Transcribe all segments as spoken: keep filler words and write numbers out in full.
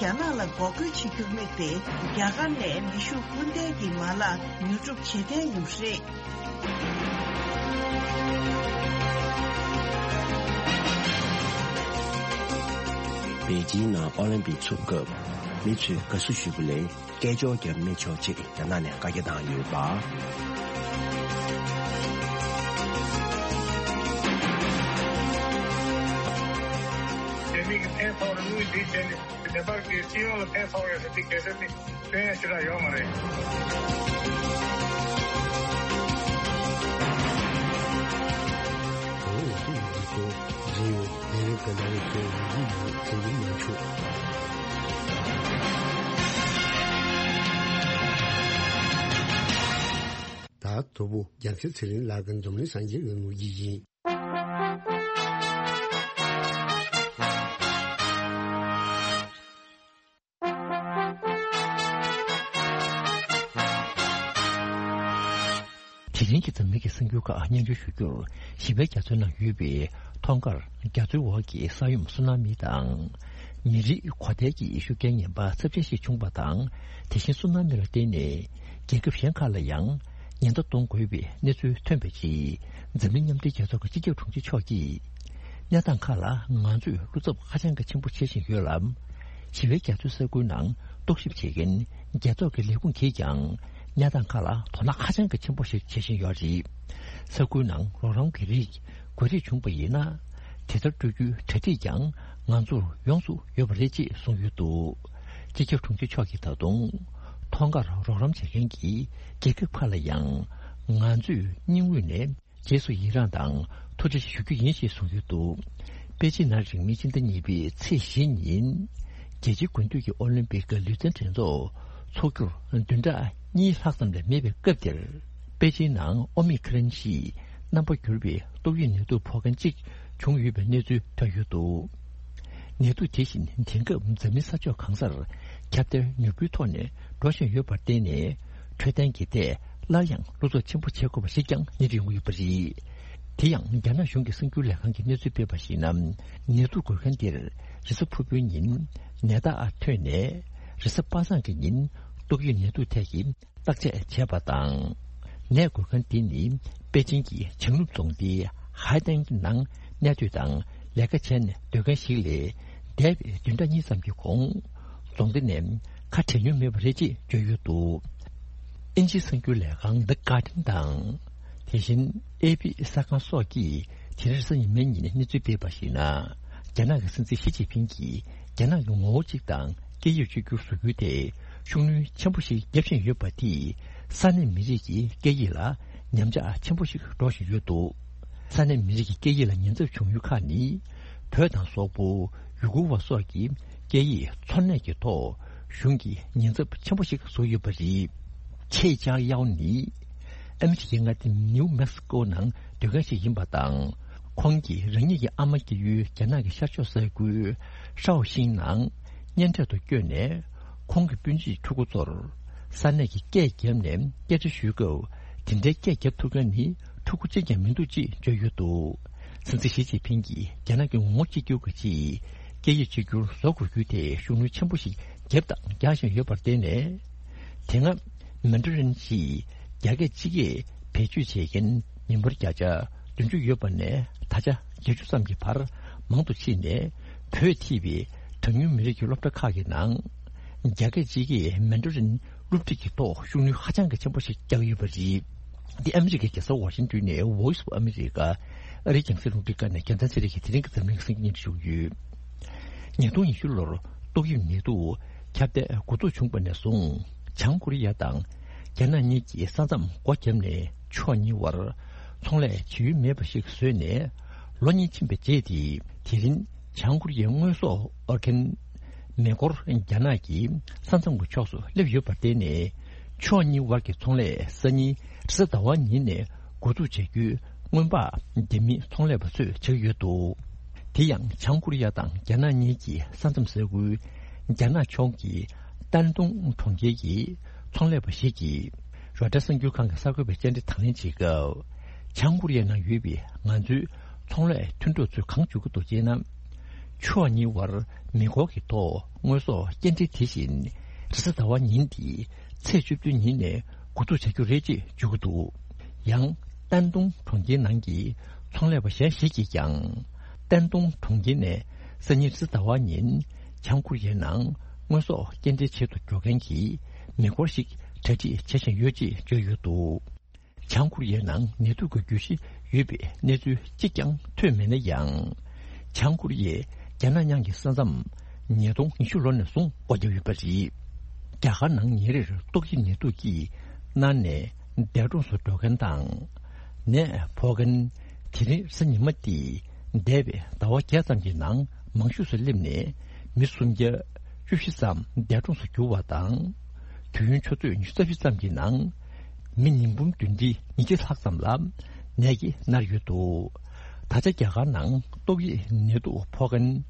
རྒྱ་ནག་ལ་འགོག་རྒོལ་བྱེད་རྒྱུར་དམིགས་ཏེ། རྒྱ་གར་ནས་མེ་ཤུགས་སྐུལ་འདེད་ཀྱི་མ་ལག་ཉོ་སྒྲུབ་བྱེད་གཏན་ཡོད་པ་རེད། པེ་ཅིན་ནང་ཨོ་ལིམ་པིག་ཚུགས་སྐབས་མི་ཚོས་དགའ་བསུ་ཞུས་པ་ལས། སྐད་ཅོར་བརྒྱབ་མི་ཆོག་ཅེས་རྒྱ་ནག་ནས་བཀའ་རྒྱ་བཏང་ཡོད་པ། རྒྱ་མི་གི་ཕན་ཐོགས་ལ་དངུལ་འདི་བྱས་ནས་ནེ་པཱལ་གྱི་སྤྱི་ཡོངས་ལ་ཕན་ཐོགས་ཡོད་ཟེར་དེ་གལ་སྲིད་དེ་སྟོན་ཡ་ཞེ་དྲག་ཡོད་མ་རེད། ད་དོ་པོ་རྒྱལ་མཚན་ཚེ་རིང་ལགས་ཀྱི་འཛམ་གླིང་སངས་རྒྱས་ཀྱི་ངོ་སྤྲོད་ཡིན། དེ་རིང་གི་འཛམ་གླིང་གི་གསར་འགྱུར་ཁག་སྙན་སྒྲོན་ཞུ་རྒྱུར། ཞི་བའི་རྒྱ་མཚོའི་ནང་ཡོད་པའི་ཐང་དཀར་རྒྱ་མཚོའི་འོག་གི་ས་ཡོམ་སུ་ན་མི་དང་། མི་རིགས་གོ་ཐལ་གྱི་ཤུགས་རྐྱེན་ངན་པ་ཚབས་ཆེན་ཞིག་བྱུང་བ་དང་། དེ་བཞིན་སུ་ན་མི་ལ་བརྟེན་ནས་རྒྱལ་ཁབ་གཞན་ཁག་ལ་ཡང་ཉེན་བརྡ་གཏོང་དགོས་པའི་གནས་ཚུལ་ཐོན་པའི་རྗེས། འཛམ་གླིང་མཉམ་འབྲེལ་རྒྱལ་ཚོགས་ཀྱི་སྤྱི་ཁྱབ་དྲུང་ཆེ་མཆོག་གིས། གནས་སྟངས་ཁག་ལ་ང་ཚོས་བློ་འཚབ་ཧ་ཅང་གི་ཆེན་པོ་བྱེད་བཞིན་ཡོད་ལ། ཞི་བའི་རྒྱ་མཚོའི་ས་ཁུལ་ནང་རྟོག་ཞིབ་བྱེད་མཁན་རྒྱལ་ཚོགས་ཀྱི་ལས་ཁུངས་ཀྱིས་ཀྱང་གནས་སྟངས་ཁག་ལ་དོ་སྣང་ཧ་ཅང་གི་ཆེན་པོ་ཞིག་བྱེད་བཞིན་ཡོད་རེད། ས་ཁུལ་ནང་རོགས་རམ་གྱི་རིགས་བཀོད་སྒྲིག་བྱུང་བ་ཡིན་ན། དེ་ལྟར་སྤྲོད་རྒྱུའི་གྲ་སྒྲིག་ཀྱང་ང་ཚོར་ཡོངས་སུ་ཡོད་པ་རེད་ཅེས་གསུངས་ཡོད་འདུག་སྤྱི་ཁྱབ་དྲུང་ཆེ་མཆོག་གིས་ད་དུང་ཐང་དཀར་རོགས་རམ་བྱེད་མཁན་གྱི་རྒྱལ་ཁབ་ཁག་ལ་ཡང་ང་ཚོས་སྙིང་དབུས་ནས། རྗེས་སུ་ཡི་རངས་དང་ཐུགས་རྗེ་ཆེ་ཞུ་རྒྱུ་ཡིན་ཞེས་གསུངས་ཡོད་འདུག་པེ་ཅིན་ནང་རིང་མིན་ཕྱི་ཟླ་གཉིས་པའི་ཚེས་བཞི་ཉིན། རྒྱལ་སྤྱིའི་དགུན་དུས་ཀྱི་ཨོ་ལིམ་པིག་གི་ལུས་རྩལ་འགྲན་ཚོགས་འཚོགས་རྒྱུར་བདུན་ཕྲག་གཉིས་ལྷག་ཙམ་ལས་མེད་པའི་སྐབས་འདིར། པེ་ཅིན་ནང་ཨོ་མི་ཁི་རོན་ཞེས་རྣམ་པ་འགྱུར་བའི་ཏོག་དབྱིབས་ནད་དུག་ཕོག་མཁན་གཅིག་བྱུང་ཡོད་པའི་གནས་ཚུལ་ཐོན་ཡོད་འདུག་ནད་དུག་དེ་བཞིན་དེང་སྐབས་འཛམ་གླིང་ས་ཕྱོགས་གང་སར་ཁྱབ་གདལ་མྱུར་པོའི་ཐོག་ནས་འགྲོ་བཞིན་ཡོད་པར་བརྟེན་ནས། འཕྲོད་བསྟེན་གྱི་ཐད་སླར་ཡང་བློ་འཚབ་ཆེན་པོ་བྱེད་དགོས་པ་ཞིག་ཀྱང་སྙན་སྒྲོན་ཡོང་གི་ཡོད་པ་རེད། དེ་ཡང་རྒྱ་ནག་གཞུང་གི་གསར་འགྱུར་ལས་ཁང་གིས་གནས་ཚུལ་སྤེལ་བར་གཞིགས་ན། ནད་དུག་འགོས་མཁན་དེར་རེས་གཟའ་ཕུར་བུའི་ཉིན་ནད་རྟགས་ཐོན་ནས། རེས་གཟའ་པ་སངས་ཀྱི་ཉིན་ཏོག་དབྱིབས་ནད་དུག་ཐད་ཀྱི་བརྟག་དཔྱད་བྱས་པ་དང་། ནད་འགོས་མཁན་དེ་ནི་པེ་ཅིན་གྱི་བྱང་ནུབ་རྫོང་སྡེའི་ཧའེ་ཏན་གྱི་ནང་གནས་སྡོད་དང་ལས་ཀ་བྱས་ནས་སྡོད་མཁན་ཞིག་ལས། འདས་པའི་བདུན་ཕྲག་གཉིས་ཙམ་གྱི་གོང་། རྫོང་སྡེ་ནས་ཁ་བྲལ་མྱོང་མེད་པ་རེད་ཅེས་བརྗོད་ཡོད་འདུག་ཨིན་ཇིའི་གསར་འགྱུར་ལས་ཁང་The Guardian་དང་། དེ་བཞིན་ཨེ་པི་གསར་ཁང་སོགས་ཀྱིས་དེ་རིང་རེས་གཟའ་ཉི་མའི་ཉིན་གནས་ཚུལ་སྤེལ་བར་གཞིགས་ན། རྒྱ་ནག་གི་སྲིད་འཛིན་ཞི་ཅིན་ཕིང་གིས་རྒྱ་ནག་གི་ངོ་བོ་གཅིག་དང་སྐད་ཡིག་གཅིག་གྱུར་བཟོ་རྒྱུའི་ཐད་ཤུགས་སྣོན་ཆེན་པོ་ཞིག་བརྒྱབ་བཞིན་ཡོད་པ་དེས་ས་གནས་མི་རིགས་ཀྱི་སྐད་ཡིག་ལ་ཉམས་ཆག་ཆེན་པོ་ཞིག་འགྲོ་བཞིན་ཡོད་འདུག་ས་གནས་མི་རིགས་ཀྱི་སྐད་ཡིག་ལ་ཉེན་ཚབས་བྱུང་ཡུལ་ཁག་ནི། བོད་དང་སོག་པོ། ཡུ་གུར་བ་སོགས་ཀྱི་སྐད་ཡིག་འཚོ་གནས་ཀྱི་ཐོག་གཞུང་གིས་ཉེན་ཚབས་ཆེན་པོ་ཞིག་བཟོ་ཡོད་པ་རེད། ཆེ་ཅཱ་ཡའོ་ནི་ཨ་མི་རི་ཀའི་མངའ་སྡེ་ནིའུ་མེག་སི་ཀོ་ནང་སྡོད་མཁན་ཞིག་ཡིན་པ་དང་། ཁོང་གིས་རང་ཉིད་ཀྱི་ཨ་མ་སྐྱེས་ཡུལ་རྒྱ་ནག་གི་ཤར་ཕྱོགས་ས་ཁུལ་ཧྲའོ་ཤིང་ནང་གཉེན་འཕྲད་དུ་བསྐྱོད་ནས། ཁོང་གི་སྤུན་མཆེད་ཕྲུ་གུ་ཚོར་ས་གནས་ཀྱི་སྐད་བརྒྱབ་ནས་སྐད་ཆ་ཞུས་སྐབས། དེ་འདྲའི་སྐད་བརྒྱབ་ཐུབ་མཁན་ནི་ཕྲུ་གུ་གཅིག་ཀྱང་མི་འདུག་ཅེས་བརྗོད་ཡོད་འདུག་སྲིད་འཛིན་ཞི་ཅིན་ཕིང་གིས་རྒྱ་ནག་གི་ངོ་བོ་གཅིག་གྱུར་གྱི་ཆེད་སྐད་ཡིག་གཅིག་གྱུར་བཟོ་དགོས་རྒྱུའི་ཐད་ཤུགས་སྣོན་ཆེན་པོ་ཞིག་བརྒྱབ་དང་རྒྱག་བཞིན་ཡོད་པར་བརྟེན་ནས། དེ་སྔ་མན་ཌ་རིན་ཞེས་རྒྱ་སྐད་སྤྱི་སྐད་བེད་སྤྱོད་བྱེད་མཁན་མི་འབོར་བརྒྱ་ཆ་བདུན་ཅུ་ཡོད་པ་ནས་ད་ཆ་བརྒྱད་ཅུ་ཙམ་གྱི་བར་མང་དུ་ཕྱིན་ནས། བོད་ཐིས་པའི་གྲངས་ཉུང་མི་རིགས་ཀྱི་སློབ་གྲྭ་ཁག་གི་ནང་རྒྱ་སྐད་སྤྱི་སྐད་མན་ཌ་རིན་སློབ་ཁྲིད་ཀྱི་ཐོག་ཤུགས་སྣོན་ཧ་ཅང་གི་ཆེན་པོ་ཞིག་བརྒྱབ་ཡོད་པ་རེད། འདི་ཨ་མི་རི་ཀའི་རྒྱལ་ས་ཝ་ཤིང་ཏོན་ནས་Voice of America་ཨ་རིའི་རྒྱང་སྲིང་རླུང་འཕྲིན་ཁང་ནས་རྒྱལ་མཚན་ཚེ་རིང་གིས་དེ་རིང་གི་འཛམ་གླིང་གི་གསར་འགྱུར་སྙན་སྒྲོན་ཞུ་གི་ཡོད། ཉིས་སྟོང་ཉི་ཤུ་ལོར་ཏོག་དབྱིབས་ནད་དུག་ཁྱབ་གདལ་འགོ་འཛུགས་བྱུང་བ་ནས་བཟུང་། བྱང་ཀོ་རི་ཡ་དང་རྒྱ་ནག་གཉིས་ཀྱིས་ས་མཚམས་སྒོ་བརྒྱབ་ནས་ཕྱོགས་གཉིས་བར་ཚོང་ལས་བྱེད་ཡུལ་མེད་པ་ཞིག་བཟོས་ནས་ལོ་གཉིས་ཕྱིན་པའི་རྗེས་དེ། དེ་རིང་བྱང་ཀོ་རི་ཡའི་དངོས་ཟོག་དབོར་མཁན་མེ་འཁོར་རྒྱ་ནག་གི་ས་མཚམས་ཀྱི་ཕྱོགས་སུ་སླེབས་ཡོད་པར་བརྟེན་ནས། ཕྱོགས་གཉིས་དབར་གྱི་ཚོང་ལས་སང་ཉིན་རེས་གཟའ་ཟླ་བ་ཉིན་ནས་འགོ་འཛུགས་བྱ་རྒྱུའི་སྔོན་དཔག་རྒྱ་མི་ཚོང་ལས་པ་ཚོས་བྱེད་ཀྱི་ཡོད་འདུག་དེ་ཡང་བྱང་ཀོ་རི་ཡ་དང་རྒྱ་ནག་གཉིས་ཀྱི་ས་མཚམས་ས་ཁུལ་རྒྱ་ནག་ཕྱོགས་ཀྱི་ཏན་ཏུང་གྲོང་ཁྱེར་གྱི་ཚོང་ལས་པ་ཞིག་གིས་རོའི་ཊར་གསར་འགྱུར་ཁང་གི་གསར་འགོད་པའི་བཅར་འདྲི་དང་ལེན་བྱེད་སྐབས། བྱང་ཀོ་རི་ཡའི་ནང་ཡོད་པའི་ང་ཚོའི་ཚོང་ལས་མཐུན་གྲོགས་ཚོས་གང་བརྗོད་ཀྱི་འདུག་ཅེ་ན། ཕྱོགས་གཉིས་བར་མེ་འཁོར་གྱི་ཐོག་དངོས་ཟོག་སྐྱེལ་འདྲེན་དེ་བཞིན་རེས་གཟའ་ཟླ་བ་ཉིན་དེའི་ཚེས་བཅུ་བདུན་ཉིན་ནས་འགོ་འཛུགས་བྱ་རྒྱུ་རེད་ཅེས་བརྗོད་ཀྱི་འདུག། ཡང་ཏན་ཏུང་གྲོང་ཁྱེར་ནང་གི་ཚོང་ལས་པ་གཞན་ཞིག་གིས་ཀྱང་། ཏན་ཏུང་གྲོང་ཁྱེར་ནས་སང་ཉིན་རེས་གཟའ་ཟླ་བ་ཉིན་བྱང་ཀོ་རི་ཡའི་ནང་དངོས་ཟོག་སྐྱེལ་འདྲེན་བྱེད་དུ་འགྲོ་མཁན་གྱི་མེ་འཁོར་ཞིག་གྲ་སྒྲིག་བྱེད་བཞིན་ཡོད་ཅེས་བརྗོད་ཡོད་འདུག། བྱང་ཀོ་རི་ཡའི་ནང་ནད་དུག་གི་རྒྱུད་བཞི་ཡོད་པའི་གནས་ཚུལ་གཅིག་ཀྱང་ཐོན་མེད་ན་ཡང་། བྱང་ཀོ་རི་ཡས་རྒྱ་ནག་མཉམ་གྱི་ས་མཚམས་ཉིས་སྟོང་ཉི་ཤུ་ལོ་ནས་བཟུང་སྒོ་བརྒྱབ་ཡོད་པ་རེད། རྒྱ་གར་ནང་ཉིན་རེར་ཏོག་དབྱིབས་ནད་དུག་གིས་མནར་ནས་འདས་གྲོངས་སུ་འགྲོ་མཁན་དང་། ནད་ཕོག་མཁན་དེ་རིང་རེས་གཟའ་ཉི་མ་སྟེ། འདས་པའི་ཟླ་བ་བརྒྱད་ཙམ་གྱི་ནང་མང་ཤོས་སུ་སླེབས་ནས་མི་སུམ་བརྒྱ་བཅུ་བཞི་ཙམ་འདས་གྲོངས་སུ་གྱུར་བ་དང་། དུས་ཡུན་ཆུ་ཚོད་ཉི་ཤུ་རྩ་བཞི་ཙམ་གྱི་ནང་མི་ཉིས་འབུམ་བདུན་ཁྲི་ཉིས་བརྒྱ་ལྷག་ཙམ་ལ་ནད་ཀྱིས་མནར་ཡོད་འདུག། ད་ཆ་རྒྱ་གར་ནང་ཏོག་དབྱིབས་ནད་དུག་ཕོག་མཁན་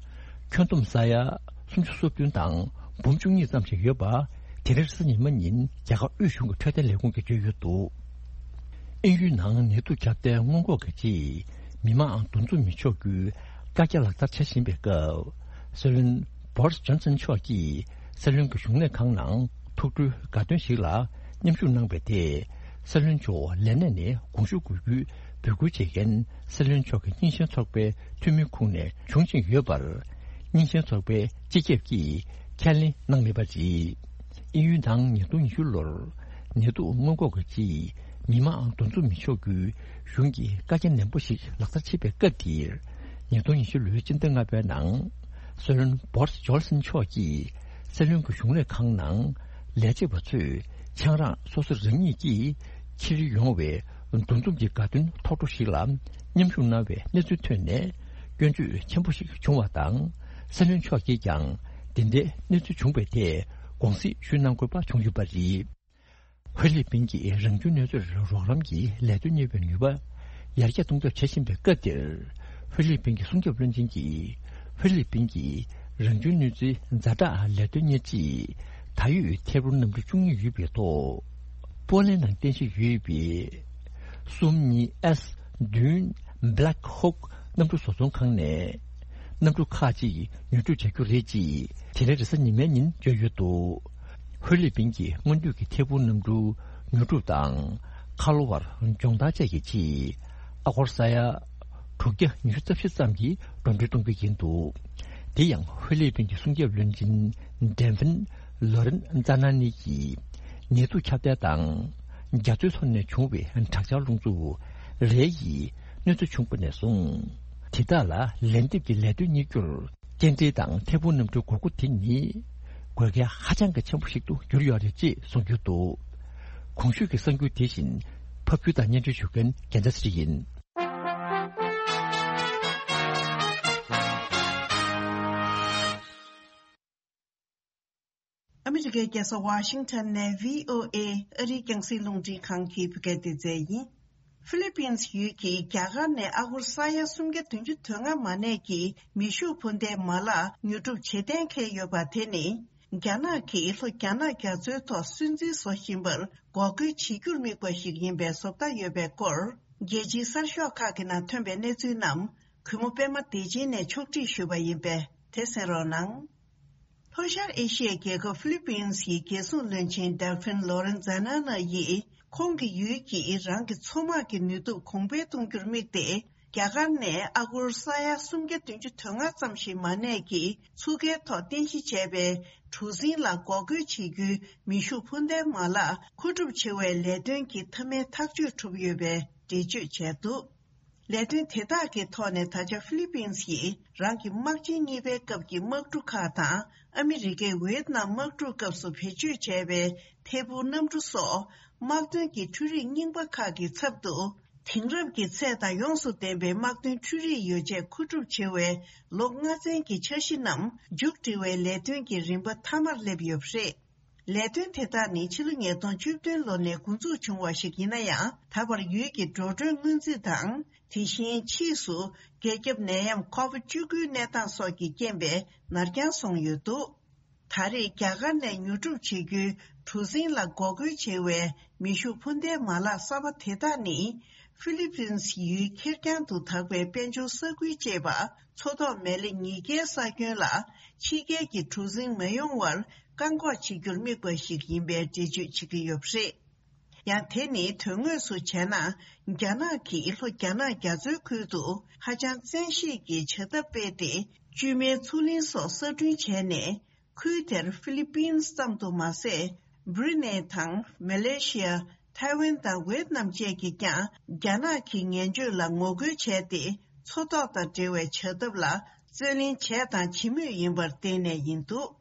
ཁྱོན་བསྡོམས་ས་ཡ་སུམ་ཅུ་སོ་བདུན་དང་འབུམ་བཅུ་གཉིས་ཙམ་ཞིག་ཡོད་པ་དེ་རིང་རེས་གཟའ་ཉི་མ་ཉིན་རྒྱ་གར་དབུས་གཞུང་གི་འཕྲོད་བསྟེན་ལས་ཁུངས་ཀྱིས་བརྗོད་ཡོད་འདུག། དབྱིན་ཡུལ་ནང་ནད་དུག་ཁྱབ་གདལ་སྔོན་འགོག་གི་ཆེད་མི་མང་འདུ་འཛོམས་མི་ཆོག་རྒྱུའི་བཀའ་རྒྱ་ལག་བསྟར་བྱ་བཞིན་པའི་སྐབས། སྲིད་བློན་བོ་རིས་ཇོན་སན་མཆོག་གིས་སྲིད་བློན་གྱི་གཞུང་ལས་ཁང་ནང་ཐུགས་སྤྲོའི་དགའ་སྟོན་ཞིག་ལ་མཉམ་ཞུགས་གནང་བའི་ཐད། སྲིད་བློན་མཆོག་ལས་གནས་ནས་དགོངས་ཞུ་དགོས་རྒྱུའི་འབོད་སྐུལ་བྱེད་མཁན་སྲིད་བློན་མཆོག་གི་རྙིང་ཞེན་ཚོགས་པའི་འཐུས་མི་ཁོངས་ནས་བྱུང་བཞིན་ཡོད་པར། རྙིང་ཞེན་ཚོགས་པའི་སྤྱི་ཁྱབ་ཀྱིས་ཁས་ལེན་གནང་མེད་པ་རེད། དབྱིན་ཡུལ་ནང་ཉིས་སྟོང་ཉི་ཤུ་ལོར་ནད་དུག་སྔོན་འགོག་གི་ཆེད་མི་མང་འདུ་འཛོམས་མི་ཆོག་རྒྱུའི་གཞུང་གི་བཀའ་རྒྱ་ནན་པོ་ཞིག་ལག་བསྟར་བྱེད་པའི་སྐབས་དེར། ཉིས་སྟོང་ཉི་ཤུ་ལོའི་སྤྱི་ཟླ་ལྔ་པའི་ནང་སྲིད་བློན་བོ་རིས་ཇོན་སན་མཆོག་གིས་སྲིད་བློན་གྱི་གཞུང་ལས་ཁང་ནང་ལས་བྱེད་པ་ཚོས་ཆང་རག་སོ་སོ་རང་ཉིད་ཀྱིས་འཁྱེར་ཡོང་བའི་འདུ་འཛོམས་ཀྱི་དགའ་སྟོན་ཐོག་འཕྲོ་ཞིག་ལ་མཉམ་ཞུགས་གནང་བའི་གནས་ཚུལ་ཐོན་ནས་སྐྱོན་བརྗོད་ཆེན་པོ་ཞིག་བྱུང་བ་དང་། སྲིད་བློན་མཆོག་གིས་ཀྱང་དེ་འདྲའི་གནས་ཚུལ་བྱུང་བའི་ཐད་དགོངས་སེལ་ཞུ་གནང་དགོས་པ་བྱུང་ཡོད་པ་རེད། ཧྥི་ལི་པིན་གྱིས་རང་བྱུང་གནོད་འཚེར་རོགས་རམ་གྱི་ལས་དོན་གཉེར་བའི་ནུས་པ་ཡར་རྒྱས་གཏོང་ཐབས་བྱེད་བཞིན་པའི་སྐབས་འདིར། ཧྥི་ལི་པིན་གྱི་སྲུང་སྐྱོབ་བློན་ཆེན་གྱིས་ཧྥི་ལི་པིན་གྱི་རང་བྱུང་གནོད་འཚེའི་ཛ་དྲག་ལས་དོན་གཉེར་ཆེད་ད་ཡོད་ཐད་འཕུར་གནམ་གྲུ་བཅུ་གཉིས་ཡོད་པའི་ཐོག་པོ་ལན་ནང་རྟེན་གཞི་ཡོད་པའི་སུམ་གཉིས་ཨེས་བདུན་Black Hawk གནམ་གྲུ་བཟོ་ཚོང་ཁང་ནས། གནམ་གྲུ་ཁག་ཅིག་ཉོ་སྒྲུབ་བྱ་རྒྱུ་རེད་ཅེས་དེ་རིང་རེས་གཟའ་ཉི་མའི་ཉིན་བརྗོད་ཡོད་འདུག། ཧྥི་ལི་པིན་གྱི་སྔོན་དུས་ཀྱི་ཐད་འཕུར་གནམ་གྲུ་ཉོ་སྒྲུབ་དང་། ཁ་ལོ་བར་སྦྱོང་བརྡར་བཅས་ཀྱི་ཆེད། ཨ་སྒོར་ས་ཡ་དྲུག་བརྒྱ་ཉི་ཤུ་རྩ་བཞི་ཙམ་གྱི་འགྲོ་གྲོན་གཏོང་རྒྱུ་ཡིན་འདུག། དེ་ཡང་ཧྥི་ལི་པིན་གྱི་སྲུང་སྐྱོབ་བློན་ཆེན་ཌེ་ཕིན་ལོ་རེན་ཛ་ན་ནི་གིས། ནད་དུག་ཁྱབ་གདལ་དང་། རྒྱ་མཚོའི་ལྷོ་ནས་བྱུང་བའི་དྲག་ཆར་རླུང་འཚུབ་རེ་ཡིས་གནོད་འཚེ་བྱུང་བ་ནས་བཟུང་། དེ་དག་ལ་ལན་འདེབས་ཀྱི་ལས་དོན་གཉེར་རྒྱུར། སྐྱེལ་འདྲེན་དང་ཐད་འཕུར་གནམ་གྲུའི་དགོས་མཁོ་དེ་ནི་དགོས་གལ་ཧ་ཅང་གི་ཆེན་པོ་ཞིག་ཏུ་གྱུར་ཡོད་རེད་ཅེས་གསུངས་ཡོད་འདུག། གོང་ཞུས་ཀྱི་གསར་འགྱུར་དེ་བཞིན་ཕབ་སྒྱུར་དང་སྙན་སྒྲོན་ཞུ་མཁན་རྒྱལ་མཚན་ཚེ་རིང་ཡིན། ཨ་མི་རི་ཀའི་རྒྱལ་ས་ཝ་ཤིང་ཊོན་ནས་བྷི་ཨོ་ཨེ་ཨ་རིའི་རྒྱང་སྲིང་རླུང་འཕྲིན་ཁང་གི་བོད་སྐད་སྡེ་ཚན་ཡིན། ཧྥི་ལི་པིན་ཡུལ་གྱིས་རྒྱ་གར་ནས་ཨ་སྒོར་ས་ཡ་སུམ་བརྒྱ་བདུན་ཅུ་དོན་ལྔ་མ་གནས་ཀྱི་མེ་ཤུགས་འཕུར་མདའི་མ་ལག་ཉོ་སྒྲུབ་བྱེད་གཏན་འཁེལ་ཡོད་པ་དེ་ནི། རྒྱ་ནག་གིས་ལྷོ་རྒྱ་ནག་རྒྱ་མཚོའི་ཐོག་སྲིད་འཛིན་བཟོ་བཞིན་པར་འགོག་རྒོལ་བྱེད་རྒྱུར་དམིགས་པ་ཞིག་ཡིན་པའི་བཟོ་ལྟ་ཡོད་པའི་སྐོར། རྒྱལ་སྤྱིའི་གསར་ཤོག་ཁག་གི་ནང་ཐོན་པའི་གནས་ཚུལ་རྣམས། གུས་མོ་པད་མ་བདེ་ཆེན་ནས་ཕྱོགས་སྒྲིག་ཞུས་པ་ཡིན་པས་དེ་གསན་རོགས་གནང་། ལྷོ་ཤར་ཨེ་ཤི་ཡའི་རྒྱལ་ཁབ་ཧྥི་ལི་པིན་ཡི་རྒྱལ་སྲུང་བློན་ཆེན་ཌེལ་ཕིན་ལོ་རེན་ཛ་ན་ན་ཡིས། ཁོང་གི་ཡུལ་གྱིས་རང་གི་མཚོ་དམག་གི་ནུས་སྟོབས་གོང་འཕེལ་གཏོང་རྒྱུར་དམིགས་ཏེ། རྒྱ་གར་ནས་ཨ་སྒོར་ས་ཡ་སུམ་བརྒྱ་བདུན་ཅུ་དོན་ལྔ་ཙམ་ཞིག་མ་གནས་ཀྱི་མཚོ་ཁའི་ཐོག་རྟེན་གཞི་བྱས་པའི་གྲུ་གཟིངས་ལ་འགོག་རྒོལ་བྱེད་རྒྱུའི་མེ་ཤུགས་འཕུར་མདའི་མ་ལག་མཁོ་སྒྲུབ་བྱེད་པའི་ལས་དོན་གྱི་མཐའ་མའི་ཐག་གཅོད་གྲུབ་ཡོད་པའི་འགྲེལ་བརྗོད་བྱས་འདུག། ལས་དོན་དེ་དག་གི་ཐོག་ནས་ད་ཆ་ཧྥི་ལི་པིན་ཡིས་རང་གི་དམག་ཆེན་གཉིས་པའི་སྐབས་ཀྱི་དམག་གྲུ་ཁག་དང་ཨ་མི་རི་ཀའི་ཝེ་ཏི་ནམ་དམག་གྲུ་སྐབས་སུ་བེད་སྤྱོད་བྱས་པའི་ཐད་འཕུར་གནམ་གྲུ་སོགས་དམག་དོན་གྱི་འཕྲུལ་རིག་རྙིང་པ་ཁག་གི་ཚབ་ཏུ། དེང་རབས་ཀྱི་ཚད་དང་ཡོངས་སུ་ལྡན་པའི་དམག་དོན་འཕྲུལ་རིག་ཡོ་བྱད་མཁོ་སྒྲུབ་བྱེད་པའི་ལོ་ལྔ་ཚན་གྱི་འཆར་གཞི་རྣམས་མཇུག་སྒྲིལ་བའི་ལས་དོན་གྱི་རིམ་པ་མཐའ་མར་སླེབས་ཡོད་པ་རེད། ལས་དོན་དེ་དག་ནི་ཕྱི་ལོ་ཉིས་སྟོང་བཅུ་བདུན་ལོ་ནས་འགོ་འཛུགས་བྱུང་བ་ཞིག་ཡིན་ན་ཡང་། ད་བར་ཡུལ་གྱི་འགྲོ་གྲོན་སྔོན་རྩིས་དང་། དེ་བཞིན་ཕྱིས་སུ་རྒྱ་ཁྱབ་ནད་ཡམས་ཁོ་བིད་བཅུ་དགུའི་གནས་སྟངས་སོགས་ཀྱི་རྐྱེན་པས་ནར་འགྱངས་སོང་ཡོད་འདུག། ད་རེས་རྒྱ་གར་ནས་ཉོ་སྒྲུབ་བྱེད་རྒྱུའི་གྲུ་གཟིངས་ལ་འགོག་རྒོལ་བྱེད་པའི་མེ་ཤུགས་འཕུར་མདེལ་མ་ལག་གསར་པ་དེ་དག་ནི། ཧྥི་ལི་པིན་སི་ཡུལ་ཁེར་རྐྱང་དུ་དག་པའི་དཔལ་འབྱོར་ས་ཁུལ་ཅེས་པ་མཚོ་ཐོག་མེ་ལེ་ཉིས་ཀའི་ས་ཁྱོན་ལ་ཕྱི་རྒྱལ་གྱི་གྲུ་གཟིངས་མ་ཡོང་བར་བཀག་འགོག་བྱེད་རྒྱུར་དམིགས་པ་ཞིག་ཡིན་པའི་འགྲེལ་བརྗོད་བྱེད་ཀྱི་ཡོད་པ་རེད། ཡང་དེ་ནི་དོན་དངོས་སུ་བྱས་ན། རྒྱ་ནག་གིས་ལྷོ་རྒྱ་ནག་རྒྱ་མཚོའི་ཁུལ་དུ་ཧ་ཅང་བཙན་ཤེད་ཀྱི་བྱ་ཐབས་སྤེལ་ཏེ། བཅོས་མའི་མཚོ་གླིང་སོགས་གསར་སྐྲུན་བྱས་ནས། ཁུལ་དེར་ཧྥི་ལི་པིན་ཙམ་དུ་མ་ཟད། བྷུ་རུ་ནེ་དང་མ་ལེ་ཤི་ཡ། ཐའེ་ཝན་དང་ཝེ་ཏི་ནམ་བཅས་ཀྱིས་ཀྱང་རྒྱ་ནག་གི་ངན་སྤྱོད་ལ་ངོ་རྒོལ་བྱས་ཏེ། མཚོ་ཐོག་དང་འབྲེལ་བའི་བྱ་ཐབས་ལ་རྩོད་ལེན་བྱས་དང་བྱེད་མུས་ཡིན་པར་བརྟེན་ནས་ཡིན་འདུག།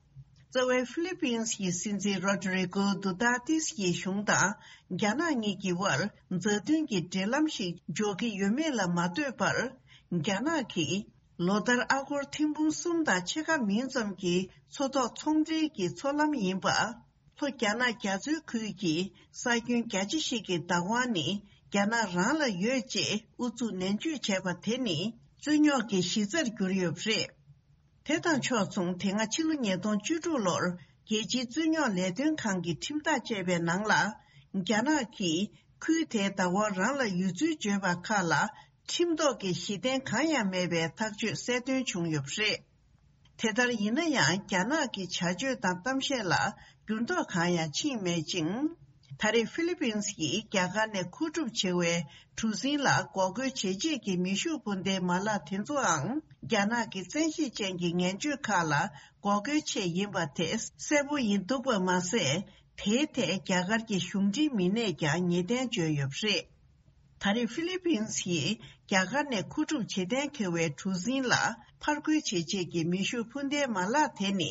རྩ་བའི་ཧྥི་ལི་པིན་གྱི་སྲིད་འཛིན་རོ་ཌི་རི་གོ་དུ་ཏཱ་ཏིས་ཀྱི་གཞུང་དང་རྒྱ་ནག་གཉིས་ཀྱི་དབར་མཛའ་མཐུན་གྱི་འབྲེལ་ལམ་ཞིག་འཇོག་གི་ཡོད་མེད་ལ་མ་ལྟོས་པར། རྒྱ་ནག་གིས་ལོ་ལྟར་ཨ་སྒོར་ཐེར་འབུམ་གསུམ་དང་ཕྱེད་ཀ་མིན་ཙམ་གྱི་མཚོ་ཐོག་ཚོང་འབྲེལ་གྱི་མཚོ་ལམ་ཡིན་པ། ལྷོ་རྒྱ་ནག་རྒྱ་མཚོའི་ཁུལ་གྱི་ས་ཁྱོན་རྒྱ་ཆེ་ཞིག་གི་བདག་དབང་ནི་རྒྱ་ནག་རང་ལ་ཡོད་ཅེས་ཨུ་ཚུགས་ནན་བརྗོད་བྱས་པ་དེ་ནི་རྩོད་རྙོག་གི་གཞི་རྩར་གྱུར་ཡོད་པ་རེད། དེ་དང་ཕྱོགས་མཚུངས། དེ་སྔ་ཕྱི་ལོ་ཉིས་སྟོང་བཅུ་དྲུག་ལོར་རྒྱལ་སྤྱིའི་རྩོད་རྙོག་ལས་དོན་ཁང་གི་ཁྲིམས་ཐག་བཅད་པའི་ནང་ལ། རྒྱ་ནག་གིས་ཁུལ་དེའི་བདག་དབང་རང་ལ་ཡོད་ཚུལ་བརྗོད་པ་ཁག་ལ། ཁྲིམས་ཐོག་གི་གཞི་རྟེན་གང་ཡང་མེད་པའི་ཐག་གཅོད་གསལ་སྟོན་བྱུང་ཡོད་པ་རེད། དེ་ལྟར་ཡིན་ན་ཡང་། རྒྱ་ནག་གི་བྱ་སྤྱོད་དང་གཏམ་བཤད་ལ་འགྱུར་ལྡོག་གང་ཡང་ཕྱིན་མེད་ཅིང་། ད་རེས་ཧྥི་ལི་པིན་གྱིས་རྒྱ་གར་ནས་མཁོ་སྒྲུབ་བྱེད་པའི་གྲུ་གཟིངས་ལ་འགོག་རྒོལ་བྱེད་ཆེད་ཀྱི་མེ་ཤུགས་འཕུར་མདའི་མ་ལག་དེ་ཚོའང་རྒྱ་ནག་གི་བཙན་ཤེད་ཅན་གྱི་ངན་སྤྱོད་ཁག་ལ་འགོག་རྒོལ་ཆེད་ཡིན་པ་དེ་གསལ་པོ་ཡིན་འདུག་པ་མ་ཟད། དེའི་ཐད་རྒྱ་གར་གྱི་གཞུང་འབྲེལ་མི་སྣས་ཀྱང་ངེས་གཏན་བརྗོད་ཡོད་པ་རེད། ད་རེས་ཧྥི་ལི་པིན་གྱིས་རྒྱ་གར་ནས་མཁོ་སྒྲུབ་བྱེད་གཏན་འཁེལ་བའི་གྲུ་གཟིངས་ལ་ཕར་རྒོལ་བྱེད་ཆེད་ཀྱི་མེ་ཤུགས་འཕུར་མདའི་མ་ལག་དེ་ནི།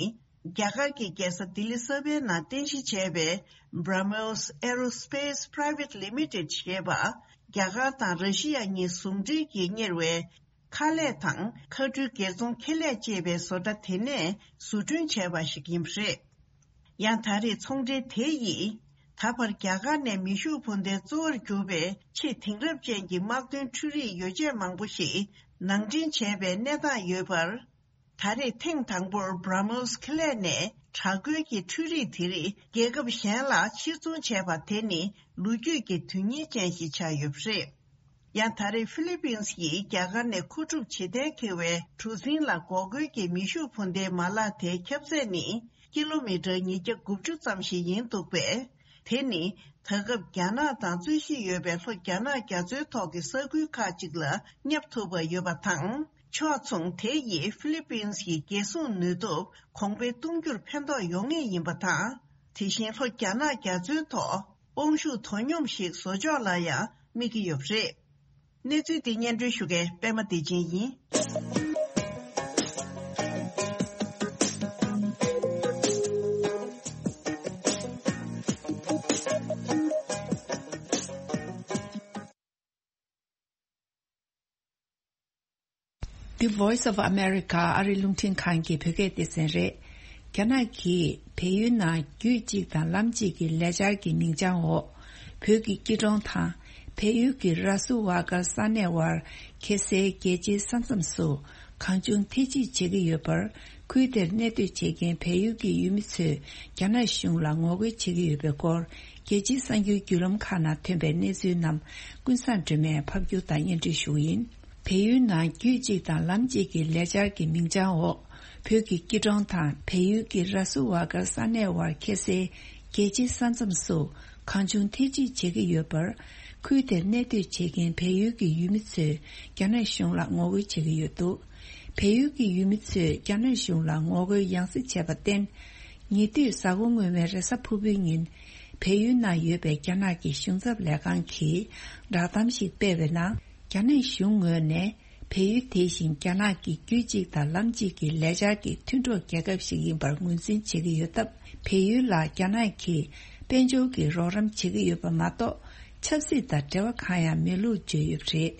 རྒྱ་གར་གྱི་རྒྱལ་ས་ལྡི་ལི་གསར་པའི་ནང་རྟེན་གཞི་བྱས་པའི་Brahmos Aerospace Private Limited ཞེས་པ། རྒྱ་གར་དང་ར་ཤི་ཡ་གཉིས་ཟུང་འབྲེལ་གྱིས་གཉེར་བའི་ཁ་ལས་དང་མཁའ་འགྲུལ་སྒེར་ཚོང་ཁེ་ལས་ཅེས་པའི་བཟོ་གྲྭ་དེ་ནས་བཟོ་སྐྲུན་བྱས་པ་ཞིག་ཡིན་པ་རེད། ཡང་ད་རེས་ཚོང་འབྲེལ་དེ་ཡིས། ད་བར་རྒྱ་གར་ནས་མེ་ཤུགས་འཕུར་མདའི་གཙོ་བོར་གྱུར་པའི་ཆེས་དེང་རབས་ཅན་གྱི་དམག་དོན་འཕྲུལ་རིག་ཡོ་བྱད་མང་པོ་ཞིག་ནང་འདྲེན་བྱས་པའི་གནས་སྟངས་ཡོད་པར། ད་རེས་ཐེངས་དང་པོར་Brahmos་ཁེ་ལས་ནས་དྲག་རྒོལ་གྱི་འཕྲུལ་རིག་དེ་རིགས་རྒྱལ་ཁབ་གཞན་ལ་ཕྱིར་ཚོང་བྱས་པ་དེ་ནི་ལོ་རྒྱུས་ཀྱི་དོན་རྐྱེན་ཅན་ཞིག་ཆགས་ཡོད་པ་རེད། ཡང་ད་རེས་ཧྥི་ལི་པིན་གྱིས་རྒྱ་གར་ནས་མཁོ་སྒྲུབ་བྱེད་གཏན་འཁེལ་བའི་གྲུ་གཟིངས་ལ་འགོག་རྒོལ་གྱི་མེ་ཤུགས་འཕུར་མདའི་མ་ལག་དེའི་ཁྱབ་ཚད་ནི་ཀི་ལོ་མི་ཊར་ཉིས་བརྒྱ་དགུ་བཅུ་ཙམ་ཞིག་ཡིན་འདུག་པས། དེ་ནི་ད་སྐབས་རྒྱ་ནག་དང་རྩོད་གཞི་ཡོད་པའི་ལྷོ་རྒྱ་ནག་རྒྱ་མཚོའི་ཐོག་གི་ས་ཁུལ་ཁག་ཅིག་ལ་བསྙབ་ཐུབ་པ་ཡོད་པ་དང་། ཕྱོགས་མཚུངས། དེ་ཡིས་ཧྥི་ལི་པིན་གྱི་རྒྱལ་སྲུང་ནུས་སྟོབས་གོང་འཕེལ་གཏོང་རྒྱུར་ཕན་ཐོགས་ཡོང་ངེས་ཡིན་པ་དང་། དེ་བཞིན་ལྷོ་རྒྱ་ནག་རྒྱ་མཚོའི་ཐོག་དབང་ཤུགས་དོ་སྙོམས་ཤིག་བཟོ་ཕྱོགས་ལ་ཡང་དམིགས་ཀྱི་ཡོད་པ་རེད། གནས་ཚུལ་འདི་སྙན་སྒྲོན་ཞུ་མཁན་པད་མ་བདེ་ཆེན་ཡིན། The Voice of America ཨ་རི་རླུང་འཕྲིན་ཁང་གི་བོད་སྐད་སྡེ་ཚན་རེད། རྒྱ་ནག་གིས་བལ་ཡུལ་ནང་རྒྱུད་གཅིག་དང་ལམ་གཅིག་གི་ལས་འཆར་གྱི་མིང་རྐྱང་འོག་བོད་ཀྱི་སྐྱིད་གྲོང་དང་བལ་ཡུལ་གྱི་ར་སུ་ཝ་ཀར་ས་གནས་དབར་ཁེ་སའི་རྒྱལ་སྤྱིའི་ས་མཚམས་སུ་གང་བྱུང་ཐེ་ཇུས་བྱེད་ཀྱི་ཡོད་པར། ཁུལ་དེར་གནས་སྡོད་བྱེད་མཁན་བལ་ཡུལ་གྱི་ཡུལ་མི་ཚོས་རྒྱ་ནག་གཞུང་ལ་ངོ་རྒོལ་བྱེད་ཀྱི་ཡོད་པའི་སྐོར། རྒྱལ་སྤྱིའི་གསར་འགྱུར་བརྒྱུད་ལམ་ཁག་ནང་ཐོན་པའི་གནས་ཚུལ་རྣམས་ཀུན་བཟང་སྒྲོལ་མས་ཕབ་སྒྱུར་དང་སྙན་སྒྲོན་ཞུ་གི་ཡིན། བལ་ཡུལ་ནང་རྒྱུད་གཅིག་དང་ལམ་གཅིག་གི་ལས་འཆར་གྱི་མིང་རྐྱང་འོག་བོད་ཀྱི་སྐྱིད་གྲོང་དང་བལ་ཡུལ་གྱི་ར་སུ་ཝ་ཀར་ས་གནས་དབར་ཁེ་སའི་རྒྱལ་སྤྱིའི་ས་མཚམས་སུ་གང་བྱུང་ཐེ་ཇུས་བྱེད་ཀྱི་ཡོད་པར། ཁུལ་དེར་གནས་སྡོད་བྱེད་མཁན་བལ་ཡུལ་གྱི་ཡུལ་མི་ཚོས་རྒྱ་ནག་གཞུང་ལ་ངོ་རྒོལ་བྱེད་ཀྱི་ཡོད་འདུག། བལ་ཡུལ་གྱི་ཡུལ་མི་ཚོས་རྒྱ་ནག་གཞུང་ལ་ངོ་རྒོལ་ཡང་སེ་བྱས་པར་བརྟེན། ཉེ་དུས་གཟའ་འཁོར་སྔོན་མའི་རེས་གཟའ་ཕུར་བུའི་ཉིན། བལ་ཡུལ་ནང་ཡོད་པའི་རྒྱ་ནག་གི་གཞུང་ཚབ་ལས་ཁང་གིས་བསྒྲགས་གཏམ་ཞིག་སྤེལ་བའི་ནང་། རྒྱ་ནག་གཞུང་ངོས་ནས་བལ་ཡུལ་དེ་བཞིན་རྒྱ་ནག་གི་རྒྱུད་གཅིག་དང་ལམ་གཅིག་གི་ལས་འཆར་གྱི་མཐུན་གྲོགས་རྒྱལ་ཁབ་ཞིག་ཡིན་པར་ངོས་འཛིན་བྱེད་ཀྱི་ཡོད་སྟབས། བལ་ཡུལ་ལ་རྒྱ་ནག་གིས་དཔལ་འབྱོར་གྱི་རོགས་རམ་བྱེད་ཀྱི་ཡོད་པ་མ་གཏོགས། ཆབ་སྲིད་དང་འབྲེལ་བ་གང་ཡང་མེད་ལུགས་བརྗོད་ཡོད་པ་རེད།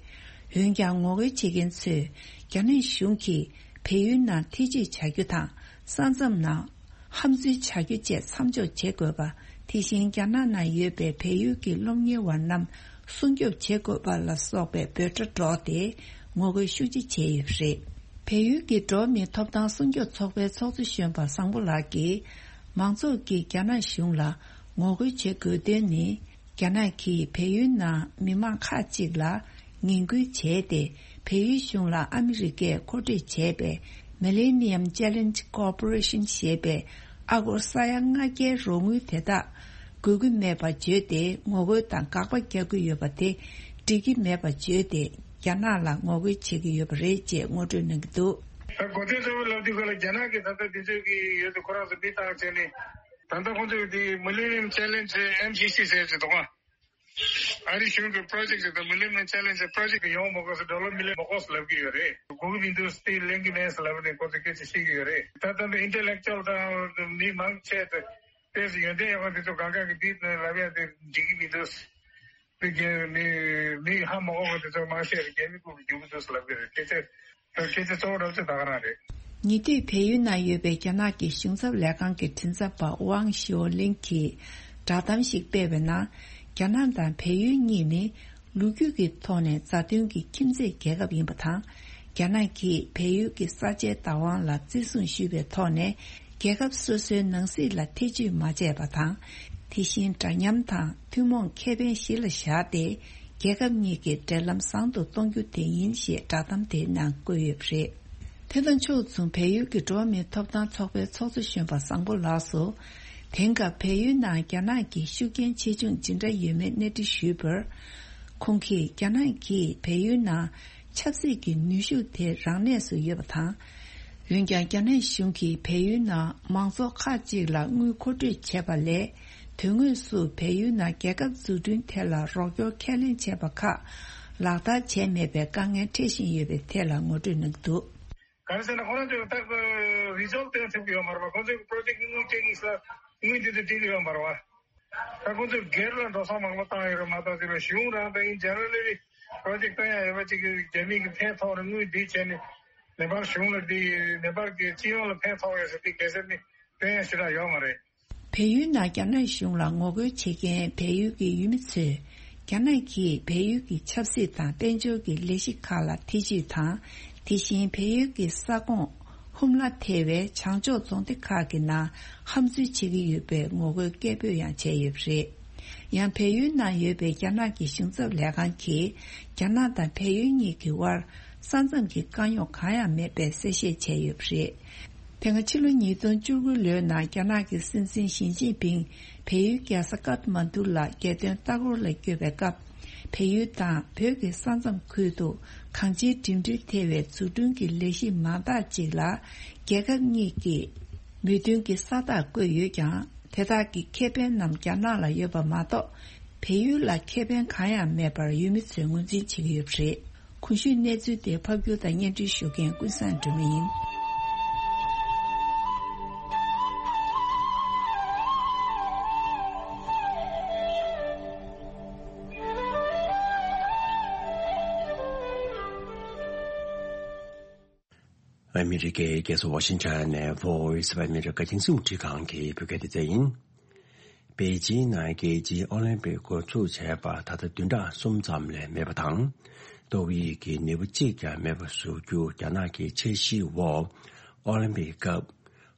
འོན་ཀྱང་། ངོ་རྒོལ་བྱེད་མཁན་ཚོས་རྒྱ་ནག་གཞུང་གིས་བལ་ཡུལ་ནང་ཐེ་ཇུས་བྱ་རྒྱུ་དང་། ས་མཚམས་ནང་ཧམ་འཛུལ་བྱ་རྒྱུ་བཅས་མཚམས་འཇོག་བྱེད་དགོས་པ། དེ་བཞིན་རྒྱ་ནག་ནང་ཡོད་པའི་བལ་ཡུལ་གྱི་སློབ་གཉེར་བ་རྣམས་སྲུང་སྐྱོབ་བྱེད་དགོས་པ་ལ་སོགས་པའི་འབོད་སྒྲ་སྒྲོག་སྟེ་ངོ་རྒོལ་ཤུགས་ཆེ་བྱས་ཡོད་པ་རེད། བལ་ཡུལ་གྱི་འགྲོ་བ་མིའི་ཐོབ་ཐང་སྲུང་སྐྱོབ་ཚོགས་པའི་ཚོགས་གཙོ་གཞོན་པ་བཟང་པོ་ལགས་ཀྱིས། མང་ཚོགས་ཀྱིས་རྒྱ་ནག་གཞུང་ལ་ངོ་རྒོལ་བྱེད་དགོས་དོན་ནི། རྒྱ་ནག་གིས་བལ་ཡུལ་ནང་མི་མང་ཁག་ཅིག་ལ་ངན་སྐུལ་བྱས་ཏེ། བལ་ཡུལ་གཞུང་ལ་ཨ་མི་རི་ཀས་མཁོ་སྤྲོད་བྱས་པའི་Millennium Challenge Corporation ཞེས་པའི་ཨ་སྒོར་ས་ཡ་ལྔ་བརྒྱའི་རོགས་དངུལ་དེ་དག་དགོས་ཀྱི་མེད་པ་བརྗོད་དེ། ངོ་རྒོལ་དང་དགག་པ་རྒྱག་གི་ཡོད་པ་དེ་འགྲིག་གི་མེད་པ་བརྗོད་དེ། རྒྱ་ནག་ལ་ངོ་རྒོལ་བྱེད་ཀྱི་ཡོད་པ་རེད་ཅེས་ངོ་སྤྲོད་གནང་གི་འདུག། ད་གོ་དོན་གཙོ་བོ་ལབ་དུས་ཁོ་ལ་རྒྱ་ནག་གི་ད་ལྟ་དུས་ཚོད་ཀྱི་ཡོད་དུ་ཁོ་རང་ཚོ་མི་བཏང་བྱས་ནས། ད་ལྟ་ཁོང་ཚོས་དེ་Millennium Challenge M C C ཟེར་གྱི་འདུག་ཨ། ཨ་རི་གཞུང་གི་པོ་རོ་ཇེག་ཅིག་དང་Millennium Challenge པོ་རོ་ཇེག་ཡོང་མ་དགོས་སུ་ཌོ་ལར་མི་ལི་ཡོན་མ་དགོས་སུ་ལབ་ཀྱི་ཡོད་རེད། དགོས་ཀྱི་མི་འདུག་སྟེ་ལེན་གྱི་མེད་ཟེར་ལབ་ནས་ཁོང་ཚོས་སྐད་ཆ་བཤད་ཀྱི་ཡོད་རེད། ད་ལྟ་འདི་ཨིན་ཊེ་ལེག་ཅུ་ཨལ་དང་མི་མང་ཆེ་དེ་དཔེ་སུ་ཡོན་ཏན་ཡོད་པ་དེ་ཚོ་གང་ག་གི་འདི་ལབ་ཡ་དེ་འགྲིག་གི་མི་འདུག། དེ་རྒྱལ་མི་མི་ཧ་མ་གོ་བ་དེ་ཚོ་མང་ཤས་རྒྱལ་མི་ཁུག་གི་རྒྱུག་གི་འདུག་ལབ་ཀྱི་རེད། སྐད་ཆ་སྐད་ཆ་གཙོ་བོ་རབ་ཏུ་ད་ག་རང་རེད། ཉེ་དུས་བལ་ཡུལ་ནང་ཡོད་པའི་རྒྱ་ནག་གི་གཞུང་ཚབ་ལས་ཁང་གི་མགྲིན་ཚབ་པ་ཝང་ཞིའོ་ལིང་གིས་བསྒྲགས་གཏམ་ཞིག་སྤེལ་བའི་ནང་། རྒྱ་ནག་དང་བལ་ཡུལ་གཉིས་ནི་ལོ་རྒྱུས་ཀྱི་ཐོག་ནས་མཛའ་མཐུན་གྱི་ཁྱིམ་མཚེས་རྒྱལ་ཁབ་ཡིན་པ་དང་། རྒྱ་ནག་གིས་བལ་ཡུལ་གྱི་ས་ཆའི་བདག་དབང་ལ་བརྩི་སྲུང་ཞུས་པའི་ཐོག་ནས། རྒྱལ་ཁབ་སོ་སོའི་ནང་སྲིད་ལ་ཐེ་ཇུས་མ་བྱས་པ་དང་། དེ་བཞིན་འདྲ་མཉམ་དང་ཐུན་མོང་ཁེ་ཕན་གཞི་ལ་བཞག་སྟེ། རྒྱལ་ཁབ་གཉིས་ཀྱི་འབྲེལ་ལམ་བཟང་དུ་གཏོང་རྒྱུ་དེ་ཡིན་ཞེས་བསྒྲགས་གཏམ་དེའི་ནང་བཀོད་ཡོད་པ་རེད། དེ་དང་ཕྱོགས་མཚུངས། བལ་ཡུལ་གྱི་འགྲོ་བ་མིའི་ཐོབ་ཐང་ཚོགས་པའི་ཚོགས་གཙོ་གཞོན་པ་བཟང་པོ་ལགས་སུ། དེང་སྐབས་བལ་ཡུལ་ནང་རྒྱ་ནག་གི་ཤུགས་རྐྱེན་ཆེ་ཆུང་ཇི་འདྲ་ཡོད་མེད་གནས་འདྲི་ཞུས་པར། ཁོང་གིས་རྒྱ་ནག་གིས་བལ་ཡུལ་ནང་ཆབ་སྲིད་ཀྱི་ནུས་ཤུགས་དེ་རང་གནས་སུ་ཡོད་པ་དང་། འོན་ཀྱང་། རྒྱ་ནག་གཞུང་གིས་བལ་ཡུལ་ནང་མང་ཚོགས་ཁག་ཅིག་ལ་དངུལ་མཁོ་སྤྲོད་བྱས་པ་ལས། དོན་དངོས་སུ་བལ་ཡུལ་ནང་རྒྱལ་ཁབ་འཛུགས་སྐྲུན་ཐད་ལ་རོགས་སྐྱོར་ཁས་ལེན་བྱས་པ་ཁག་ལག་བསྟར་བྱས་མེད་པའི་དཀའ་ངལ་འཕྲད་བཞིན་ཡོད་པའི་ཐད་ལ་ངོ་སྤྲོད་གནང་གི་འདུག། ག་རེ་ཟེར་ན། ཁོ་རང་ཚོས་ད་རི་སོལ་བཏོན་ཐུབ་ཀྱི་ཡོད་མ་རེད་པ། ཁོ་ཚོས་པོ་རོ་ཇེག་དངུལ་སྤྲད་ཀྱི་ས་དངུལ་འདི་ཚོ་སྤྲད་ཀྱི་ཡོད་མ་རེད་པ། ད་ཁོ་ཚོས་སྒེར་ལ་འགྲོ་སོང་མང་པོ་བཏང་ཡོད་རེད་མ་གཏོགས། དེ་ལ་གཞུང་རང་དང་ཡིན་ཇེ་ནེ་རལ་ལི་པོ་རོ་ཇེག་བཏོན་ཡ་ཡོད་པ་ཅིག་གི་རྒྱ་མི་གི་ཕན་ཐོགས་རེད། དངུལ་འདི་བྱས་ནས་ནེ་པཱལ་གཞུང་ལ་འདི་ནེ་པཱལ་གི་སྤྱི་ཡོངས་ལ་ཕན་ཐོགས་ཡོད་ཟེར་དེ་གལ་སྲིད་ནི་བཏོན་ཡ་ཞེ་དྲག་ཡོད་མ་རེད། བལ་ཡུལ་ནང་རྒྱ་ནག་གཞུང་ལ་ངོ་རྒོལ་བྱེད་མཁན་བལ་ཡུལ་གྱི་ཡུལ་མི་ཚོས། རྒྱ་ནག་གིས་བལ་ཡུལ་གྱི་ཆབ་སྲིད་དང་དཔལ་འབྱོར་གྱི་ལས་གཞི་ཁག་ལ་ཐེ་ཇུས་དང་། དེ་བཞིན་བལ་ཡུལ་གྱི་ས་ཁོངས་ཧུམ་ལ་ཐེ་བའི་བྱང་ཕྱོགས་རྫོང་སྡེ་ཁག་གི་ནང་ཧམ་འཛུལ་བྱེད་ཀྱི་ཡོད་པའི་ངོ་རྒོལ་སྐད་འབོད་ཡང་བྱས་ཡོད་པ་རེད། ཡང་། བལ་ཡུལ་ནང་ཡོད་པའི་རྒྱ་ནག་གི་གཞུང་ཚབ་ལས་ཁང་གིས། རྒྱ་ནག་དང་བལ་ཡུལ་གཉིས་ཀྱི་དབར་ས་མཚམས་ཀྱི་དཀའ་རྙོག་གང་ཡང་མེད་པའི་གསལ་བཤད་བྱས་ཡོད་པ་རེད། དེ་སྔ་ཕྱི་ལོ་ཉིས་སྟོང་བཅུ་དགུ་ལོའི་ནང་རྒྱ་ནག་གི་སྲིད་འཛིན་ཞི་ཅིན་ཕིང་བལ་ཡུལ་རྒྱལ་ས་ཀཏ་མན་ཌུ་ལ་རྒྱལ་དོན་ལྟ་སྐོར་ལ་བསྐྱོད་པའི་སྐབས། བལ་ཡུལ་དང་བོད་ཀྱི་ས་མཚམས་ཁུལ་དུ་གང་ཅིའི་འགྲིམ་འགྲུལ་ཐེ་བའི་འཛུགས་སྐྲུན་གྱི་ལས་གཞི་མང་དག་ཅིག་ལ་རྒྱལ་ཁབ་གཉིས་ཀྱི་མོས་མཐུན་གྱི་ས་རྟགས་བཀོད་ཡོད་ཀྱང་། དེ་དག་གི་ཁེ་ཕན་རྣམས་རྒྱ་ནག་ལ་ཡོད་པ་མ་གཏོགས། བལ་ཡུལ་ལ་ཁེ་ཕན་གང་ཡང་མེད་པར་ཡུལ་མི་ཚོས་ངོས་འཛིན་བྱེད་ཀྱི་ཡོད་པ་རེད། གོང་ཞུས་གནས་ཚུལ་དེ་ཕབ་སྒྱུར་དང་སྙན་སྒྲོན་ཞུ་མཁན་ཀུན་བཟང་སྒྲོལ་མ་ཡིན། ཨ་མི་རི་ཀའི་རྒྱལ་ས་ཝ་ཤིང་ཊོན་ནས་Voice of America རྒྱང་སྲིང་རླུང་འཕྲིན་ཁང་གི་བོད་སྐད་སྡེ་ཚན་ཡིན། པེ་ཅིང་ནང་རྒྱལ་སྤྱིའི་ཨོ་ལིམ་པིག་འགོ་འཛུགས་བྱས་པ་ད་ལྟ་བདུན་ཕྲག་གསུམ་ཙམ་ལས་མེད་པ་དང་། ཏོག་དབྱིབས་ཀྱི་ནད་འབུ་གཅིག་ཀྱང་མེད་པ་བཟོ་རྒྱུ་རྒྱ་ནག་གི་འཆར་གཞིའི་འོག་ཨོ་ལིམ་པིག་སྐབས་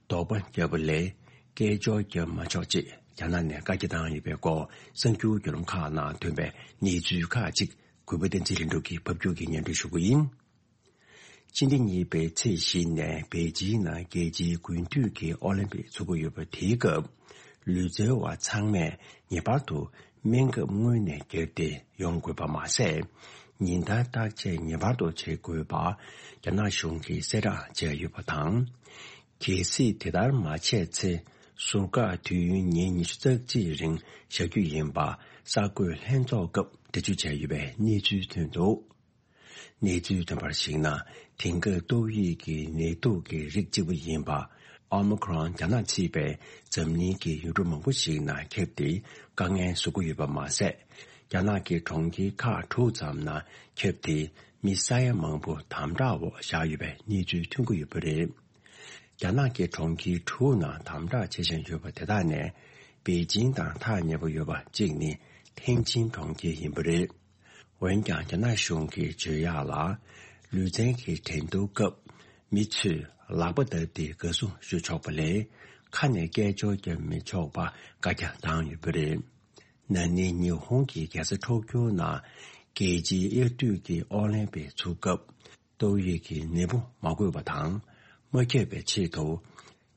དོགས་པ་བརྒྱབ་པ་ལས་སྐད་ཅོར་བརྒྱབ་མ་ཆོག་ཅེས་རྒྱ་ནག་ནས་བཀའ་རྒྱ་བཏང་ཡོད་པའི་སྐོར་གསར་འགྱུར་བརྒྱུད་ལམ་ཁག་ནང་ཐོན་པའི་གནས་ཚུལ་ཁག་ཅིག་གུས་པ་བསྟན་འཛིན་ལྷུན་གྲུབ་ཀྱིས་ཕབ་སྒྱུར་གྱིས་སྙན་སྒྲོན་ཞུ་གི་ཡིན། ཕྱི་ཟླ་གཉིས་པའི་ཚེས་བཞི་ནས་པེ་ཅིང་ནང་རྒྱལ་སྤྱིའི་དགུན་དུས་ཀྱི་ཨོ་ལིམ་པིག་འཚོགས་ཀྱི་ཡོད་པ་དེའི་སྐབས། ལུས་རྩལ་བ་ཚང་མས་ངེས་པར་དུ་སྨན་ཁབ་སྔོན་ནས་བརྒྱབ་སྟེ་ཡོང་དགོས་པ་མ་ཟད། ཉིན་ལྟར་བརྟག་དཔྱད་ངེས་པར་དུ་བྱེད་དགོས་པ་རྒྱ་ནག་གཞུང་གིས་གསལ་བསྒྲགས་བྱས་ཡོད་པ་དང་། གལ་སྲིད་དེ་ལྟར་མ་བྱས་ཚེ། ཟུར་བཀག་དུས་ཡུན་ཉིན་ཉི་ཤུ་རྩ་གཅིག་རིང་བཞག་རྒྱུ་ཡིན་པ་གསར་འགོད་ལྷན་ཚོགས་སྐབས་འགྲེལ་བརྗོད་བྱས་ཡོད་པའི་གནས་ཚུལ་ཐོན་འདུག། གནས་ཚུལ་ཐོན་པར་གཞིགས་ན། དེང་སྐབས་ཏོག་དབྱིབས་ཀྱི་ནད་དུག་གི་རིགས་གཅིག་པུ་ཡིན་པ། ཨོ་མི་ཁྲོན་རྒྱ་ནག་ཕྱི་པའི་འཛམ་གླིང་གི་ཡུལ་གྲུ་མང་པོ་ཞིག་ནང་ཁྱབ་སྟེ་དཀའ་ངལ་བཟོ་གི་ཡོད་པ་མ་ཟད། རྒྱ་ནག་གི་གྲོང་ཁྱེར་ཁག་དྲུག་ཙམ་ནང་ཁྱབ་སྟེ་མི་ས་ཡ་མང་པོ་དམ་དྲག་འོག་བཞག་ཡོད་པའི་གནས་ཚུལ་ཐོན་གྱི་ཡོད་པ་རེད། རྒྱ་ནག་གི་གྲོང་ཁྱེར་དྲུག་ནང་དམ་དྲག་བྱེད་བཞིན་ཡོད་པ་དེ་དག་ནས་པེ་ཅིང་དང་ཐག་ཉེ་པོ་ཡོད་པ་གཅིག་ནི་ཐེན་ཅིན་གྲོང་ཁྱེར་ཡིན་པ་རེད། འོན་ཀྱང་རྒྱ་ནག་གཞུང་གིས་བརྗོད་ཡག་ལ། ལུས་རྩལ་གྱི་འགྲན་བསྡུར་སྐབས་ མི་ཚོས་ལག་པ་བརྡབས་ཏེ་དགའ་བསུ་ཞུ་ཆོག་པ་ལས་ཁ་ནས་སྐད་ཅོར་བརྒྱབ་མི་ཆོག་པ་བཀའ་རྒྱ་བཏང་ཡོད་པ་རེད། ན་ནིང་ཉི་ཧོང་གི་རྒྱལ་ས་ཊོ་ཀྱོ་ནང་རྒྱལ་སྤྱིའི་དབྱར་དུས་ཀྱི་ཨོ་ལིམ་པིག་ཚུགས་སྐབས། ཏོག་དབྱིབས་ཀྱི་ནད་འབུ་མ་འགོས་པ་དང་། མ་ཁྱབ་པའི་ཆེད་དུ།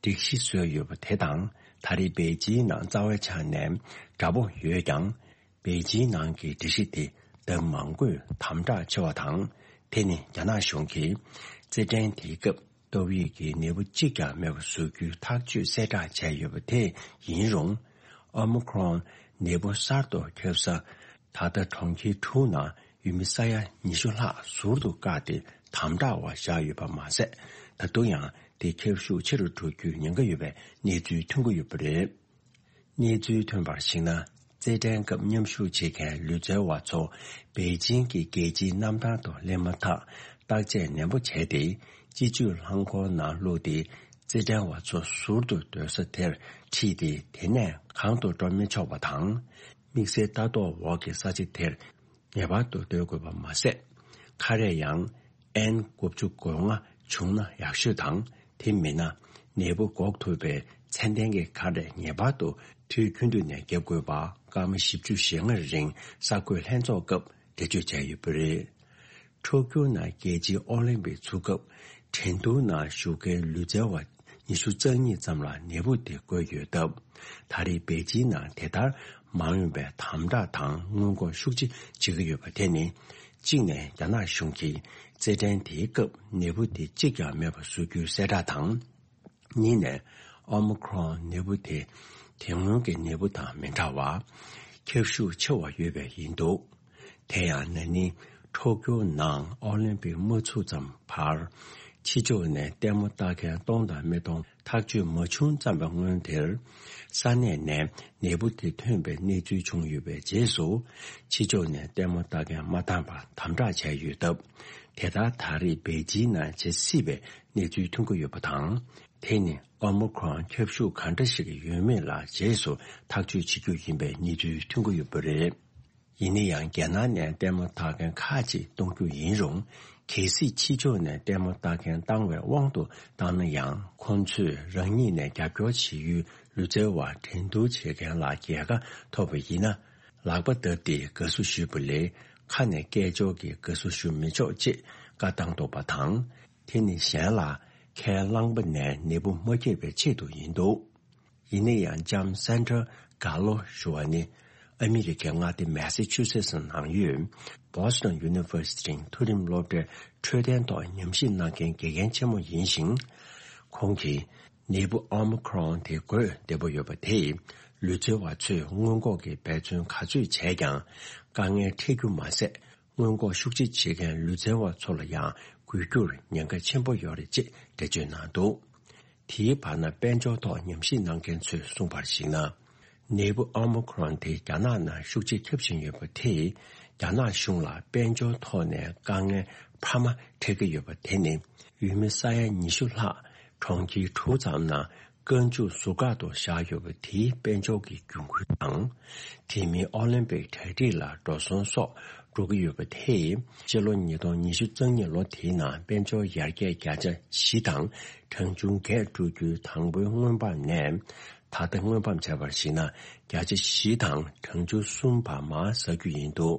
སྒྲིག་གཞི་བཟོས་ཡོད་པ་དེ་དང་། ད་རེས་པེ་ཅིན་ནང་རྩ་བའི་ཆ་ནས་དྲག་པོ་ཡོད་ཀྱང་། པེ་ཅིན་ནང་གི་སྒྲིག་གཞི་དེ་ལྡབ་མང་པོས་དམ་དྲག་ཆེ་བ་དང་། དེ་ནི་རྒྱ་ནག་གཞུང་གིས་རྩེད་འགྲན་དེའི་སྐབས་ཏོག་དབྱིབས་ཀྱི་ནད་འབུ་གཅིག་ཀྱང་མེད་པ་བཟོ་རྒྱུའི་ཐག་གཅོད་གསལ་བསྒྲགས་བྱས་ཡོད་པ་དེ་ཡིན་རུང་། ཨོ་མི་ཁྲོན་ནད་འབུ་གསར་དུ་ཁྱབ་ས། ད་ལྟ་གྲོང་ཁྱེར་དྲུག་ནང་ཡུལ་མི་ས་ཡ་ཉི་ཤུ་ལྷག་ཟུར་དུ་བཀག་སྟེ་དམ་དྲག་འོག་བཞག་ཡོད་པ་མ་ཟད། ད་དུང་ཡང་དེ་ཁྱབ་ཤུགས་ཆེ་རུ་འགྲོ་རྒྱུའི་ཉེན་ཁ་ཡོད་པའི་གནས་ཚུལ་ཐོན་གྱི་ཡོད་པ་རེད། གནས་ཚུལ་ཐོན་པར་གཞིགས་ན། རྩེད་འགྲན་སྐབས་མཉམ་ཞུགས་བྱེད་མཁན་ལུས་རྩལ་བ་ཚོ་པེ་ཅིང་གི་རྒྱལ་སྤྱིའི་གནམ་ཐང་དུ་སླེབས་མ་ཐག་བརྟག་དཔྱད་ནན་པོ་བྱས་ཏེ། སྤྱི་སྤྱོད་རླངས་འཁོར་ནང་བླུགས་ཏེ། རྩེད་འགྲན་བ་ཚོ་ཟུར་དུ་སྡོད་ས་དེར་ཁྲིད་དེ། དེ་ནས་གང་དུ་འགྲོ་མི་ཆོག་པ་དང་། དམིགས་བསལ་ལྟ་རྟོག་འོག་གི་ས་ཆ་དེར་ངེས་པར་དུ་སྡོད་དགོས་པ་མ་ཟད། ཁ་རས་ཡང་ཨེན་དགུ་བཅུ་གོ་ལྔ་བྱུང་ན་ཡག་ཤོས་དང་། དེ་མིན་ན་ནད་འབུ་འགོག་ཐུབ་པའི་ཚད་ལྡན་གྱི་ཁ་རས་ངེས་པར་དུ་དུས་རྒྱུན་དུ་ནས་བརྒྱབ་དགོས་པ་སྐར་མ་བཞི་བཅུ་ཞེ་ལྔ་རིང་གསར་འགོད་ལྷན་ཚོགས་སྐབས་འགྲེལ་བརྗོད་བྱས་ཡོད་པ་རེད། ཊོ་ཀྱོ་ནང་རྒྱལ་སྤྱིའི་ཨོ་ལིམ་པིག་ཚུགས་སྐབས་འགྲན་བསྡུར་ནང་ཞུགས་མཁན་ལུས་རྩལ་བ་ཉི་ཤུ་རྩ་གཉིས་ཙམ་ལ་ནད་འབུ་དེ་འགོས་ཡོད་སྟབས། ད་རེས་པེ་ཅིན་ནང་དེ་ལྟར་མ་འོངས་པའི་དམ་དྲག་དང་སྔོན་འགོག་ཤུགས་ཆེ་བྱེད་ཀྱི་ཡོད་པ་དེ་ནི། གཅིག་ནས་རྒྱ་ནག་གཞུང་གིས་རྩེད་འགྲན་དེའི་སྐབས་ནད་འབུ་དེ་གཅིག་ཀྱང་མེད་པ་བཟོ་རྒྱུའི་གསལ་བསྒྲགས་དང་། གཉིས་ནས་ཨོ་མི་ཁྲོན་ནད་འབུ་དེ་དེ་སྔོན་གྱི་ནད་འབུ་དང་མི་འདྲ་བར་ཁྱབ་ཤུགས་ཆེ་བ་ཡོད་པས་ཡིན་འདུག་དེ་ཡང་ན་ནིང་ཊོ་ཀྱོ་ནང་ཨོ་ལིམ་པིག་མ་ཚུགས་ཙམ་བར། ཕྱི་ཕྱོགས་ནས་ལྟད་མོ་ལྟ་མཁན་སྟོང་དང་མི་སྟོང་ཐག་གཅོད་མ་བྱུང་ཙམ་པའི་སྔོན་དེར། ས་གནས་ནས་ནད་འབུ་དེ་ཐོན་པའི་གནས་ཚུལ་བྱུང་ཡོད་པའི་རྗེས་སུ། ཕྱི་ཕྱོགས་ནས་ལྟད་མོ་ལྟ་མཁན་མ་འདང་བར་དམ་དྲག་བྱས་ཡོད་སྟབས། དེ་ལྟར་ད་རེས་པེ་ཅིན་ནང་བྱེད་སྲིད་པའི་གནས་ཚུལ་ཐོན་གྱི་ཡོད་པ་དང་། དེ་ནི་ཨོ་མི་ཁྲོན་ཁྱབ་ཤུགས་གང་འདྲ་ཞིག་ཡོད་མེད་ལ་རྗེས་སུ་ཐག་གཅོད་བྱེད་རྒྱུ་ཡིན་པའི་གནས་ཚུལ་ཐོན་གྱི་ཡོད་པ་རེད། ཡིན་ན་ཡང་། རྒྱ་ནག་ནས་ལྟད་མོ་ལྟ་མཁན་ཁག་ཅིག་གཏོང་རྒྱུ་ཡིན་རུང་། གལ་སྲིད་ཕྱི་ཕྱོགས་ནས་ལྟད་མོ་ལྟ་མཁན་བཏང་བའི་དབང་དུ་བཏང་ན་ཡང་། ཁོང་ཚོས་རང་ཉིད་ནས་རྒྱབ་སྐྱོར་བྱེད་ཡུལ་ལུས་རྩལ་བ་འགྲན་བསྡུར་བྱེད་མཁན་ལ་རྒྱལ་ཁ་ཐོབ་པ་ཡིན་ན། ལག་པ་བརྡབས་ཏེ་དགའ་བསུ་ཞུས་པ་ལས། ཁ་ནས་སྐད་ཅོར་གྱིས་དགའ་བསུ་ཞུ་མི་ཆོག་ཅེས་བཀའ་བཏང་འདུག་པ་དང་། དེ་ནི་གཞན་ལ་ཁས་བླངས་པ་ནས་ནད་འབུ་མ་ཁྱབ་པའི་ཆེད་དུ་ཡིན་འདུག་ཡིན་ན་ཡང་། ལྕམ་སན་ཏྲ་གྷ་ལོ་ཞུ་བ་ནི། ཨ་མི་རི་ཀའི་མངའ་སྡེ་མེ་སི་ཆུ་སེ་སི་ནང་ཡོད། Boston University མཐོ་རིམ་སློབ་གྲྭའི་འཕྲོད་བསྟེན་ཐོག་ཉམས་ཞིབ་གནང་མཁན་དགེ་རྒན་ཆེན་མོ་ཡིན་ཞིང་། ཁོང་གིས། ནད་འབུ་ཨོ་མི་ཁྲོན་དེ་འགོས་བདེ་པོ་ཡོད་པ་དེས། ལུས་རྩལ་བ་ཚོས་སྔོན་འགོག་གི་འབད་བརྩོན་ག་ཚོད་བྱས་ཀྱང་། དཀའ་ངལ་འཕྲད་རྒྱུ་མ་ཟད། སྔོན་འགོག་ཤུགས་ཆེ་བྱེད་མཁན་ལུས་རྩལ་བ་ཚོ་ལ་ཡང་འགོས་རྒྱུར་ཉེན་ཁ་ཆེན་པོ་ཡོད་རེད་ཅེས་འགྲེལ་བརྗོད་གནང་འདུག་དེའི་བར་ན། དཔལ་འབྱོར་ཐོག་ཉམས་ཞིབ་གནང་མཁན་ཚོས་གསུངས་པར་གཞིགས་ན། ནད་འབུ་ཨོ་མི་ཁྲོན་དེ་རྒྱ་ནག་ནང་ཤུགས་ཆེ་ཁྱབ་བཞིན་ཡོད་པ་དེས། རྒྱ་ནག་གཞུང་ལ་དཔལ་འབྱོར་ཐོག་ནས་དཀའ་ངལ་འཕར་མ་འཕྲད་ཀྱི་ཡོད་པ་དེ་ནི། ཡུལ་མི་ས་ཡ་ཉི་ཤུ་ལྷག་གྲོང་ཁྱེར་དྲུག་ཙམ་ནང་། རྐང་བཙུགས་ཟུར་བཀག་ཏུ་བཞག་ཡོད་པ་དེའི་དཔལ་འབྱོར་གྱི་འགན་འཁུར་དང་། དེ་མིན་ཨོ་ལིམ་པིག་གྲ་སྒྲིག་ལ་འགྲོ་སོང་སོགས་འགྲོ་གི་ཡོད་པ་དེས། སྤྱི་ལོ་ཉིས་སྟོང་ཉི་ཤུ་རྩ་གཉིས་ལོ་དེའི་ནང་དཔལ་འབྱོར་ཡར་རྒྱས་བརྒྱ་ཆ་བཞི་དང་གྲངས་ཆུང་བརྒྱད་འགྲོ་རྒྱུའི་དང་པོའི་སྔོན་དཔག་ནས། ད་ལྟ་སྔོན་དཔག་བྱས་པར་གཞིགས་ན། བརྒྱ་ཆ་བཞི་དང་གྲངས་ཆུང་གསུམ་བར་མར་ཟག་རྒྱུ་ཡིན་འདུག་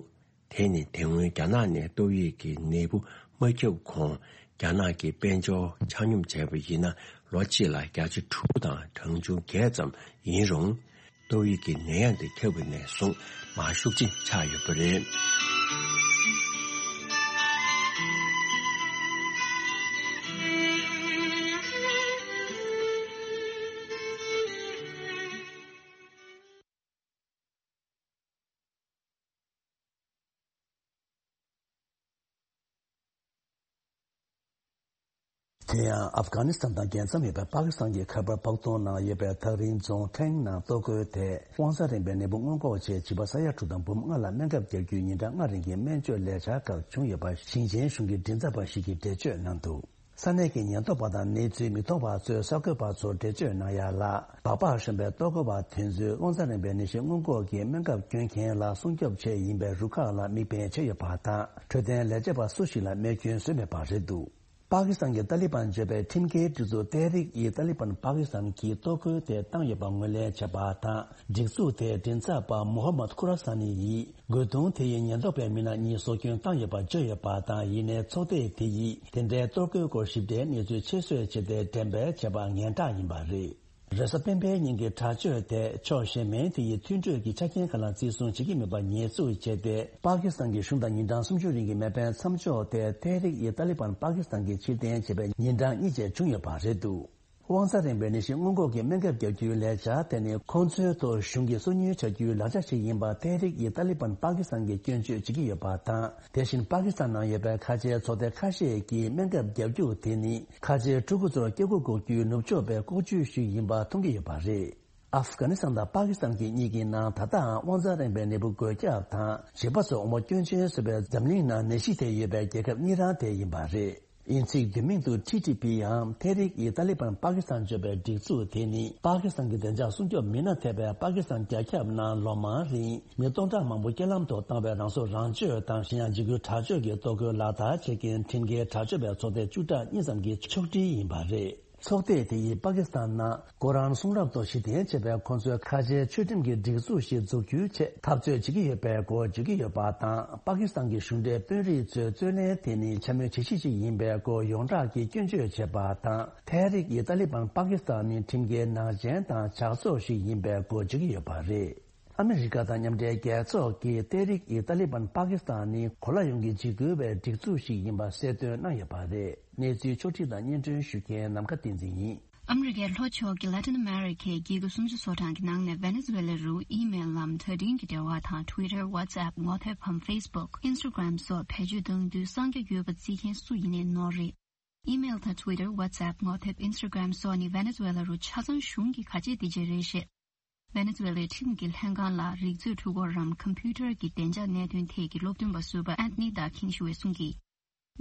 དེ་ནི་དེ་སྔོན་རྒྱ་ནག་ནས་ཏོག་དབྱིབས་ཀྱི་ནད་འབུ་མ་ཁྱབ་གོང་། རྒྱ་ནག་གི་དཔལ་འབྱོར་ཆ་སྙོམས་བྱས་པ་ཡིན་ན། ལོ་གཅིག་ལ་བརྒྱ་ཆ་དྲུག་དང་གྲངས་ཆུང་བརྒྱད་ཙམ་ཡིན་རུང་། ཏོག་དབྱིབས་ཀྱི་ནད་ཡམས་དེ་ཁྱབ་པ་ནས་བཟུང་མར་ཤུགས་ཆེ་ཆག་ཡོད་པ་རེད། དེ་ཡང་ཨབ་གྷ་ནི་སི་ཐན་དང་རྒྱལ་མཚམས་ཡོད་པའི་པ་ཀི་སི་ཐན་གྱི་ཁ་པར་བག་སྟོང་ནང་ཡོད་པའི་ཐག་རིང་རྫོང་ཁེང་ནང་གཏོར་རྒོལ་དེས་དབང་ཚད་རིམ་པའི་ནད་འབུ་སྔོན་འགོག་ཆེད་བྱིས་པ་ས་ཡ་དྲུག་དང་འབུམ་ལྔ་ལ་སྨན་ཁབ་བརྒྱབ་རྒྱུའི་ཉིན་གྲངས་ལྔ་རིང་གི་སྨན་བཅོས་ལས་འཆར་ཁག་བྱུང་ཡོད་པ་ཞིང་ཆེན་གཞུང་གི་མགྲིན་ཚབ་པ་ཞིག་གིས་འགྲེལ་བརྗོད་གནང་འདུག་ས་གནས་ཀྱི་ཉེན་རྟོག་པ་དང་གནས་ཚུལ་མི་མཐོང་བ་ཚོས་གསར་འགོད་པ་ཚོར་འགྲེལ་བརྗོད་གནང་ཡ་ལ། སྦག་སྦག་ཤོར་བའི་གཏོར་རྒོལ་བ་དེ་ཚོས་དབང་ཚད་རིམ་པའི་ནད་གཞི་སྔོན་འགོག་གི་སྨན་ཁབ་སྐྱོན་མཁན་ལ་སྲུང་སྐྱོབ་ཆེད་ཡིན་པའི་རུ་ཁག་ལ་མིག་དཔེ་བྱས་ཡོད་པ་དང་། འཕྲོད་བསྟེན་ལས་བྱེད་པ་སུ་ཞིག་ལ་རྨས་སྐྱོན་བཟོས་མེད་པ་རེད་འདུག་པ་ཀི་སི་ཐན་གྱི་ཏཱ་ལི་བན་གཙོས་པའི་ཁྲིམས་འགལ་སྒྲིག་འཛུགས་ཏེ་རིག་ཨི་ཏཱ་ལི་བན་པ་ཀི་སི་ཐན་གྱིས་གཏོར་རྒོལ་དེ་བཏང་ཡོད་པ་ངོས་ལེན་བྱས་པ་དང་། སྒྲིག་འཛུགས་དེའི་མགྲིན་ཚབ་པ་མོ་ཧམ་མད་ཁུ་ར་སཱ་ནི་ཡིས་རྒོལ་རྡུང་དེ་ཡིས་ཉེན་རྟོག་པའི་མི་སྣ་གཉིས་སྲོག་སྐྱོན་བཏང་ཡོད་པ་བརྗོད་ཡོད་པ་དང་། ཡིན་ནའི་ཚོགས་སྡེ་དེ་ཡིས་དེ་འདྲའི་གཏོར་རྒོལ་སྐོར་ཞིབ་ཕྲའི་གནས་ཚུལ་ཕྱིར་བཟོས་བྱས་ཏེ་འགྲེམས་སྤེལ་བྱས་པ་ངན་དྲག་ཡིན་པ་རེད། རེས་གཟའ་སྤེན་པའི་ཉིན་གྱི་དྲག་སྤྱོད་དེ་ཕྱོགས་གཞན་མིན་དེ་ཡི་མཐུན་གྲོས་ཀྱི་ཆ་རྐྱེན་ཁག་ལ་བརྩི་སྲུང་བྱེད་ཀྱི་མེད་པ་ཉེས་འཛུགས་བྱས་ཏེ། པ་ཀི་སི་ཐན་གྱི་གཞུང་དང་ཉིན་གྲངས་སུམ་ཅུ་རིང་གི་མེ་འཕེན་མཚམས་འཇོག་དེ་ཏེ་རིག་ཨི་ཏཱ་ལི་བན་པ་ཀི་སི་ཐན་གྱིས་ཕྱིར་འཐེན་བྱས་པའི་ཉིན་གྲངས་གཉིས་བཅས་བྱུང་ཡོད་པ་རེད་འདུག། དབང་ཚད་རིང་བའི་ནད་གཞི་སྔོན་འགོག་གི་སྨན་ཁབ་བརྒྱབ་རྒྱུའི་ལས་འཆར་དེ་ནི་ཁོང་ཚོའི་ཐོག་གཞུང་གིས་སོ་ཉུལ་བྱ་རྒྱུའི་ལག་ཆ་ཞིག་ཡིན་པ་ཏེ་རིག་ཨི་ཏཱ་ལི་བན་པ་ཀི་སི་ཐན་གྱིས་སྐྱོན་བརྗོད་བྱེད་ཀྱི་ཡོད་པ་དང་། དེ་བཞིན་པ་ཀི་སི་ཐན་ནང་ཡོད་པའི་ཁ་ཆེའི་ཚོགས་སྡེ་ཁ་ཤས་ཀྱིས་སྨན་ཁབ་བརྒྱབ་རྒྱུ་དེ་ནི་ཁ་ཆེའི་ཕྲུ་གུ་ཚོར་སྐྱེ་སྒོ་འགོག་རྒྱུའི་ནུབ་ཕྱོགས་པའི་ལྐོག་ཇུས་ཤིག་ཡིན་པ་མཐོང་གི་ཡོད་པ་རེད། ཨབ་གྷ་ནི་སི་ཐན་དང་པ་ཀི་སི་ཐན་གྱི་གཉིས་ཀྱི་ནང་ད་ལྟའང་དབང་རྩ་རིང་བའི་ནད་འབུ་འགོས་ཁྱབ་དང་བྱིས་པ་ཚོ་འོ་མ་སྐྱོན་ཅན་བཟོས་པའི་འཛམ་གླིང་ནང་ནད་གཞི་དེ་ཡོད་པའི་རྒྱལ་ཁབ་གཉིས་རང་དེ་ཡིན་པ་རེད། དབྱིན་ཚིག་བསྡུས་མིང་དུ་ཐི་ཐི་པི་ཡང་ཐེ་རིག་ཨི་ཏཱ་ལི་བན་པ་ཀི་སི་ཐན་བརྗོད་པའི་སྒྲིག་འཛུགས་དེ་ནི་པ་ཀི་སི་ཐན་གྱི་བདེ་འཇགས་སྲུང་སྐྱོབ་མི་སྣ་ཐེ་བའི་པ་ཀི་སི་ཐན་རྒྱལ་ཁབ་ནང་ལོ་མང་རིང་མི་སྟོང་ཕྲག་མང་པོ་རྐྱེན་ལམ་དུ་བཏང་བའི་རང་སྲོག་རང་གཅོད་དང་གཞན་ཡང་འཇིགས་སྐུལ་དྲག་སྤྱོད་ཀྱི་གཏོར་རྒོལ་ལག་བསྟར་བྱེད་མཁན་ཁྲིམས་འགལ་དྲག་སྤྱོད་པའི་ཚོགས་སྡེ་བཅུ་ཕྲག་གཉིས་ཙམ་གྱི་ཕྱོགས་སྒྲིག་ཡིན་པ་རེད། ཚོགས་སྡེ་དེ་ཡིས་པ་ཀི་སི་ཐན་ནང་ཀོ་རཱན་གསུང་རབ་ཐོག་གཞི་རྟེན་བྱས་པའི་ཁོང་ཚོའི་ཁ་ཆེའི་ཆོས་ཁྲིམས་ཀྱི་སྒྲིག་འཛུགས་ཤིག་འཛུགས་རྒྱུའི་ཆེད་འཐབ་རྩོད་བྱེད་ཀྱི་ཡོད་པའི་སྐོར་བརྗོད་ཀྱི་ཡོད་པ་དང་། པ་ཀི་སི་ཐན་གྱི་གཞུང་འབྲེལ་དཔོན་རིགས་ཚོས་རྩོད་ལེན་དེ་ནི་འཕྱ་སྨོད་བྱེད་གཞི་ཞིག་ཡིན་པའི་སྐོར་ཡོངས་གྲགས་ཀྱིས་སྐྱོན་བརྗོད་བྱས་པ་དང་། ཐེ་རིག་ཨི་ཏཱ་ལི་བན་པ་ཀི་སི་ཐན་ནི་ཁྲིམས་འགལ་ནག་ཅན་དང་ཇག་ཚོགས་ཤིག་ཡིན་པའི་སྐོར་བརྗོད་ཀྱི་ཡོད་པ་རེད། ཨ་མི་རི་ཀ་དང་མཉམ་འབྲེལ་རྒྱལ་ཚོགས་ཀྱིས་ཏེ་རིག་ཨི་ཏཱ་ལི་བན་པ་ཀི་སི་ཐན་ནི་གོ་ལ་ཡོངས་ཀྱི་འཇིགས་སྐུལ་བའི་སྒྲིག་འཛུགས་ཤིག་ཡིན་པ་གསལ་སྟོན་གནང་ཡོད་པ་རེད། གནས་ཚུལ་ཕྱོགས་སྒྲིག་དང་སྙན་སྒྲོན་ཞུ་མཁན་ནམ་མཁའ་བསྟན་འཛིན་ཡིན། ཨ་མི་རི་ཀའི་ལྷོ་ཕྱོགས་ཀྱི་ལ་ཏིན་ཨ་མེ་རི་ཁའི་རྒྱལ་ཁབ་སུམ་ཅུ་སོ་གྲངས་ཀྱི་ནང་ནས་ཝེ་ནེ་ཛུ་ཝེ་ལ་རུ་ཨི་མེལ་ལམ་དྲ་འཕྲིན་གྱི་འབྲེལ་བ་དང་Twitter, WhatsApp, ངོ་དེབ་བམ་Facebook, Instagram སོགས་བེད་སྤྱོད་གཏོང་དུས་གསང་རྒྱ་ཡོད་པ་བརྩི་མཁན་སུ་ཡིན་ནའི་ནོར་རེད། ཨི་མེལ་དང་Twitter, WhatsApp, ངོ་དེབ་Instagram སོགས་ནི་ཝེ་ནེ་ཛུ་ཝེ་ལ་རུ་ཆ་ཚང་གཞུང་གི་ག་ཆད་དེ་ཅིག་རེད་ཞེས། ཝེ་ནེ་ཛུ་ཝེ་ལའི་ཁྲིམས་ཀྱི་ལྷན་ཁང་ལ་རིག་མཛོད་འཕྲུལ་འཁོར་རམ་ཁམ་ཕིའུ་ཊར་གྱི་བདེ་འཇགས་གནད་དོན་ཐད་ཀྱི་སློབ་སྟོན་པ་ཟུར་པ་ཨན་ཐོ་ནི་ཌག་ཁིང་ཞུ་བས་གསུངས་ཀྱིས།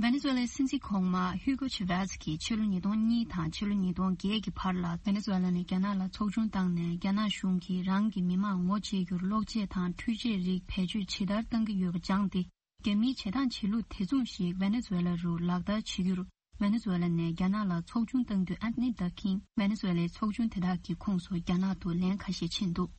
ཝེ་ནེ་ཛུ་ཝེ་ལའི་སྲིད་འཛིན་གོང་མ་ཧུའུ་གོ་ཆེ་ཝེ་ཛ་གིས་ཕྱི་ལོ་ཉིས་སྟོང་གཉིས་དང་ཕྱི་ལོ་ཉིས་སྟོང་བརྒྱད་ཀྱི་བར་ལ་ཝེ་ནེ་ཛུ་ཝེ་ལ་ནས་རྒྱ་ནག་ལ་ཚོགས་ཆུང་བཏང་ནས་རྒྱ་ནག་གཞུང་གིས་རང་གི་མི་མང་ངོ་བཅད་རྒྱུར་གློག་ཆས་དང་འཕྲུལ་ཆས་རིགས་བེད་སྤྱོད་ཇི་ལྟར་གཏང་གི་ཡོད་པ་སྦྱངས་ཏེ། རྒྱ་མིའི་བྱེད་སྟངས་བྱེད་ལུགས་དེ་མཚུངས་ཤིག་ཝེ་ནེ་ཛུ་ཝེ་ལ་རུ་ལག་བསྟར་བྱེད་རྒྱུར། ཝེ་ནེ་ཛུ་ཝེ་ལ་ནས་རྒྱ་ནག་ལ་ཚོགས་ཆུང་བཏང་དུས་ཨན་ཐོ་ནི་ཌག་ཁིང་ཝེ་ནེ་ཛུ་ཝེ་ལའི་ཚོགས་ཆུང་དེ་དག་གི་ཁོངས་སུ་རྒྱ་ནག་ཏུ་ལན་ཁ་ཤས་ཕྱིན་འདུག།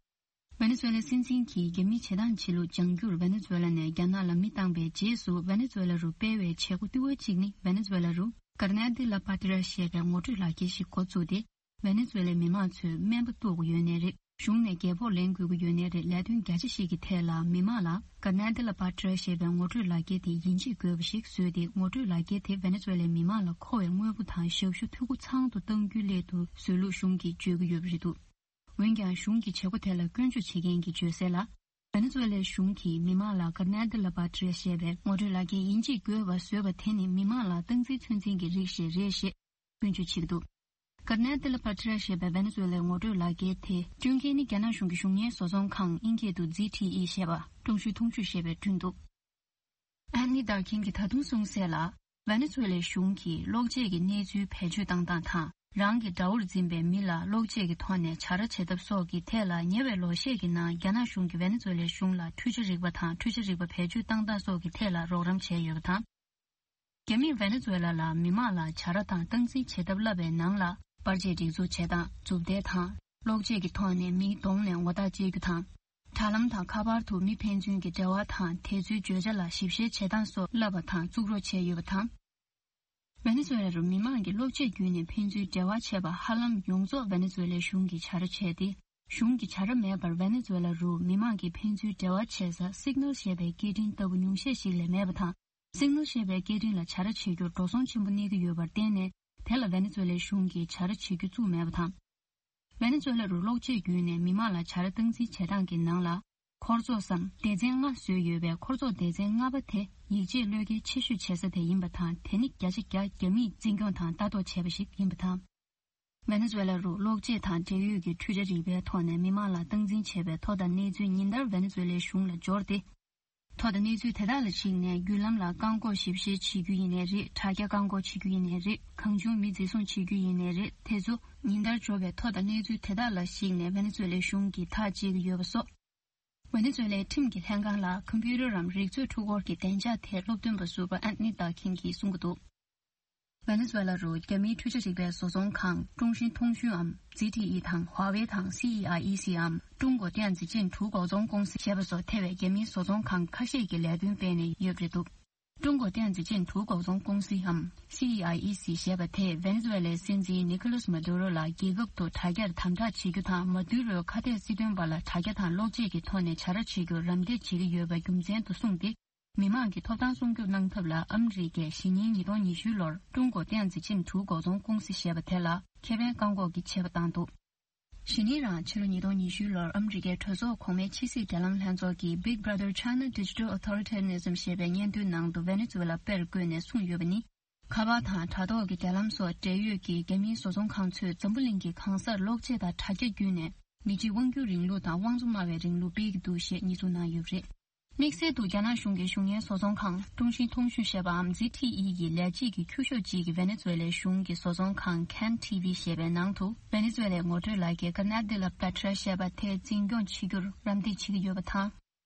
ཝེ་ནེ་ཛུ་ཝེ་ལའི་སྲིད་འཛིན་གྱིས་རྒྱ་མིའི་བྱེད་སྟངས་བྱེད་ལུགས་སྦྱང་རྒྱུར་ཝེ་ནེ་ཛུ་ཝེ་ལ་ནས་རྒྱ་ནག་ལ་མི་བཏང་པའི་རྗེས་སུ། ཝེ་ནེ་ཛུ་ཝེ་ལ་རུ་སྤེལ་བའི་བྱེད་སྒོ་ལྟེ་བ་གཅིག་ནི་ཝེ་ནེ་ཛུ་ཝེ་ལ་རུ་ཀར་ནེ་ཏི་ལ་པ་ཏི་ར་ཞེས་པའི་ངོ་སྤྲོད་ལག་འཁྱེར་ཞིག་འགོ་བཙུགས་ཏེ། ཝེ་ནེ་ཛུ་ཝེ་ལའི་མི་མང་ཚོས་སྨན་པ་གཏུག་དགོས་ཡོད་ནའི་རེད། གཞུང་ནས་རྒྱལ་ཕོགས་ལེན་དགོས་ཀྱི་ཡོད་ནའི་རེད། ལས་དོན་རྒྱ་ཆེ་ཞིག་གི་ཐད་ལ་མི་མང་ལ་ཀར་ནེ་ཏི་ལ་པ་ཏི་ར་ཞེས་པའི་ངོ་སྤྲོད་ལག་འཁྱེར་དེ་ཡིན་གཅིག་དགོས་པ་ཞིག་བཟོས་ཏེ། ངོ་སྤྲོད་ལག་འཁྱེར་དེ་ཝེ་ནེ་ཛུ་ཝེ་ལའི་མི་མང་ལ་མཁོ་བའི་དངོས་པོ་དང་ཞབས་ཞུ་འཐུས་སྒོ་ཚང་དུ་གཏང་རྒྱུའི་སླད་དུ་བཟོས་ལུགས་གཞུང་གིས་བརྗོད་ཀྱི་ཡོད་པ་རེད་འདུག། འོན་ཀྱང་། གཞུང་གི་བྱེད་སྒོ་དེ་ལ་སྐྱོན་བརྗོད་བྱེད་མཁན་གྱིས་བརྗོད་གསལ་ལ། ཝེ་ནེ་ཛུ་ཝེ་ལའི་གཞུང་གིས་མི་མང་ལ་ཀར་ནེ་ཏི་ལ་པ་ཏི་ར་ཞེས་པའི་ངོ་སྤྲོད་ལག་འཁྱེར་ཡིན་གཅིག་དགོས་པ་བཟོས་པ་དེ་ནི་མི་མང་ལ་སྟངས་འཛིན་ཚོད་འཛིན་གྱི་རིགས་ཤིག་རེད་ཞེས་སྐྱོན་བརྗོད་བྱེད་ཀྱི་འདུག། ཀར་ནེ་ཏི་ལ་པ་ཏི་ར་ཞེས་པའི་ཝེ་ནེ་ཛུ་ཝེ་ལའི་ངོ་སྤྲོད་ལག་འཁྱེར་དེ་བསྐྲུན་མཁན་ནི་རྒྱ་ནག་གཞུང་གི་གཞུང་གཉེར་བཟོ་ཚོང་ཁང་། དབྱིན་སྐད་དུ་ཛི་ཐི་ཨི་ཞེས་པ། ཀྲུང་ཞུའི་ཐུང་ཅུས་ཞེས་པས་བསྐྲུན་འདུག། ཨན་ནི་ཏར་ཁིན་གྱིས་ད་དུང་གསུངས་གསལ་ལ། ཝེ་ནེ་ཛུ་ཝེ་ལའི་གཞུང་གིས་གློག་ཆས་ཀྱི་གནས་ཚུལ་བེད་སྤྱོད་བཏང་སྟངས་དང་། རང་གི་དགྲ་བོར་འཛིན་པའི་མི་ལ་གློག་ཆས་ཀྱི་ཐོག་ནས་བྱ་ར་བྱེད་ཐབས་སོགས་ཀྱི་ཐད་ལ། ཉེ་བའི་ལོ་ཤས་ཀྱི་ནང་རྒྱ་ནག་གཞུང་གིས་ཝེ་ནེ་ཛུ་ཝེ་ལའི་གཞུང་ལ་འཕྲུལ་ཆས་རིག་པ་དང་འཕྲུལ་ཆས་རིག་པ་བེད་སྤྱོད་བཏང་སྟངས་སོགས་ཀྱི་ཐད་ལ་རོགས་རམ་བྱས་ཡོད་པ་དང་། རྒྱ་མིས་ཝེ་ནེ་ཛུ་ཝེ་ལ་ལ་མི་མང་ལ་བྱ་ར་དང་སྟངས་འཛིན་བྱེད་ཐབས་བསླབ་པའི་ནང་ལ། པར་ཆས་སྒྲིག་འཛུགས་བྱེད་སྟངས། མཛུབ་ཐེལ་དང་། གློག་ཆས་ཀྱི་ཐོག་ནས་མིའི་གདོང་ནས་ངོ་རྟགས་དཔྱད་རྒྱུ་དང་། དྲ་ལམ་དང་ཁ་པར་དུ་མི་ཕན་ཚུན་གྱི་འབྲེལ་བ་དང་དེ་ཚོའི་བརྗོད་བྱ་ལ་ཞིབ་བཤེར་བྱེད་སྟངས་སོགས་བསླབ་པ་དང་བཙུགས་རོགས་བྱས་ཡོད་པ་དང་། ཝེ་ནེ་ཛུ་ཝེ་ལ་རུ་མི་མང་གིས་གློག་ཆས་བརྒྱུད་ནས་ཕན་ཚུན་འབྲེལ་བ་བྱེད་པ་ཧ་ལམ་ཡོངས་རྫོགས་ཝེ་ནེ་ཛུ་ཝེ་ལའི་གཞུང་གིས་བྱ་ར་བྱས་ཏེ། གཞུང་གི་བྱ་ར་མེད་པར་ཝེ་ནེ་ཛུ་ཝེ་ལ་རུ་མི་མང་གིས་ཕན་ཚུན་འབྲེལ་བ་བྱེད་ས་སིག་ནལ་ཞེས་པའི་སྐད་འཕྲིན་ལྟ་བུ་ཉུང་ཤས་ཤིག་ལས་མེད་པ་དང་། སིག་ནལ་ཞེས་པའི་སྐད་འཕྲིན་ལ་བྱ་ར་བྱེད་རྒྱུར་འགྲོ་སོང་ཆེན་པོ་གནས་ཀྱི་ཡོད་པར་བརྟེན་ནས། དེ་ལ་ཝེ་ནེ་ཛུ་ཝེ་ལའི་གཞུང་གིས་བྱ་ར་བྱེད་རྒྱུ་བཙུགས་མེད་པ་དང་། ཝེ་ནེ་ཛུ་ཝེ་ལ་རུ་གློག་ཆས་བརྒྱུད་ནས་མི་མང་ལ་བྱ་ར་སྟངས་འཛིན་བྱེད་སྟངས་ཀྱི་ནང་ལ། འཁོར་ཚོགས་སམ་སྡེ་ཚན་ལྔ་བཟོས་ཡོད་པའི་འཁོར་ཚོགས་སྡེ་ཚན་ལྔ་པ་དེ་ཡིད་ཆེས་བློས་འགེལ་ཆེ་ཤོས་བྱེད་ས་དེ་ཡིན་པ་དང་། དེ་ནི་བརྒྱ་ཆ་བརྒྱ་རྒྱ་མིས་འཛིན་སྐྱོང་དང་ལྟ་རྟོག་བྱས་པ་ཞིག་ཡིན་པ་དང་། ཝེ་ནེ་ཛུ་ཝེ་ལ་རུ་གློག་ཆས་དང་འབྲེལ་ཡོད་ཀྱི་འཕྲུལ་ཆ་རིག་པའི་ཐོག་ནས་མི་མང་ལ་སྟངས་འཛིན་བྱས་པའི་ཐོ་དང་གནས་ཚུལ་ཉིན་ལྟར་ཝེ་ནེ་ཛུ་ཝེ་ལའི་གཞུང་ལ་འབྱོར་ཏེ། ཐོ་དང་གནས་ཚུལ་དེ་དག་ལ་གཞིགས་ནས་བརྒྱུད་ལམ་ལ་བཀག་འགོག་ཞིབ་བཤེར་བྱེད་རྒྱུ་ཡིན་ནའི་རེད། དྲ་རྒྱ་བཀག་འགོག་བྱེད་རྒྱུ་ཡིན་ནའི་རེད། གང་བྱུང་མི་འཛིན་བཟུང་བྱེད་རྒྱུ་ཡིན་ནའི་རེད། དེ་ཚོ་ཉིན་ལྟར་འབྱོར་བའི་ཐོ་དང་གནས་ཚུལ་དེ་དག་ལ་གཞིགས་ནས་ཝེ་ནེ་ཛུ་ཝེ་ལའི་གཞུང་གིས་ཐག་བཅད་ཀྱི་ཡོད་པ་སོགས། ཝེ་ནེ་ཛུ་ཝེ་ལའི་ཁྲིམས་ཀྱི་ལྷན་ཁང་ལ་ཁམ་པུ་ཊར་རམ་རིག་མཛོད་འཕྲུལ་འཁོར་གྱི་བདེ་འཇགས་ཐད་སློབ་སྟོན་པ་ཟུར་པ་ཨན་ཐོ་ནི་ཏར་ཁིན་གྱིས་གསུང་གི་འདུག། ཝེ་ནེ་ཛུ་ཝེ་ལ་རུ་རྒྱ་མིའི་འཕྲུལ་ཆས་རིག་པའི་བཟོ་ཚོང་ཁང་ཀྲུང་ཤིན་ཐུང་ཤུན་འམ་ཛི་ཐི་ཨི་དང་ཧྭ་ཝེ་དང་སི་ཨི་ཨའི་ཨི་སི་འམ་ཀྲུང་གོ་ཏེང་ཙི་ཅིན་གྲུ་འགོ་ཚོང་ཀུང་སི་ཞེས་པ་སོགས་ཐེ་བའི་རྒྱ་མིའི་བཟོ་ཚོང་ཁང་ཁ་ཤས་ཀྱིས་ལས་དོན་སྤེལ་ནས་ཡོད་པ་རེད་འདུག་ཀྲུང་གོ་ཏེང་ཙི་ཅིན་གྲུ་འགོ་ཚོང་ཀུང་སི་འམ་སི་ཨི་ཨའི་ཨི་སི་ཞེས་པ་དེས་ཝེ་ནེ་ཛུ་ཝེ་ལའི་སྲིད་འཛིན་ནི་ཁོ་ལཱས་མ་དུ་རོ་ལ་རྒྱལ་ཁབ་ཏུ་དྲ་རྒྱར་དམ་དྲག་བྱེད་རྒྱུ་དང་མ་དུ་རོའི་ཁ་གཏད་སྲིད་དོན་པ་ལ་དྲ་རྒྱ་དང་གློག་ཆས་ཀྱི་ཐོག་ནས་བྱ་ར་བྱེད་རྒྱུར་རམ་འདེགས་བྱེད་ཀྱི་ཡོད་པ་རྒྱུ་མཚན་དུ་བཟུང་སྟེ། མི་མང་གི་ཐོབ་ཐང་སྲུང་སྐྱོབ་གནང་ཐབས་ལ་ཨ་མི་རི་ཀས་གཞེས་ནིང་ཉིས་སྟོང་ཉི་ཤུ་ལོར་ཀྲུང་གོ་ཏེང་ཙི་ཅིན་གྲུ་འགོ་ཚོང་ཀུང་སི་ཞེས་པ་དེ་ལ་ཁེ་ཕན་བཀག་འགོག་གི་ཆད་པ་བཏང་འདུག་གཞེས་ནིང་རང་ཕྱི་ལོ་ཉིས་སྟོང་ཉི་ཤུ་ལོར་ཨ་མི་རི་ཀའི་གྲོས་ཚོགས་གོང་མའི་ཕྱི་སྲིད་འབྲེལ་ལམ་ལྷན་ཚོགས་ཀྱིས་Big Brother China Digital Authoritarianism ཞེས་པའི་སྙན་ཐོའི་ནང་དུ་ཝེ་ནེ་ཛུ་ཝེ་ལ་དཔེར་བཀོད་ནས་གསུངས་ཡོད་པ་ནི། ཁ་པར་དང་དྲ་ཐོག་གི་འབྲེལ་ལམ་སོགས་འབྲེལ་ཡོད་ཀྱི་རྒྱ་མིའི་བཟོ་ཚོང་ཁང་ཚོས་འཛམ་བུ་གླིང་གི་གང་སར་གློག་ཆས་དང་དྲ་རྒྱ་བརྒྱུད་ནས་མི་གཅིག་དབང་སྒྱུར་རིང་ལུགས་དང་དབང་ཆ་སྨྲ་བའི་རིང་ལུགས་སྤེལ་གྱི་འདུག་ཞེས་རྙེད་ཚུལ་གནང་ཡོད་པ་རེད། དམིགས་བསལ་དུ་རྒྱ་ནག་གཞུང་གི་གཞུང་གཉེར་བཟོ་ཚོང་ཁང་ཀྲུང་ཤིན་ཐུང་ཤུན་ཞེས་པའམ་ཛི་ཐི་ཨི་ཡི་ལས་བྱེད་ཀྱི་ཁྱུ་ཤོག་ཅིག་གིས་ཝེ་ནེ་ཛུ་ཝེ་ལའི་གཞུང་གི་བཟོ་ཚོང་ཁང་Can T V ཞེས་པའི་ནང་དུ་ཝེ་ནེ་ཛུ་ཝེ་ལའི་ངོ་སྤྲོད་ལག་འཁྱེར་Canal de la Patria ཞེས་པ་དེ་འཛིན་སྐྱོང་བྱེད་རྒྱུར་རམ་འདེགས་བྱེད་ཀྱི་ཡོད་པ་དང་།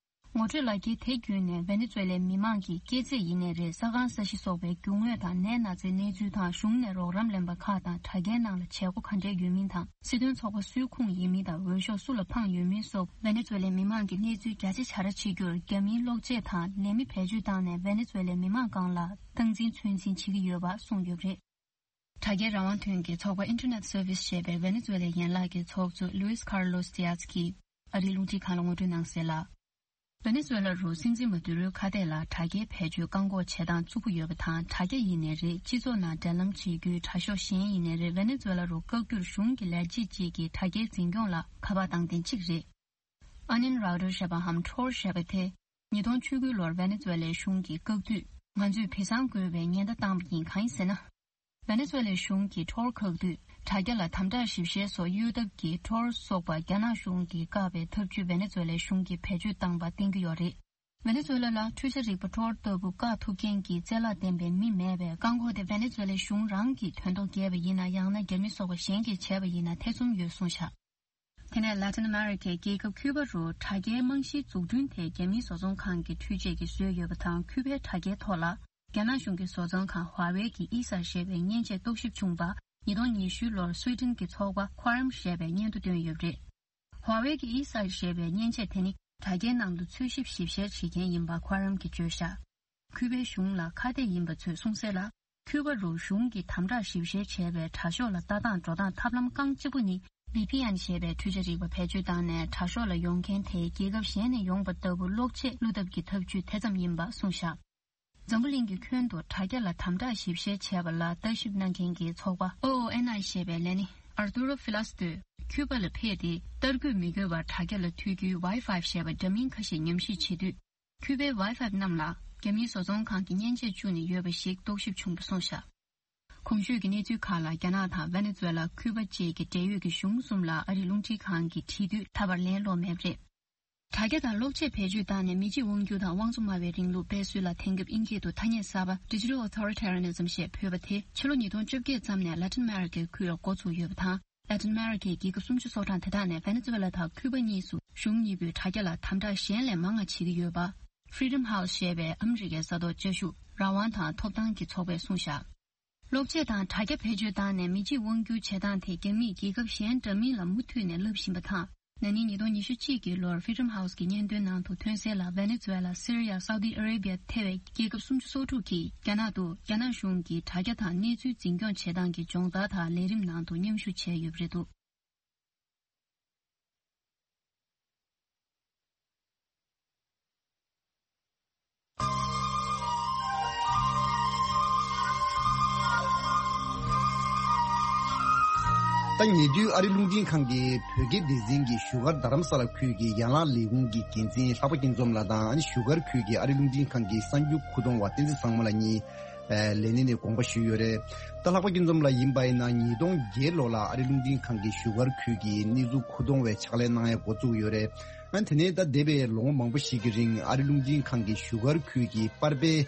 ངོ་སྤྲོད་ལག་འཁྱེར་དེ་བརྒྱུད་ནས་ཝེ་ནེ་ཛུ་ཝེ་ལའི་མི་མང་གི་སྐྱེས་ཚེས་ཡིན་ནའི་རེད། ས་ཁང་ས་གཞི་སོགས་པའི་རྒྱུ་དངོས་དང་ནད་ན་ཚའི་གནས་ཚུལ་དང་གཞུང་ནས་རོགས་རམ་ལེན་པ་ཁག་དང་དྲ་རྒྱའི་ནང་ལ་བྱེད་སྒོ་ག་འདྲས་ཡོད་མིན་དང་སྲིད་དོན་ཚོགས་པ་སུའི་ཁོངས་ཡིན་མིན་དང་འོས་ཤོག་སུ་ལ་འཕངས་ཡོད་མིན་སོགས་ཝེ་ནེ་ཛུ་ཝེ་ལའི་མི་མང་གི་གནས་ཚུལ་རྒྱ་ཆེ་བྱ་ར་བྱེད་རྒྱུར་རྒྱ་མིའི་གློག་ཆས་དང་ལས་མི་བེད་སྤྱོད་བཏང་ནས་ཝེ་ནེ་ཛུ་ཝེ་ལའི་མི་མང་སྒང་ལ་སྟངས་འཛིན་ཚོད་འཛིན་བྱེད་ཀྱི་ཡོད་པ་གསུངས་ཡོད་པ་རེད། དྲ་རྒྱའི་རང་དབང་དོན་གྱི་ཚོགས་པ་Internet Service ཞེས་པའི་ཝེ་ནེ་ཛུ་ཝེ་ལའི་ཡན་ལག་གི་ཚོགས་གཙོ་Luis Carlos Diaz གྱིས་ཨ་རིའི་རླུང་འཕྲིན་ཁང་ལ་ངོ་སྤྲོད་གནང་གསལ་ལ། ཝེ་ནེ་ཛུ་ཝེ་ལ་རུ་སྲིད་འཛིན་མ་དུ་རུའི་ཁ་གཏད་ལ་དྲ་རྒྱའི་བེད་སྤྱོད་བཀག་འགོག་བྱེད་སྟངས་རྩུབ་པོ་ཡོད་པ་དང་། དྲ་རྒྱ་ཡིན་ནའི་རེད། སྤྱི་ཚོགས་ནང་འབྲེལ་ལམ་བྱེད་རྒྱུའི་དྲ་ཤོག་གཞན་ཡིན་ནའི་རེད། ཝེ་ནེ་ཛུ་ཝེ་ལ་རུ་བཀག་རྒྱུར་གཞུང་གི་ལས་བྱེད་ཅིག་གིས་དྲ་རྒྱའི་འཛིན་སྐྱོང་ལ་ཁ་པར་བཏང་མཁན་གཅིག་རེད། ཨ་ནིན་རའོ་ཏར་ཞེས་པའམ་ཁྲོར་ཞེས་པ་དེ་ཉིས་སྟོང་བཅུ་དགུ་ལོར་ཝེ་ནེ་ཛུ་ཝེ་ལའི་གཞུང་གིས་བཀག་དུས། ང་ཚོས་བི་སང་དགོས་པའི་ཉེན་བརྡ་བཏང་བ་ཡིན། གང་ཡིན་ཟེར་ན། ཝེ་ནེ་ཛུ་ཝེ་ལའི་གཞུང་གིས་ཁྲོར་བཀག་དུས། དྲ་རྒྱ་ལ་དམ་དྲག་ཞིབ་བཤེར་སོགས་གཡོལ་ཐབས་ཀྱིས་ཁྲོར་སོགས་པ་རྒྱ་ནག་གཞུང་གིས་བཀག་པའི་ཐབས་ཇུས་ཝེ་ནེ་ཛུ་ཝེ་ལའི་གཞུང་གིས་བེད་སྤྱོད་བཏང་པ་བསྟན་གྱི་ཡོད་རེད། ཝེ་ནེ་ཛུ་ཝེ་ལ་ལ་འཕྲུལ་ཆས་རིག་པ་ཁྲོར་ལྟ་བུ་བཀག་ཐུབ་མཁན་གྱི་རྩལ་བརླག་ལྡན་པའི་མི་མེད་པས། བཀག་འགོག་དེ་ཝེ་ནེ་ཛུ་ཝེ་ལའི་གཞུང་རང་གིས་དོན་ཐོག་བརྒྱབ་པ་ཡིན་ན། ཡང་ན་རྒྱ་མི་སོགས་པ་གཞན་གྱིས་བྱས་པ་ཡིན་ན་ཐེ་ཚོམ་ཡོད་གསུངས་བཞག་དེ་ནས་Latin America རྒྱལ་ཁབ་ཁྱུ་པ་རུ་དྲ་རྒྱའི་རྨང་གཞིའི་འཛུགས་སྐྲུན་དེ་རྒྱ་མིའི་བཟོ་ཚོང་ཁང་གི་འཕྲུལ་ཆས་ཀྱིས་བཟོས་ཡོད་པ་དང་། ཁྱུ་པའི་དྲ་རྒྱའི་ཐོག་ལ་རྒྱ་ནག་གཞུང་གི་བཟོ་ཚོང་ཁང་ཧྭ་ཝེ་གིས་ཨི་སར་ཞེས་པའི་མཉེན་ཆས་རྟོག་ཞིབ་བྱུང་བ། ཉིས་སྟོང་ཉི་ཤུ་ལོར་སུའེ་ཏེན་གྱི་ཚོགས་པ་Quorum ཞེས་པས་སྙན་ཐོ་བཏོན་ཡོད་པ་རེད། ཧྭ་ཝེ་གི་ཨི་སར་ཞེས་པའི་མཉེན་ཆས་དེ་ནི་དྲ་རྒྱའི་ནང་དུ་འཚོལ་ཞིབ་ཞིབ་བཤེར་བྱེད་མཁན་ཡིན་པ་Quorum གྱིས་བརྗོད་བཞག་ཁུ་པའི་གཞུང་ལ་ཁ་གཏད་ཡིན་པ་ཚོས་གསུངས་གསལ་ལ། ཁུ་པ་རུ་གཞུང་གིས་དམ་དྲག་ཞིབ་བཤེར་བྱས་པའི་དྲ་ཤོག་ལ་ལྟ་སྟངས་འགྲོ་སྟངས་ཐབས་ལམ་རྐང་གཅིག་པུ་ནི་ཝི་པི་ཨེན་ཞེས་པའི་འཕྲུལ་ཆས་རིག་པ་བེད་སྤྱོད་བཏང་ནས་དྲ་ཤོག་ལ་ཡོང་མཁན་དེ་རྒྱལ་ཁབ་གཞན་ནས་ཡོང་པ་ལྟ་བུ་གློག་ཆས་བླུག་ཐབས་ཀྱི་ཐབས་ཇུས་དེ་ཙམ་ཡིན་པ་གསུངས་བཞག་འཛམ་བུ་གླིང་གི་ཁྱོན་དུ་དྲ་རྒྱ་ལ་དམ་དྲག་ཞིབ་བཤེར་བྱས་པ་ལ་ལྟ་ཞིབ་གནང་མཁན་གྱི་ཚོགས་པ་ཨོ་ཨོ་ཨེན་ཨའི་ཞེས་པའི་ལས་སྣེ་Arturo Filas དུས་ཁྱུ་པ་ལ་ཕེབས་ཏེ། ལྟ་སྐོར་མི་དགོས་པར་དྲ་རྒྱ་ལ་ཐུག་རྒྱུའི་Wi-Fi ཞེས་པ་འདྲ་མིན་ཁ་ཤས་ཉམས་ཞིབ་བྱེད་དུས། ཁྱུ་པའི་Wi-Fi རྣམས་ལ་རྒྱ་མིའི་བཟོ་ཚོང་ཁང་གི་མཉེན་ཆས་བཅུག་ནས་ཡོད་པ་ཞིག་རྟོག་ཞིབ་བྱུང་བ་གསུངས་བཞག་གོང་ཞུས་ཀྱི་གནས་ཚུལ་ཁག་ལ་རྒྱ་ནག་དང་ཝེ་ནེ་ཛུ་ཝེ་ལ། ཁུ་པ་བཅས་ཀྱི་འབྲེལ་ཡོད་ཀྱི་གཞུང་གསུམ་ལ་ཨ་རིའི་རླུང་འཕྲིན་ཁང་གིས་དྲིས་དུས་ད་བར་ལན་སློག་མེད་པ་རེད། དྲ་རྒྱ་དང་གློག་ཆས་བེད་སྤྱོད་བཏང་ནས་མི་གཅིག་དབང་སྒྱུར་དང་དབང་ཆ་སྨྲ་བའི་རིང་ལུགས་སྤེལ་སྲོལ་ལ་དེང་སྐབས་དབྱིན་སྐད་དུ་ཐ་སྙད་གསར་པ་Digital Authoritarianism ཞེས་འབོད་པ་དེ་ཕྱི་ལོ་ཉིས་སྟོང་བཅོ་བརྒྱད་ཙམ་ནས་ལ་ཏིན་ཨ་མེ་རི་ཀའི་ཁུལ་ལ་འགོ་ཚུགས་ཡོད་པ་དང་། ལ་ཏིན་ཨ་མེ་རི་ཀའི་རྒྱལ་ཁབ་སུམ་ཅུ་སོ་གྲངས་དེ་དག་ནས་ཝེ་ནེ་ཛུ་ཝེ་ལ་དང་ཁུ་པ་གཉིས་སུ་གཞུང་གཉིས་པོས་དྲ་རྒྱ་ལ་དམ་དྲག་གཞན་ལས་མང་བ་བྱེད་ཀྱི་ཡོད་པ། Freedom House ཞེས་པའི་ཨ་མི་རི་ཀའི་ས་ཐོག་བཅའ་བཞུགས་རང་དབང་དང་ཐོབ་ཐང་གི་ཚོགས་པས་གསུངས་བཞག་གློག་ཆས་དང་དྲ་རྒྱ་བེད་སྤྱོད་བཏང་ནས་མི་གཅིག་དབང་བསྒྱུར་བྱེད་སྟངས་དེ་རྒྱ་མིས་རྒྱལ་ཁབ་གཞན་འདྲ་མིན་ལ་མུ་མཐུད་ནས་སླབ་བཞིན་པ་དང་། ན་ནིང་ཉིས་སྟོང་ཉི་ཤུ་གཅིག་གི་ལོར་Freedom House གི་སྙན་ཐོའི་ནང་དུ་ཐོན་གསལ་ལ། ཝེ་ནེ་ཛུ་ཝེ་ལ། སི་རི་ཡ། སའུ་ཏི་ཨ་རེ་བི་ཡ་ཐེ་བའི་རྒྱལ་ཁབ་སུམ་ཅུ་སོ་དྲུག་གིས་རྒྱ་ནག་ཏུ་རྒྱ་ནག་གཞུང་གིས་དྲ་རྒྱ་དང་གནས་ཚུལ་འཛིན་སྐྱོང་བྱེད་སྟངས་ཀྱི་སྦྱོང་བརྡར་དང་ལས་རིམ་ནང་དུ་མཉམ་ཞུགས་བྱས་ཡོད་པ་རེད་འདུག་ད་ཉེ་དུས་ཨ་རི་རླུང་འཕྲིན་ཁང་གི་བོད་སྐད་སྡེ་ཚན་གྱི་བཞུགས་སྒར་རྡ་རམ་ས་ལ་ཁུལ་གྱི་ཡན་ལག་ལས་ཁུངས་ཀྱི་འགན་འཛིན་ལྷག་པ་སྐྱིད་འཛོམས་ལགས་དང་། ཨ་ནི་བཞུགས་སྒར་ཁུལ་གྱི་ཨ་རི་རླུང་འཕྲིན་ཁང་གི་གསར་འགྱུར་ཁུ་གཏོང་བ་བསྟན་འཛིན་བཟང་མོ་ལགས་གཉིས། ལས་སྣེ་ནས་དགོངས་པ་ཞུས་ཡོད་རེད། ད་ལྷག་པ་སྐྱིད་འཛོམས་ལགས་ཡིན་པ་ཡིན་ན། ཉིས་སྟོང་བརྒྱད་ལོ་ལ་ཨ་རི་རླུང་འཕྲིན་ཁང་གི་བཞུགས་སྒར་ཁུལ་གྱི་གནས་ཚུལ་ཁུ་གཏོང་བའི་ཕྱག་ལས་གནང་ཡ་འགོ་བཙུགས་ཡོད་རེད། ཨ་ནི་དེ་ནས་ད་འདས་པའི་ལོ་ངོ་མང་པོ་ཞིག་གི་རིང་ཨ་རི་རླུང་འཕྲིན་ཁང་གི་བཞུགས་སྒར་ཁུལ་གྱི་པར་སྤེལ་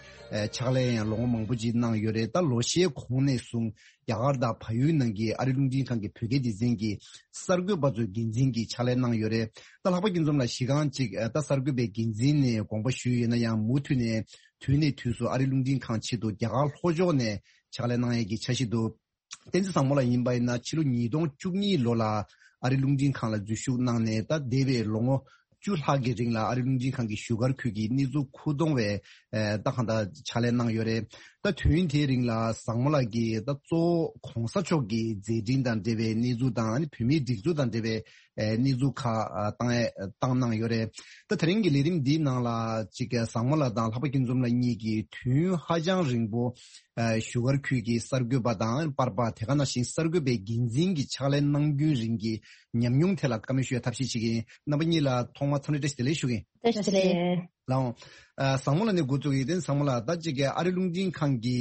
ཕྱག་ལས་ཡང་ལོ་ངོ་མང་པོ་ཅིག་གནང་ཡོད་རེད། ད་ལོ་ཤས་གོང་ནས་བཟུང་རྒྱ་གར་དང་བལ་ཡུལ་ནང་གི་ཨ་རི་རླུང་འཕྲིན་ཁང་གི་བོད་སྐད་སྡེ་ཚན་གྱི་གསར་འགོད་པ་ཚོའི་འགན་འཛིན་གྱི་ཕྱག་ལས་གནང་ཡོད་རེད། ད་ལྷག་པ་སྐྱིད་འཛོམས་ལགས་གཞི་རྐང་གཅིག་ད་གསར་འགོད་པའི་འགན་འཛིན་ནས་དགོངས་པ་ཞུས་ཡོད་ན་ཡང་། མུ་མཐུད་ནས་དུས་ནས་དུས་སུ་ཨ་རི་རླུང་འཕྲིན་ཁང་ཆེད་དུ་རྒྱ་གར་ལྷོ་ཕྱོགས་ནས་ ཕྱག་ལས་གནང་ཡས་ཀྱི་འཆར་གཞི་འདུག་བསྟན་འཛིན་བཟང་མོ་ལགས་ཡིན་པ་ཡིན་ན་ཕྱི་ལོ་ཉིས་སྟོང་བཅུ་གཉིས་ལོ་ལ་ཨ་རི་རླུང་འཕྲིན་ཁང་ལ་འཛུལ་ཞུགས་གནང་ནས་ད་འདས་པའི་ལོ་ངོ་བཅུ་ལྷག་གི་རིང་ལ་ཨ་རི་རླུང་འཕྲིན་ཁང་གི་བཞུགས་སྒར་ཁུལ་གྱི་གནས་ཚུལ་མཁོ་གཏོང་བའི་ཨེ་ད་གང་ལྟར་ཕྱག་ལས་གནང་ཡོད་རེད། ད་དུས་ཡུན་དེའི་རིང་ལ་བཟང་མོ་ལགས་ཀྱིས་ད་གཙོ་བོ་གོང་ས་མཆོག་གི་མཛད་འཕྲིན་དང་འབྲེལ་བའི་གནས་ཚུལ་དང་ཨ་ནི་བོད་མིའི་སྒྲིག་འཛུགས་དང་འབྲེལ་བའི་ཨེ་གནས་ཚུལ་ཁག་ཨ་བཏང་ཨེ་བཏང་གནང་ཡོད་རེད། ད་དེ་རིང་གི་ལས་རིམ་འདིའི་ནང་ལ་ཅིག་བཟང་མོ་ལགས་དང་ལྷག་པ་སྐྱིད་འཛོམས་ལགས་གཉིས་ཀྱིས་དུས་ཡུན་ཧ་ཅང་རིང་པོ་ཨ་བཞུགས་སྒར་ཁུལ་གྱི་གསར་འགོད་པ་དང་པར་པ་དེ་ག་ནང་བཞིན་གསར་འགོད་པའི་འགན་འཛིན་གྱི་ཕྱག་ལས་གནང་རྒྱུན་རིང་གི་ཉམས་མྱོང་ཐད་ལ་བཀའ་མོལ་ཞུ་ཡ་ཐབས་ཤེས་བྱེད་ཀྱི་ཡིན། རྣམ་པ་གཉིས་ལ་ཐོག་མར་འཚམས་འདྲི་བཀྲ་ཤིས་བདེ་ལེགས་ཞུ་གི་ཡིན། བཀྲ་ཤིས་བདེ་ལེགས། ལགས་འོང་། ཨ་བཟང་མོ་ལགས་ནས་འགོ་བཙུགས་ཡིན། དེ་བཟང་མོ་ལགས་ད་ཅིག་གི་ཨ་རི་རླུང་འཕྲིན་ཁང་གི་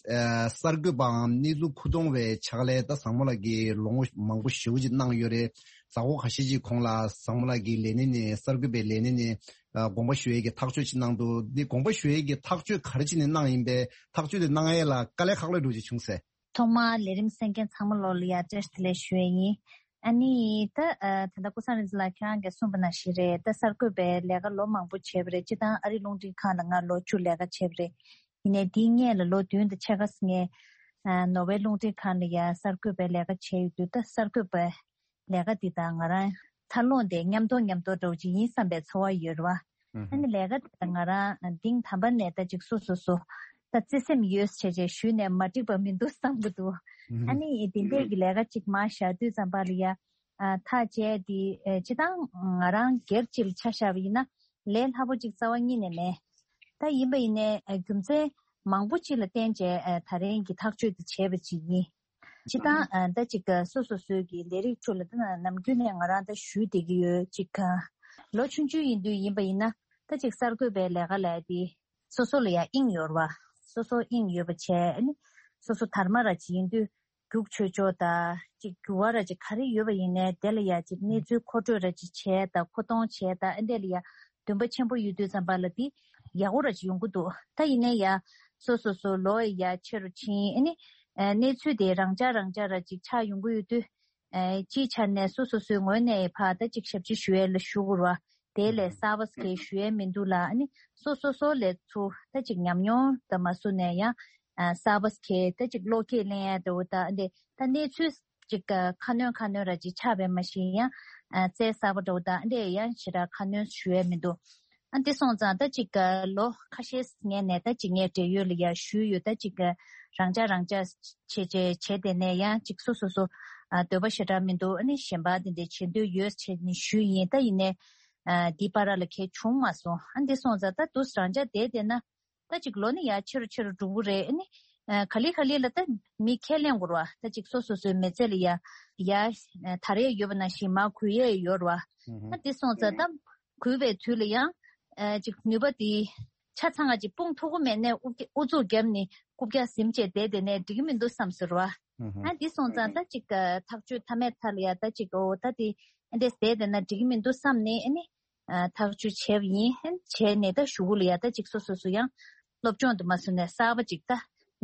ཨ་གསར་འགོད་པའམ་གནས་ཚུལ་མཁོ་གཏོང་བའི་ཕྱག་ལས་ད་བཟང་མོ་ལགས་ཀྱིས་ལོ་ངོ་མང་པོ་ཞེ་པོ་ཅིག་གནང་ཡོད་རེད། གཟའ་འཁོར་ཁ་ཤས་ཅིག་གོང་ལ་བཟང་མོ་ལགས་ཀྱིས་ལས་གནས་ནས་གསར་འགོད་པའི་ལས་གནས་ནས་ཨ་དགོངས་པ་ཞུ་ཡས་ཀྱི་ཐག་གཅོད་ཅིག་གནང་འདུག་འདི་དགོངས་པ་ཞུ་ཡས་ཀྱི་ཐག་གཅོད་ག་རེ་བྱས་ནས་གནང་ཡིན་པས། ཐག་གཅོད་དེ་གནང་ཡས་ལ་དཀའ་ལས་ཁག་ལོས་འགྲོ་ཅིག་བྱུང་ཟེར། ཐོག་མར་ལས་རིམ་གསན་མཁན་ཚང་མ་ལོ་ལ་ཡ་བཀྲ་ཤིས་བདེ་ལེགས་ཞུ་ཡས་ཡིན། ཨ་ནི་ད་ཨ་ད་ལྟ་ཀུན་བཟང་རིག་འཛིན་ལགས་ཁྱེད་རང་གིས་གསུངས་པ་ནང་བཞིན་རེད། ད་གསར་འགོད་པའི་ལས་ཀ་ལོ་མང་པོ་བྱས་པ་རེད། སྤྱིར་བཏང་ཨ་རི་རླུང་འཕྲིན་ཁང་ལ་ང་ལོ་བཅུ་ལས་ཀ་བྱས་པ་རེད། ཡིན་ནའི་དེའི་སྔོན་ལ་ལོ་བདུན་དང་ཕྱེད་ཀ་ངས་ཨ་ནོར་ཝེ་རླུང་འཕྲིན་ཁང་ལ་ཡ་གསར་འགོད་པའི་ལས་ཀ་བྱས་ཡོད་དུས། ད་གསར་འགོད་པའི་ལས་ཀ་འདི་དང་ང་རང་འཚར་ལོངས་དེ་མཉམ་དུ་མཉམ་དུ་འདྲ་བོ་ཅིག་ཡིན་བསམ་པའི་ཚོར་བ་ཡོད་རེད་བ། ཨ་ནི་ལས་ཀ་དེ་ང་རང་འདིང་དམ་པ་ནས་ད་ཅིག་སོ་སོ་སོ་ད་བརྩེ་སེམས་ཡོད་བྱས་བྱས་ཞུས་ནས་མ་འགྲིག་པ་མི་འདུག་བསམ་གྱི་འདུག་ཨ་ནི་དེ་འདྲས་ཀྱི་ལས་ཀ་ཅིག་མར་བཞག་དུས་ཙམ་པ་ལ་ཡ་ཨ་ཐག་བཅད་དེ་ཨེ་སྤྱིར་བཏང་ང་རང་སྒེར་གཅིག་ལ་ཆ་བཞག་པ་ཡིན་ན་ལས་སླ་པོ་ཅིག་རྩ་བ་ཉིད་ནས་མེད། ད་ཡིན་པ་ཡིན་ནའི་ཨེ་རྒྱུ་མཚན་མང་པོ་ཅིག་ལ་བརྟེན་བྱས་ཨེ་ད་རིང་གི་ཐག་གཅོད་དེ་བྱས་པ་ཅིག་ཡིན། སྤྱིར་བཏང་ཨ་ད་ཅིག་སོ་སོ་སོའི་གི་ལས་རིགས་ཁྲོད་ལ་ད་ནམ་རྒྱུན་ནས་ང་རང་ད་ཞུས་བསྡད་ཀྱི་ཡོད། ཅིག་ལོ་ཆུང་ཆུང་ཡིན་དུས་ཡིན་པ་ཡིན་ན་ད་ཅིག་གསར་འགོད་པའི་ལས་ཀ་ལས་དེ་སོ་སོ་ལ་ཡང་དབྱིངས་ཡོད་རེད་བ། སོ་སོ་དབྱིངས་ཡོད་པ་བྱས། ཨ་ནི་སོ་སོ་དར་མ་ར་ཅིག་ཡིན་དུས་རྒྱུགས་ཆོད་ཆོག་ད་ཅིག་འགྱུར་བ་ར་ཅིག་ག་རེ་ཡོད་པ་ཡིན་ནའི་དེ་ལ་ཡང་ཅིག་གནས་ཚུལ་མཁོ་སྤྲོད་ར་ཅིག་བྱས་ད་མཁོ་གཏོང་བྱས་ད་ཨ་འདྲས་ལ་ཡང་འདུན་པ་ཆེན་པོ་ཡོད་དུས་ཙམ་པ་ལ་དེ་ཡག་པོ་ར་ཅིག་ཡོང་གི་འདུག་ད་ཡིན་ནའི་ཡ་སོ་སོ་སོ་ལོ་ཡ་ཆེ་རུ་ཕྱིན་ཨ་ནི་ཨ་གནས་ཚུལ་དེ་རང་འཇགས་རང་འཇགས་ར་ཅིག་ཆགས་ཡོང་གི་ཡོད་དུས། ཨ་སྤྱིའི་ཆ་ནས་སོ་སོ་སོའི་ངོས་ནས་ཕར་ད་ཅིག་ཞབས་ཕྱི་ཞུ་ཡས་ལ་ཞུ་དགོས་ར་དེ་ལས་གསར་པ་གས་ཞུ་ཡས་མི་འདུག་ལ་ཨ་ནི་སོ་སོ་སོ་ལས་ཚུར་ད་ཅིག་ཉམས་མྱོང་དང་མ་སུ་ནས་ཡང་ཨ་གསར་པ་གས་ད་ཅིག་བློ་སྐྱེད་ལེན་ཡས་འདྲ་བོ་ད་ཨ་འདྲས་ད་གནས་ཚུལ། ཅིག་ཁ་སྣོན་ཁ་སྣོན་ར་ཅིག་ཆགས་པའི་མ་གཞི་ཡང་རྩལ་གསར་པ་འདྲ་བོ་དང་འདྲས་ཡང་ཞེ་དྲག་ཁ་སྣོན་ཞུ་ཡས་མི་འདུག་ཨ་འདི་སོང་ཙང་ད་ཅིག་ལོ་ཁ་ཤས་ངས་ནས་ད་ཅིག་ངས་འབྲེལ་ཡོད་ལ་ཡང་ཞུས་ཡོད། ད་ཅིག་རང་འཇགས་རང་འཇགས་བྱས་བྱས་བྱས་དེ་ནས་ཡང་ཅིག་སོ་སོ་སོ་འདོད་པ་ཞེ་དྲག་མི་འདུག་ཨ་ནི་གཞན་པ་འདི་འདྲས་བྱེད་འདོད་ཡོད་བྱས་ནས་ཞུས་ཡིན། ད་ཡིན་ནས་འདི་བར་ལ་གས་བྱུང་མ་སོང་། ཨ་འདི་སོང་ཙང་ད་དུས་རང་འཇགས་བསྡད་བསྡད་ན། ད་ཅིག་ལོ་ནི་ཡར་ཆེ་རུ་ཆེ་རུ་འགྲོ་གི་རེད། ཨ་ནི་ཨ་ག་ལེ་ག་ལེ་ལ་ད་མི་ཁས་ལེན་དགོས་རེད་བ། ད་ཅིག་སོ་སོ་སོའི་མི་ཚེ་ལ་ཡ་ཡ་དར་ཡས་ཡོད་པ་ནང་བཞིན་མར་གུད་ཡས་ཡོད་རེད་བ། ཨ་དེ་སོང་ཙང་ད་གུད་པའི་དུས་ལ་ཡང་ཨ་ཅིག་ནུས་པ་དེ་ཆ་ཚང་ང་ཅིག་སྤུངས་ཐུབ་ཀྱི་མེད་ནས་ཨུ་ཨུ་ཚུགས་བརྒྱབ་ནས་རྐུབ་བཀྱག་ཟིན་བྱས་བསྡད་བསྡད་ནས་འགྲིག་གི་མི་འདུག་བསམ་ཟེར་བ། ཨ་དེ་སོང་ཙང་ད་ཅིག་ཐག་གཅོད་མཐའ་མའི་མཐའ་ལ་ཡ་ད་ཅིག་འོ་ད་དེ་ཨ་འདྲས་བསྡད་བསྡད་ན་འགྲིག་གི་མི་འདུག་བསམ་ནས་ཨ་ནི། ཨ་ཐག་གཅོད་བྱས་པ་ཡིན། བྱས་ནས་ད་གཞུག་གུ་ལ་ཡ་ད་ཅིག་སོ་སོ་སོ་ཡང་སློབ་སྦྱོང་དུ་མ་སོང་ནས་གསར་པ་ཅིག་ད་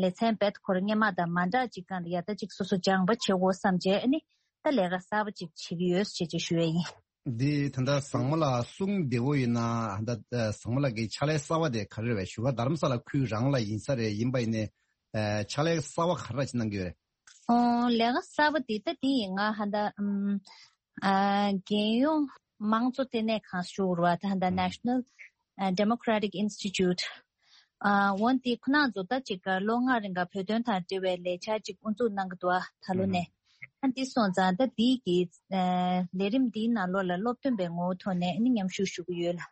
ལེ་ཚན་རྦད་ཁོ་རང་སྔོན་མ་དང་མ་འདྲ་ཅིག་སྒང་ལ་ཡ་ད་ཅིག་སོ་སོ་སྦྱངས་པ་བྱེད་དགོས་བསམ་བྱས་ཨ་ནི་ད་ལས་ཀ་གསར་པ་ཅིག་བྱེད་ཀྱི་ཡོད་ཅེས་ཅེས་ཞུ་ཡས་ཡིན། འདི་ད་ལྟ་བཟང་མོ་ལགས་གསུང་བདེ་བོ་ཡིན་ན་ད་ལྟ་བཟང་མོ་ལགས་ཀྱི་ཕྱག་ལས་གསར་པ་དེ་ག་རེ་རེད་བས། བཞུགས་སྒར་རྡ་རམ་ས་ལ་ཁུལ་རང་ལ་ཡིན་ས་རེད། ཡིན་པ་ཡིན་ནའི་ཕྱག་ལས་གསར་པ་ག་རེ་ར་ཅིག་གནང་གི་ཡོད་རེད། ཨོ་ལས་ཀ་གསར་པ་འདི་ད་འདི་ཡིན། ང་ཧ་ད་ཨམ་ཨ་རྒྱལ་ཡོངས་དམངས་གཙོ་ལྟེ་གནས་ཁང་ཞུ་རུ་བ་ད་ཧ་ད་National Democratic Institute ཨ་འོན་ཏེ་ཁོ་ན་ཚོ་ད་ཅིག་ལོ་ལྔ་རིང་ག་བོད་དོན་དང་འབྲེལ་བའི་ལས་འཆར་ཅིག་དབུ་འཛུགས་གནང་གི་འདུག་ཨ་ད་ལོ་ནས་ཨ་འདི་སོང་ཙང་ད་འདི་གི་ཨ་ལས་རིམ་འདིའི་ནང་ལོགས་ལ་སློབ་སྟོན་པའི་ངོ་བོ་ཐོག་ནས་ཨ་ནི་མཉམ་ཞུགས་ཞུ་གི་ཡོད་ལ།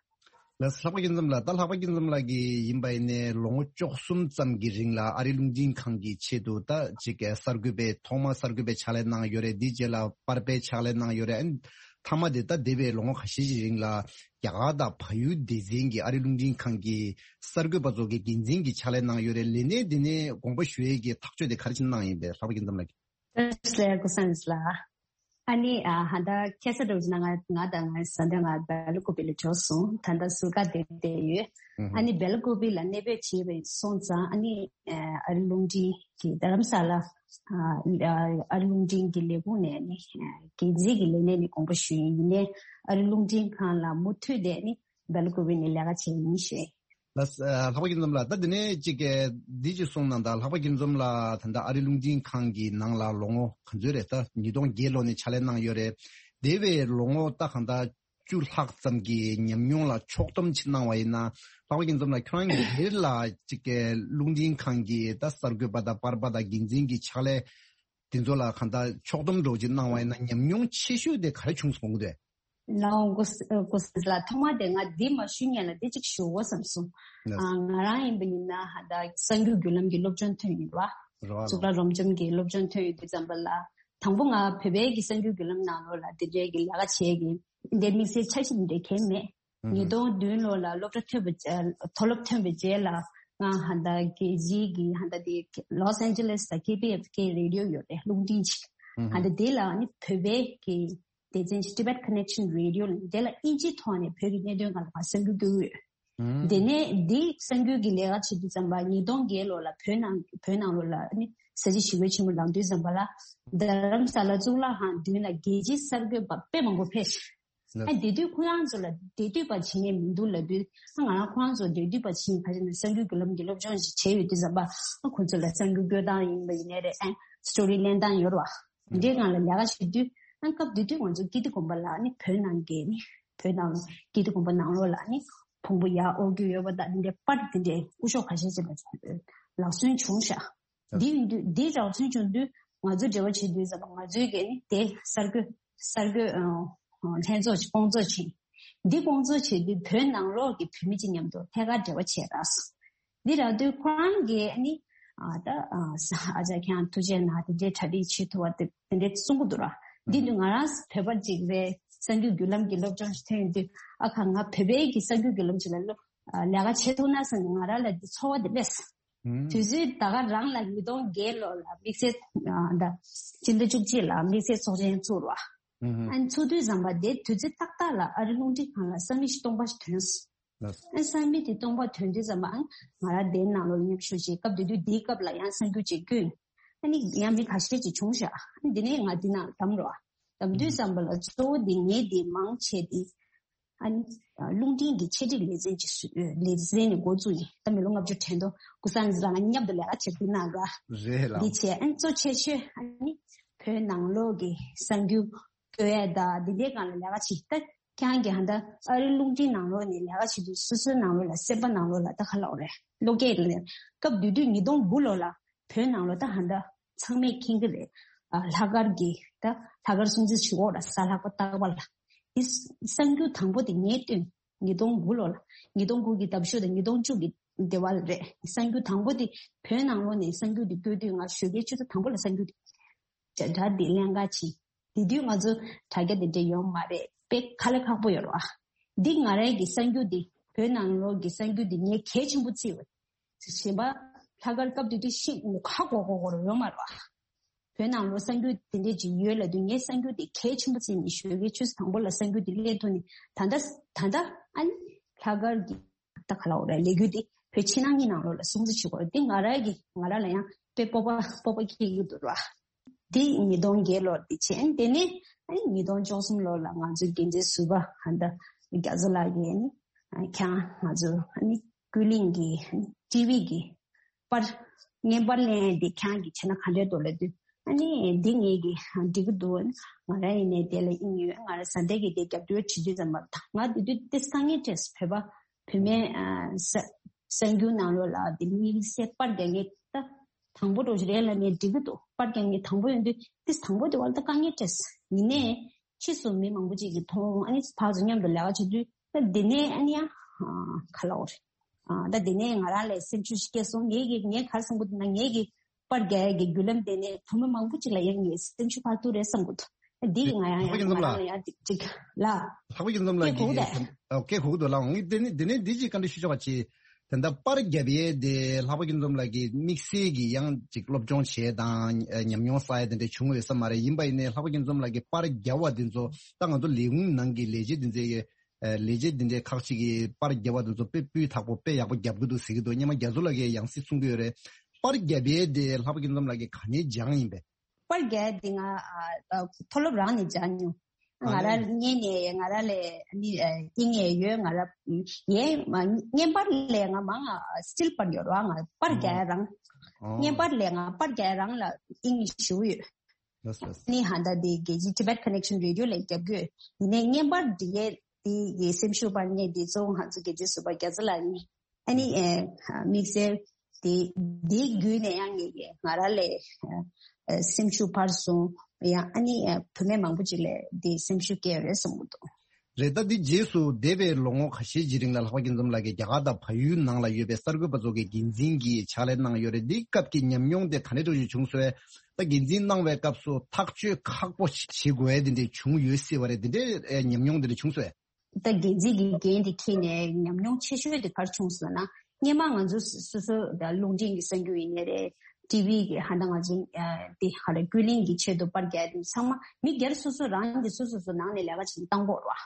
ལགས་སོ། ལྷག་པ་སྐྱིད་འཛོམས་ལགས། ད་ལྷག་པ་སྐྱིད་འཛོམས་ལགས་ཀྱིས་ཡིན་པ་ཡིན་ནའི་ལོ་ངོ་བཅུ་གསུམ་ཙམ་གྱི་རིང་ལ་ཨ་རི་རླུང་འཕྲིན་ཁང་གི་ཆེད་དུ་ད་ཅིག་གསར་འགོད་པའི་ཐོག་མ་གསར་འགོད་པའི་ཕྱག་ལས་གནང་ཡོད་རེད། དེའི་རྗེས་ལ་པར་པའི་ཕྱག་ལས་གནང་ཡོད་རེད། ཨ་ནི་མཐའ་མ་དེ་ད་འདས་པའི་ལོ་ངོ་ཁ་ཤས་ཤིག་རིང་ལ་རྒྱ་གར་དང་བལ་ཡུལ་སྡེ་ཚན་གྱི་ཨ་རི་རླུང་འཕྲིན་ཁང་གི་གསར་འགོད་པ་ཚོ་གི་འགན་འཛིན་གྱི་ཕྱག་ལས་གནང་ཡོད་རེད། ལས་གནས་འདི་ནས་དགོངས་པ་ཞུ་ཡས་ཀྱི་ཐག་གཅོད་དེ་ག་རེ་བྱས་ནས་གནང་ཡིན་པས། ལྷག་པ་སྐྱིད་འཛོམས་ལགས་ཀྱིས། བཀྲ་ཤིས་བདེ་ལེགས་ཀུན་བཟང་ལགས། ཨ་ནི་ཨ་ཧ་ད་ཁ་སང་འདྲ་བོ་ཅིག་ན་ང་ང་དང་ང་བཟའ་ཟླ་ང་སྦེལ་ཀོབ་ལ་འབྱོར་སོང་། ད་ལྟ་ཟུར་བཀག་དེ་བསྡད་ཡོད། ཨ་ནི་སྦེལ་ཀོབ་ལ་གནས་སྤོས་བྱས་པ་སོང་ཙང་ཨ་ནི་ཨ་རི་རླུང་འཕྲིན་གྱི་རྡ་རམ་ས་ལ་ཨ་རི་རླུང་འཕྲིན་གྱི་ལས་ཁུངས་ནས་ཨ་ནི་འགན་འཛིན་གྱི་ལས་གནས་ནས་དགོངས་པ་ཞུས་ཡིན། ཡིན་ནའི་ཨ་རི་རླུང་འཕྲིན་ཁང་ལ་མུ་མཐུད་དེ་ནི་སྦེལ་ཀོབ་ནས་ལས་ཀ་བྱས་ཡིན་ཞེས། ལགས། ལྷག་པ་སྐྱིད་འཛོམས་ལགས། ད་དེ་ནས་ཅིག་གི་འདི་ཅིག་གསུངས་གནང་དང་། ལྷག་པ་སྐྱིད་འཛོམས་ལགས་ད་ལྟ་ཨ་རི་རླུང་འཕྲིན་ཁང་གི་ནང་ལ་ལོ་ངོ་ག་ཚོད་རེད། ད་ཉིས་སྟོང་བརྒྱད་ལོ་ནས་ཕྱག་ལས་གནང་ཡོད་རེད། དེ་བས་ལོ་ངོ་ད་གང་ལྟར་བཅུ་ལྷག་ཙམ་གྱི་ཉམས་མྱོང་ལ་ཕྱོགས་སྡོམ་ཅིག་གནང་བ་ཡིན་ན། ལྷག་པ་སྐྱིད་འཛོམས་ལགས་ཁྱོད་རང་གིས་སྒེར་ལ་ཅིག་གི་རླུང་འཕྲིན་ཁང་གི་ད་གསར་འགོད་པ་དང་པར་པ་དང་འགན་འཛིན་གྱི་ཕྱག་ལས་དེ་ཚོ་ལ་གང་ལྟར་ཕྱོགས་སྡོམ་འདྲ་བོ་ཅིག་གནང་བ་ཡིན་ན། ཉམས་མྱོང་ཆེ་ཤོས་དེ་ག་རེ་བྱུང་སོང་གི་འདུག་གས། ལའོ་ཀོ་ཀོ་སི་ལ་ཐོག་མ་དེ་ང་འདི་མ་ཞུ་ཉན་ལ་འདི་གཅིག་ཞུ་འོ་བསམ་སོང་། ལགས། ཨ་ང་རང་ཡིན་པ་ཡིན་ན་ཧ་ད་གསར་འགྱུར་བརྒྱུད་ལམ་གྱི་སློབ་སྦྱོང་ཐོན་ཡོད་པ། རེད་བ། གཙུག་ལག་རབ་འབྱམས་ཀྱི་སློབ་སྦྱོང་ཐོན་ཡོད་དུས་ཙམ་པ་ལ། དང་པོ་ང་བོད་པའི་གི་གསར་འགྱུར་བརྒྱུད་ལམ་ནང་ལོགས་ལ་དེ་འདྲའི་གི་ལས་ཀ་བྱེད་ཀྱི་འདི་དམིགས་བསལ་འཆར་གཞི་འདི་འདྲའི་གང་ཡང་མེད། ཨུ་ཧུ། ཉིས་སྟོང་བདུན་ལོ་ལ་སློབ་གྲྭ་ཐོན་པའི་རྗེས། མཐོ་སློབ་ཐོན་པའི་རྗེས་ལ་ང་ཧ་ད་རྒྱལ་སྤྱིའི་གི་ཧ་ད་དེ་ལོས་ཨན་ཇེ་ལེས་དང་ཀེ་པི་ཨེཕ་ཀེ་རེ་ཌི་ཡོ་ཡོད་རེད། རླུང་འཕྲིན་ཅིག་ཨུ་ཧུ། ཧ་ད་དེ་ལ་ནི་བོད་པའི་གི་སྡེ་ཚན་ཅིག་Tibet Connection Radio ལ། དེ་ལ་ཨིན་ཇིའི་ཐོག་ནས་བོད་ཀྱི་གནད་དོན་སྒང་ལ་ང་གསར་འགྱུར་བསྐྱོན་གྱི་ཡོད། ཨུ་ཧུ། དེ་ནས་འདི་གསར་འགྱུར་གྱི་ལས་ཀ་བྱེད་དུས་ཙམ་པ་ཉིས་སྟོང་བརྒྱད་ལོ་ལ་བོད་ནང་བོད་ནང་ལོགས་ལ་ནི་ས་བྱི་ཞི་རྒོལ་ཆེན་མོ་ལངས་དུས་ཙམ་པ་ལ། རྡ་རམ་ས་ལ་གཙུག་ལག་ཁང་མདུན་ལ་རྒྱལ་སྤྱིའི་གསར་འགོད་པ་དཔེ་མང་པོ་ཕེབས་ཤག་ལགས། ཨ་དེ་དུས་ཁོ་རང་ཚོ་ལ་འབྲེལ་མཐུད་པ་བྱེད་མཁན་མི་འདུག་ལབ་དུས། ཨ་ང་རང་ཁོ་རང་ཚོ་འབྲེལ་མཐུད་པ་བྱེད་ཡིན། ཁ་ཅིག་ནས་གསར་འགྱུར་བརྒྱུད་ལམ་གྱི་སློབ་སྦྱོང་ཞིག་བྱས་ཡོད་དུས་ཙམ་པ། ཨ་ཁོ་ཚོ་ལ་གསར་འགྱུར་བཀོད་སྟངས་ཡིན་པ་ཡིན་ནའི་རེད། ཨ་སི་ཊོ་རི་ལེན་སྟངས་ཡོད་རེད་བ། འདི་འདྲའི་སྒང་ལ་ལས་ཀ་བྱེད་དུས། ཨ་སྐབས་དེ་དུས་ང་ཚོ་ཀིརྟི་དགོན་པ་ལ་ནི་བོད་ནང་གི་ནི་བོད་ནང་ཀིརྟི་དགོན་པ་ནང་ལོགས་ལ་ནི་ཕུང་པོ་ཡར་དབོར་རྒྱུ་ཡོད་པ་དང་། འདི་འདྲའི་པར་འདི་འདྲའི་སྐུ་ཞབས་ཁ་ཤས་ཅིག་ལ་ལག་སོན་བྱུང་ཤག་འདི་ཡིན་དུས། འདི་རག་ཚུལ་བྱུང་དུས་ང་ཚོས་འབྲེལ་བ་བྱེད་དུས་ཙམ་པ། ང་ཚོའི་གི་ནི་དེ་གསར་འགོད་གསར་འགོད་ཨ་ལྷན་ཚོགས་སྐོང་ཚོགས་བྱས། འདི་སྐོང་ཚོགས་བྱེད་དུས་བོད་ནང་ལོགས་ཀྱི་བོད་མི་གཅིག་མཉམ་དུ་ཐད་ཀར་འབྲེལ་བ་བྱས་རག་སོང་། འདི་རག་དུས་ཁོ་རང་གིས་ནི་ཨ་ད་ཨ་ཨ་ཅག་ཁྱེད་རང་ཐུགས་རྗེ་གནང་། དེ་འདྲའི་གྲ་སྒྲིག་བྱེད་ཐུབ་པ་དེ་དེ་འདྲའི་གསུང་གི་འདུག་ར། འདི་དུས་ང་རང་བོད་པ་གཅིག་རེད། གསར་འགྱུར་བརྒྱུད་ལམ་གྱི་སློབ་སྦྱོང་ཞིག་ཐོན་ཡོང་དུས། ཨ་ཁ་ང་བོད་པའི་གི་གསར་འགྱུར་བརྒྱུད་ལམ་ཞིག་ལ་སློབ་ཨ་ལས་ཀ་བྱེད་ཐུབ་ན་བསམ་ནས་ང་རང་ལ་འདི་ཚོར་བ་དེ་སླེབས་སོང་། ཨུམ། དུས་ཚོད་ད་ག་རང་ལ་ཉིས་སྟོང་བརྒྱད་ལོ་ལ་དམིགས་བསལ་ཨ་ད་སྤྱི་ཟླ་བཅུ་གཅིག་ལ་དམིགས་བསལ་ཚོགས་ཆེན་ཚུགས་རོགས། ཨུམ། ཨ་ཚུགས་དུས་ཙམ་པ་དེ་དུས་ཚོད་ཏག་ཏག་ལ་ཨ་རི་རླུང་འཕྲིན་ཁང་ལ་ས་མིག་ཅིག་སྟོང་པ་ཞིག་ཐོན་སོང་། ལགས། ཨ་ས་མིག་དེ་སྟོང་པ་ཐོན་དུས་ཙམ་པ། ཨ་ང་རང་དེའི་ནང་ལོགས་མཉམ་ཞུགས་བྱས། སྐབས་དེ་དུས་དེའི་སྐབས་ལ་ཡང་གསར་འགྱུར་ཅིག་བསྐྱོན། ཨ་ནི་ཡང་མི་ཁ་ཤས་ཅིག་བྱུང་ཤག་ཨ་ནི་དེ་ནས་ང་འདི་ནང་བདམས་རོགས། བདམས་དུས་ཙམ་པ་ལ་གཙོ་བོ་དེ་ངས་དེ་མང་ཆེ་དེ། ཨ་ནི་རླུང་འཕྲིན་གྱི་ཆེད་སྒྲིག་ལེ་ཚན་ཅིག་བཟོས། ལེ་ཚན་ནས་འགོ་བཙུགས་ཡིན། ད་མི་ལོ་ལྔ་བཅུ་དྲན་ཐོག་ཀུན་བཟང་རང་མཉམ་དུ་ལས་ཀ་བྱེད་དུས་ནང་ར། རེད་ལགས། འདི་བྱས། ཨ་ནི་གཙོ་ཆེ་ཤོས་ཨ་ནི་བོད་ནང་ལོགས་ཀྱི་གསར་འགྱུར་བཀོད་ཡ་དང་འདི་འདྲའི་སྒང་ལ་ལས་ཀ་བྱེད། ད་ཁྱེད་རང་གིས་ཧ་ད་ཨ་རི་རླུང་འཕྲིན་ནང་ལོགས་ནས་ལས་ཀ་བྱེད་དུས། སོ་སོའི་ནང་ལོགས་ལ་སེམས་པ་ནང་ལོགས་ལ་ད་ག་ལབ་དགོས་རེད། བློ་སྐྱེད་ལ་སྐབས་དེ་དུས་ཉིས་སྟོང་དགུ་ལོ་ལ་བོད་ནང་ལོགས་ད་ཧ་ད་ཚང་མས་མཁྱེན་གྱི་རེད། ཨ་ལྷག་དཀར་གྱི་ད་ལྷག་དཀར་སྲུང་བརྩི་བྱེད་དགོས་ར། གཟའ་ལྷག་པ་རྟག་པར་ལ། དེ་གསར་འགྱུར་དང་པོ་དེ་ངས་བཏོན། ཉིས་སྟོང་དགུ་ལོ་ལ། ཉིས་སྟོང་དགུ་གི་ཟླ་བ་བཞི་དང་ཉིས་སྟོང་བཅུ་གི་སྡེ་བ་ལ་རེད། གསར་འགྱུར་དང་པོ་དེ་བོད་ནང་ལོགས་ནས་གསར་འགྱུར་དེ་བཀོད་དུས། ང་ཞོགས་ཀའི་ཆུ་ཚོད་དང་པོ་ལ་གསར་འགྱུར་དེ་དྲ་དྲ་དེ་ལེན་ག་ཕྱིན། དེ་དུས་ང་ཚོ་དྲ་རྒྱ་དེ་འདྲ་ཡོད་མ་རེད། དཔེ་དཀའ་ལས་ཁག་པོ་ཡོད་རེད་བ། འདི་ང་རང་གི་གསར་འགྱུར་འདི། བོད་ནང་ལོགས་ཀྱི་གསར་འགྱུར་འདི་ངས་གལ་ཆེན་པོ་བརྩིས་པ། གཞན་པ་ལྷག་དཀར་སྐབས་དེ་དུས་ཤི་ཁ་གོ་གོ་གོ་རུ་ཡོད་མ་རེད་བ། བོད་ནང་ལོགས་གསར་འགྱུར་དེ་འདྲས་ཅིག་ཡོད་ལབ་དུས། ངས་གསར་འགྱུར་དེ་གལ་ཆེན་པོ་བརྩིས་ནས་ཞོགས་ཀའི་ཆུ་ཚོད་དང་པོ་ལ་གསར་འགྱུར་དེ་ལེན་ཐུབ་ནས། ད་ལྟ་ད་ལྟ་ཨ་ནི་ལྷག་དཀར་གྱི་ད་ག་ལབ་དགོས་རེད། ལས་འགུལ་འདི་བོད་ཕྱི་ནང་གཉིས་ནང་ལོགས་ལ་སྲུང་བརྩི་བྱེད་དགོས་རེད། འདི་ང་རང་གི་ང་རང་ལ་ཡང་དཔེ་སྤོབས་པ་སྤོབས་པ་སྐྱེ་གི་འདུག་ར། འདི་ཉིས་སྟོང་བརྒྱད་ལོར་འདི་བྱས། དེ་ནས་ཨ་ནི་ཉིས་སྟོང་བཅུ་གསུམ་ལོར་ལ་ང་ཚོའི་འགན་འཛིན་ཟུར་པ་ཧ་ད་རྒྱ་མཚོ་ལགས་ཀྱིས་ཨ་ནི་ཁྱེད་རང་ང་ཚོ་ཨ་ནི་ཀུན་གླེང་གི་ཊི་ཝི་གི་པར་བརྙན་པར་ལེན་འདི་ཁྱེད་རང་གིས་བྱས་ན་ག་འདྲས་འདུག་ལབ་དུས། ཨ་ནི་འདི་ངེད་ཀྱིས་འགྲིག་གི་འདུག་ང་རང་ཡིན་ནའི་དེ་ལ་དབྱིངས་ཡོད། ང་རང་བཟའ་ཟླ་གིས་དེ་རྒྱབ་སྐྱོར་བྱེད་དུས་ཙམ་པ། ད་ང་དེ་དུས་ཏོག་ཙམ་དཀའ་ངལ་འཕྲད་སོང་། བོད་པ་བུད་མེད་ཨ་གསར་གསར་འགྱུར་ནང་ལོགས་ལ་དེ་དམིགས་བསལ་པར་རྒྱག་མཁན་ད་དང་པོ་འདྲ་བོ་ཞིག་རེད་ལབ་ནའི་འགྲིག་གི་འདུག་པར་རྒྱག་མཁན་དང་པོ་ཡིན་དུས་ཏོག་ཙམ་དང་པོ་དེ་བར་ད་དཀའ་ངལ་འཕྲད་སོང་། ཡིན་ནའི་ཕྱིས་སུ་མི་མང་པོ་ཅིག་གིས་མཐོང་། ཨ་ནི་ཕར་ཚུར་མཉམ་དུ་ལས་ཀ་བྱེད་དུས། ད་དེ་ནས་ཨ་ནི་ཡང་ཨ་ག་ལབ་དགོས་རེད། ཨ་ད་དེ་ནས་ང་རང་ལ་སེམས་ཤུགས་ཤིག་སྐྱེས་སོང་། ངས་ཀྱི་ངས་ག་རེ་བསམ་གྱི་འདུག་ན། ངས་ཀྱི་པར་རྒྱག་ཡ་གི་བརྒྱུད་ལམ་དེ་ནས་བུ་མོ་མང་པོ་ཅིག་ལ་ཡང་ངས་སེམས་ཤུགས་འཕར་ཐུབ་རེད་བསམ་གྱི་འདུག་དེ་ཡིས་ང་ཡང་ལྷག་པ་ཡང་སྐྱིད་ང་འཛོམས་རང་ལ་ལ་ཡང་ཅིག་ཅིག་ལ། ལྷག་པ་སྐྱིད་འཛོམས་ལགས་སྐད་གོ་གི་ཀྱིས་འདུག་དེ། ཨོ་སྐད་གོ་གི་འདུག་ལགས། འོང་དེ་ནི་དེ་ནས་འདི་ཅིག་བཀའ་འདྲི་ཞུ་ཆོག་པ་ཅིག་དེ་འདྲ་པར་རྒྱབ་ཡས་དེ་ལྷག་པ་སྐྱིད་འཛོམས་ལགས་ཀྱིས་དམིགས་བསལ་གྱི་ཡང་ཅིག་སློབ་སྦྱོང་བྱས་དང་ཉམས་མྱོང་བསགས་ཡས་དེ་འདྲ་བྱུང་ཡོད་ས་མ་རེད། ཡིན་པ་ཡིན་ནའི་ལྷག་པ་སྐྱིད་འཛོམས་ལགས་ཀྱིས་པར་རྒྱབ་པ་དེ་ཚོ་ད་ང་ཚོ་ལས་ཁུངས་ནང་གི་ལས་བྱེད་འདི་ཚོའི་ལས་བྱེད་འདི་འདྲའི་ཁག་ཅིག་གིས་པར་རྒྱབ་པ་དེ་ཚོ་དཔེ་སྤུས་དག་པོ་དཔེ་ཡག་པོ་རྒྱབ་ཀྱི་འདུག་ཟེར་གྱི་འདུག་སྔོན་མ་རྒྱ་མཚོ་ལགས་ཀྱིས་ཡང་སྲིད་གསུང་གི་ཡོད་རེད། པར་རྒྱབ་ཡས་དེ་ལྷག་པ་སྐྱིད་འཛོམས་ལགས་ཀྱིས་ག་ནས་སྦྱངས་ཡིན་པས། པར་རྒྱག་ཡ་དེ་ང་ཨ་ཨ་མཐོ་སློབ་རང་ནས་སྦྱངས་མྱོང་། ང་ར་ཉན་ནས་ང་ར་ལས་ནི་ཨ་ཨིན་ངེས་ཡོད། ང་ར་ཡས་མ་བརྙན་པར་ལས་ང་མང་ང་སི་ཊིལ་པར་ཡོད་ར། ང་པར་རྒྱག་ཡ་རང་། བརྙན་པར་ལས་ང་པར་རྒྱག་ཡ་རང་ལ་ཨིན་ཞུ་ཡོད། ལགས་སོ། ནི་ཧ་ད་དེ་རྒྱལ་སྤྱི་Tibet Connection Radio ལས་རྒྱབ་དགོས། ཡིན་ནའི་བརྙན་པར་འབྲི་ཡས་དེ་ཡི་སེམས་ཤུགས་པར་ངས་དེ་གཙོ་བོ་ང་ཚོ་རྒྱལ་སྤྱི་ཟུར་པ་རྒྱ་ཚ་ལགས་ནི། ཨ་ནི་ཨེ་དམིགས་བསལ་དེ་དེའི་བརྒྱུད་ནས་ཡང་ངས་ང་ར་ལས་ཨེ་སེམས་ཤུགས་འཕར་སོང་། ཡང་ཨ་ནི་ཨེ་བུད་མེད་མང་པོ་ཅིག་ལས་དེ་སེམས་ཤུགས་སྐྱེ་ཡོད་རེད་བསམ་གྱི་འདུག་རེད། ད་འདི་རྗེས་སུ་འདས་པའི་ལོ་ངོ་ཁ་ཤས་ཀྱི་རིང་ལ་ལྷག་པ་སྐྱིད་འཛོམས་ལགས་ཀྱིས་རྒྱ་གར་དང་བལ་ཡུལ་ནང་ལ་ཡོད་པའི་གསར་འགོད་པ་ཚོ་གི་འགན་འཛིན་གྱི་ཕྱག་ལས་གནང་ཡོད་རེད། འདིའི་སྐབས་ཀྱི་ཉམས་མྱོང་དེ་ག་འདྲ་འདྲ་བྱུང་སོང་། ད་འགན་འཛིན་གནང་བའི་སྐབས་སུ་ཐག་གཅོད་ཁག་པོ་བྱེད་དགོས་ཡ་དེ་འདྲ་བྱུང་ཡོད་སྲིད་པ་རེད། དེ་འདྲའི་ཉམས་མྱོང་དེ་འདྲ་བྱུང་སོང་། ད་འགན་འཛིན་གྱི་འགན་དེ་འཁྱེར་ནས་ཉམས་མྱོང་ཆེ་ཤོས་དེ་ག་རེ་བྱུང་སོང་ན། སྔོན་མ་ང་ཚོ་སོ་སོ་ད་རླུང་འཕྲིན་གྱི་གསར་འགྱུར་ཡིན་ནའི་རེད། ཊི་ཝི་གི་ཧ་ད་ང་ཚོ་ཨ་དེ་ཧ་ལ་ཀུན་གླེང་གི་ཆེད་དུ་པར་རྒྱག་དེ་ཚང་མ་མི་སྒེར་སོ་སོ་རང་གི་སོ་སོ་སོ་ནང་ནས་ལས་ཀ་བྱེད་བཏང་དགོས་རེད་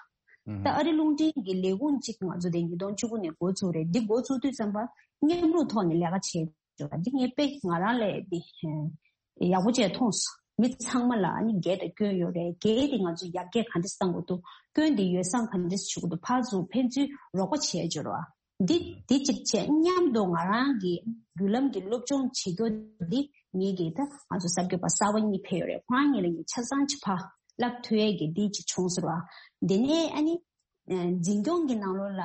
བ། ད་ཨ་རི་རླུང་འཕྲིན་གྱི་ལས་ཁུངས་གཅིག་ང་ཚོ་དེ་ཉིས་སྟོང་བཅུ་དགུ་ནས་འགོ་ཚུགས་རེད། འདི་འགོ་ཚུགས་དུས་ཙམ་པ་མཉམ་རུབ་ཐོག་ནས་ལས་ཀ་བྱེད་འདི་ངས་དཔེ་ང་རང་ལས་འདི་ཡག་པོ་བྱས་མཐོང་སོང་། མི་ཚང་མ་ལ་ཨ་ནི་འགན་དང་སྐྱོན་ཡོད་རེད། འགན་དེ་ང་ཚོས་ཡར་རྒྱས་ག་འདྲས་གཏང་དགོས་འདུག་སྐྱོན་དེ་ཡོ་བསྲང་ག་འདྲས་བྱེད་དགོས་འདུག་ཕར་ཚུར་ཕན་ཚུན་རོགས་པ་བྱས་འབྱོར་བ་འདི་འདི་གཅིག་བྱས། མཉམ་དུ་ང་རང་གི་བརྒྱུད་ལམ་གྱི་སློབ་སྦྱོང་བྱེད་རྒྱུ་འདི་ངེད་ཀྱི་ད་ང་ཚོ་གསར་འགོད་པ་གསར་པ་གཉིས་ཕེབས་ཡོད་རེད། ཁོ་རང་གཉིས་ལ་ངས་ཆ་ཚང་གཅིག་ཕར་བསླབ་ཐུབ་ཡས་ཀྱི་འདི་གཅིག་བྱུང་ཟེར་བ། དེ་ནས་ཨ་ནི། འཛིན་སྐྱོང་གི་ནང་ལོགས་ལ་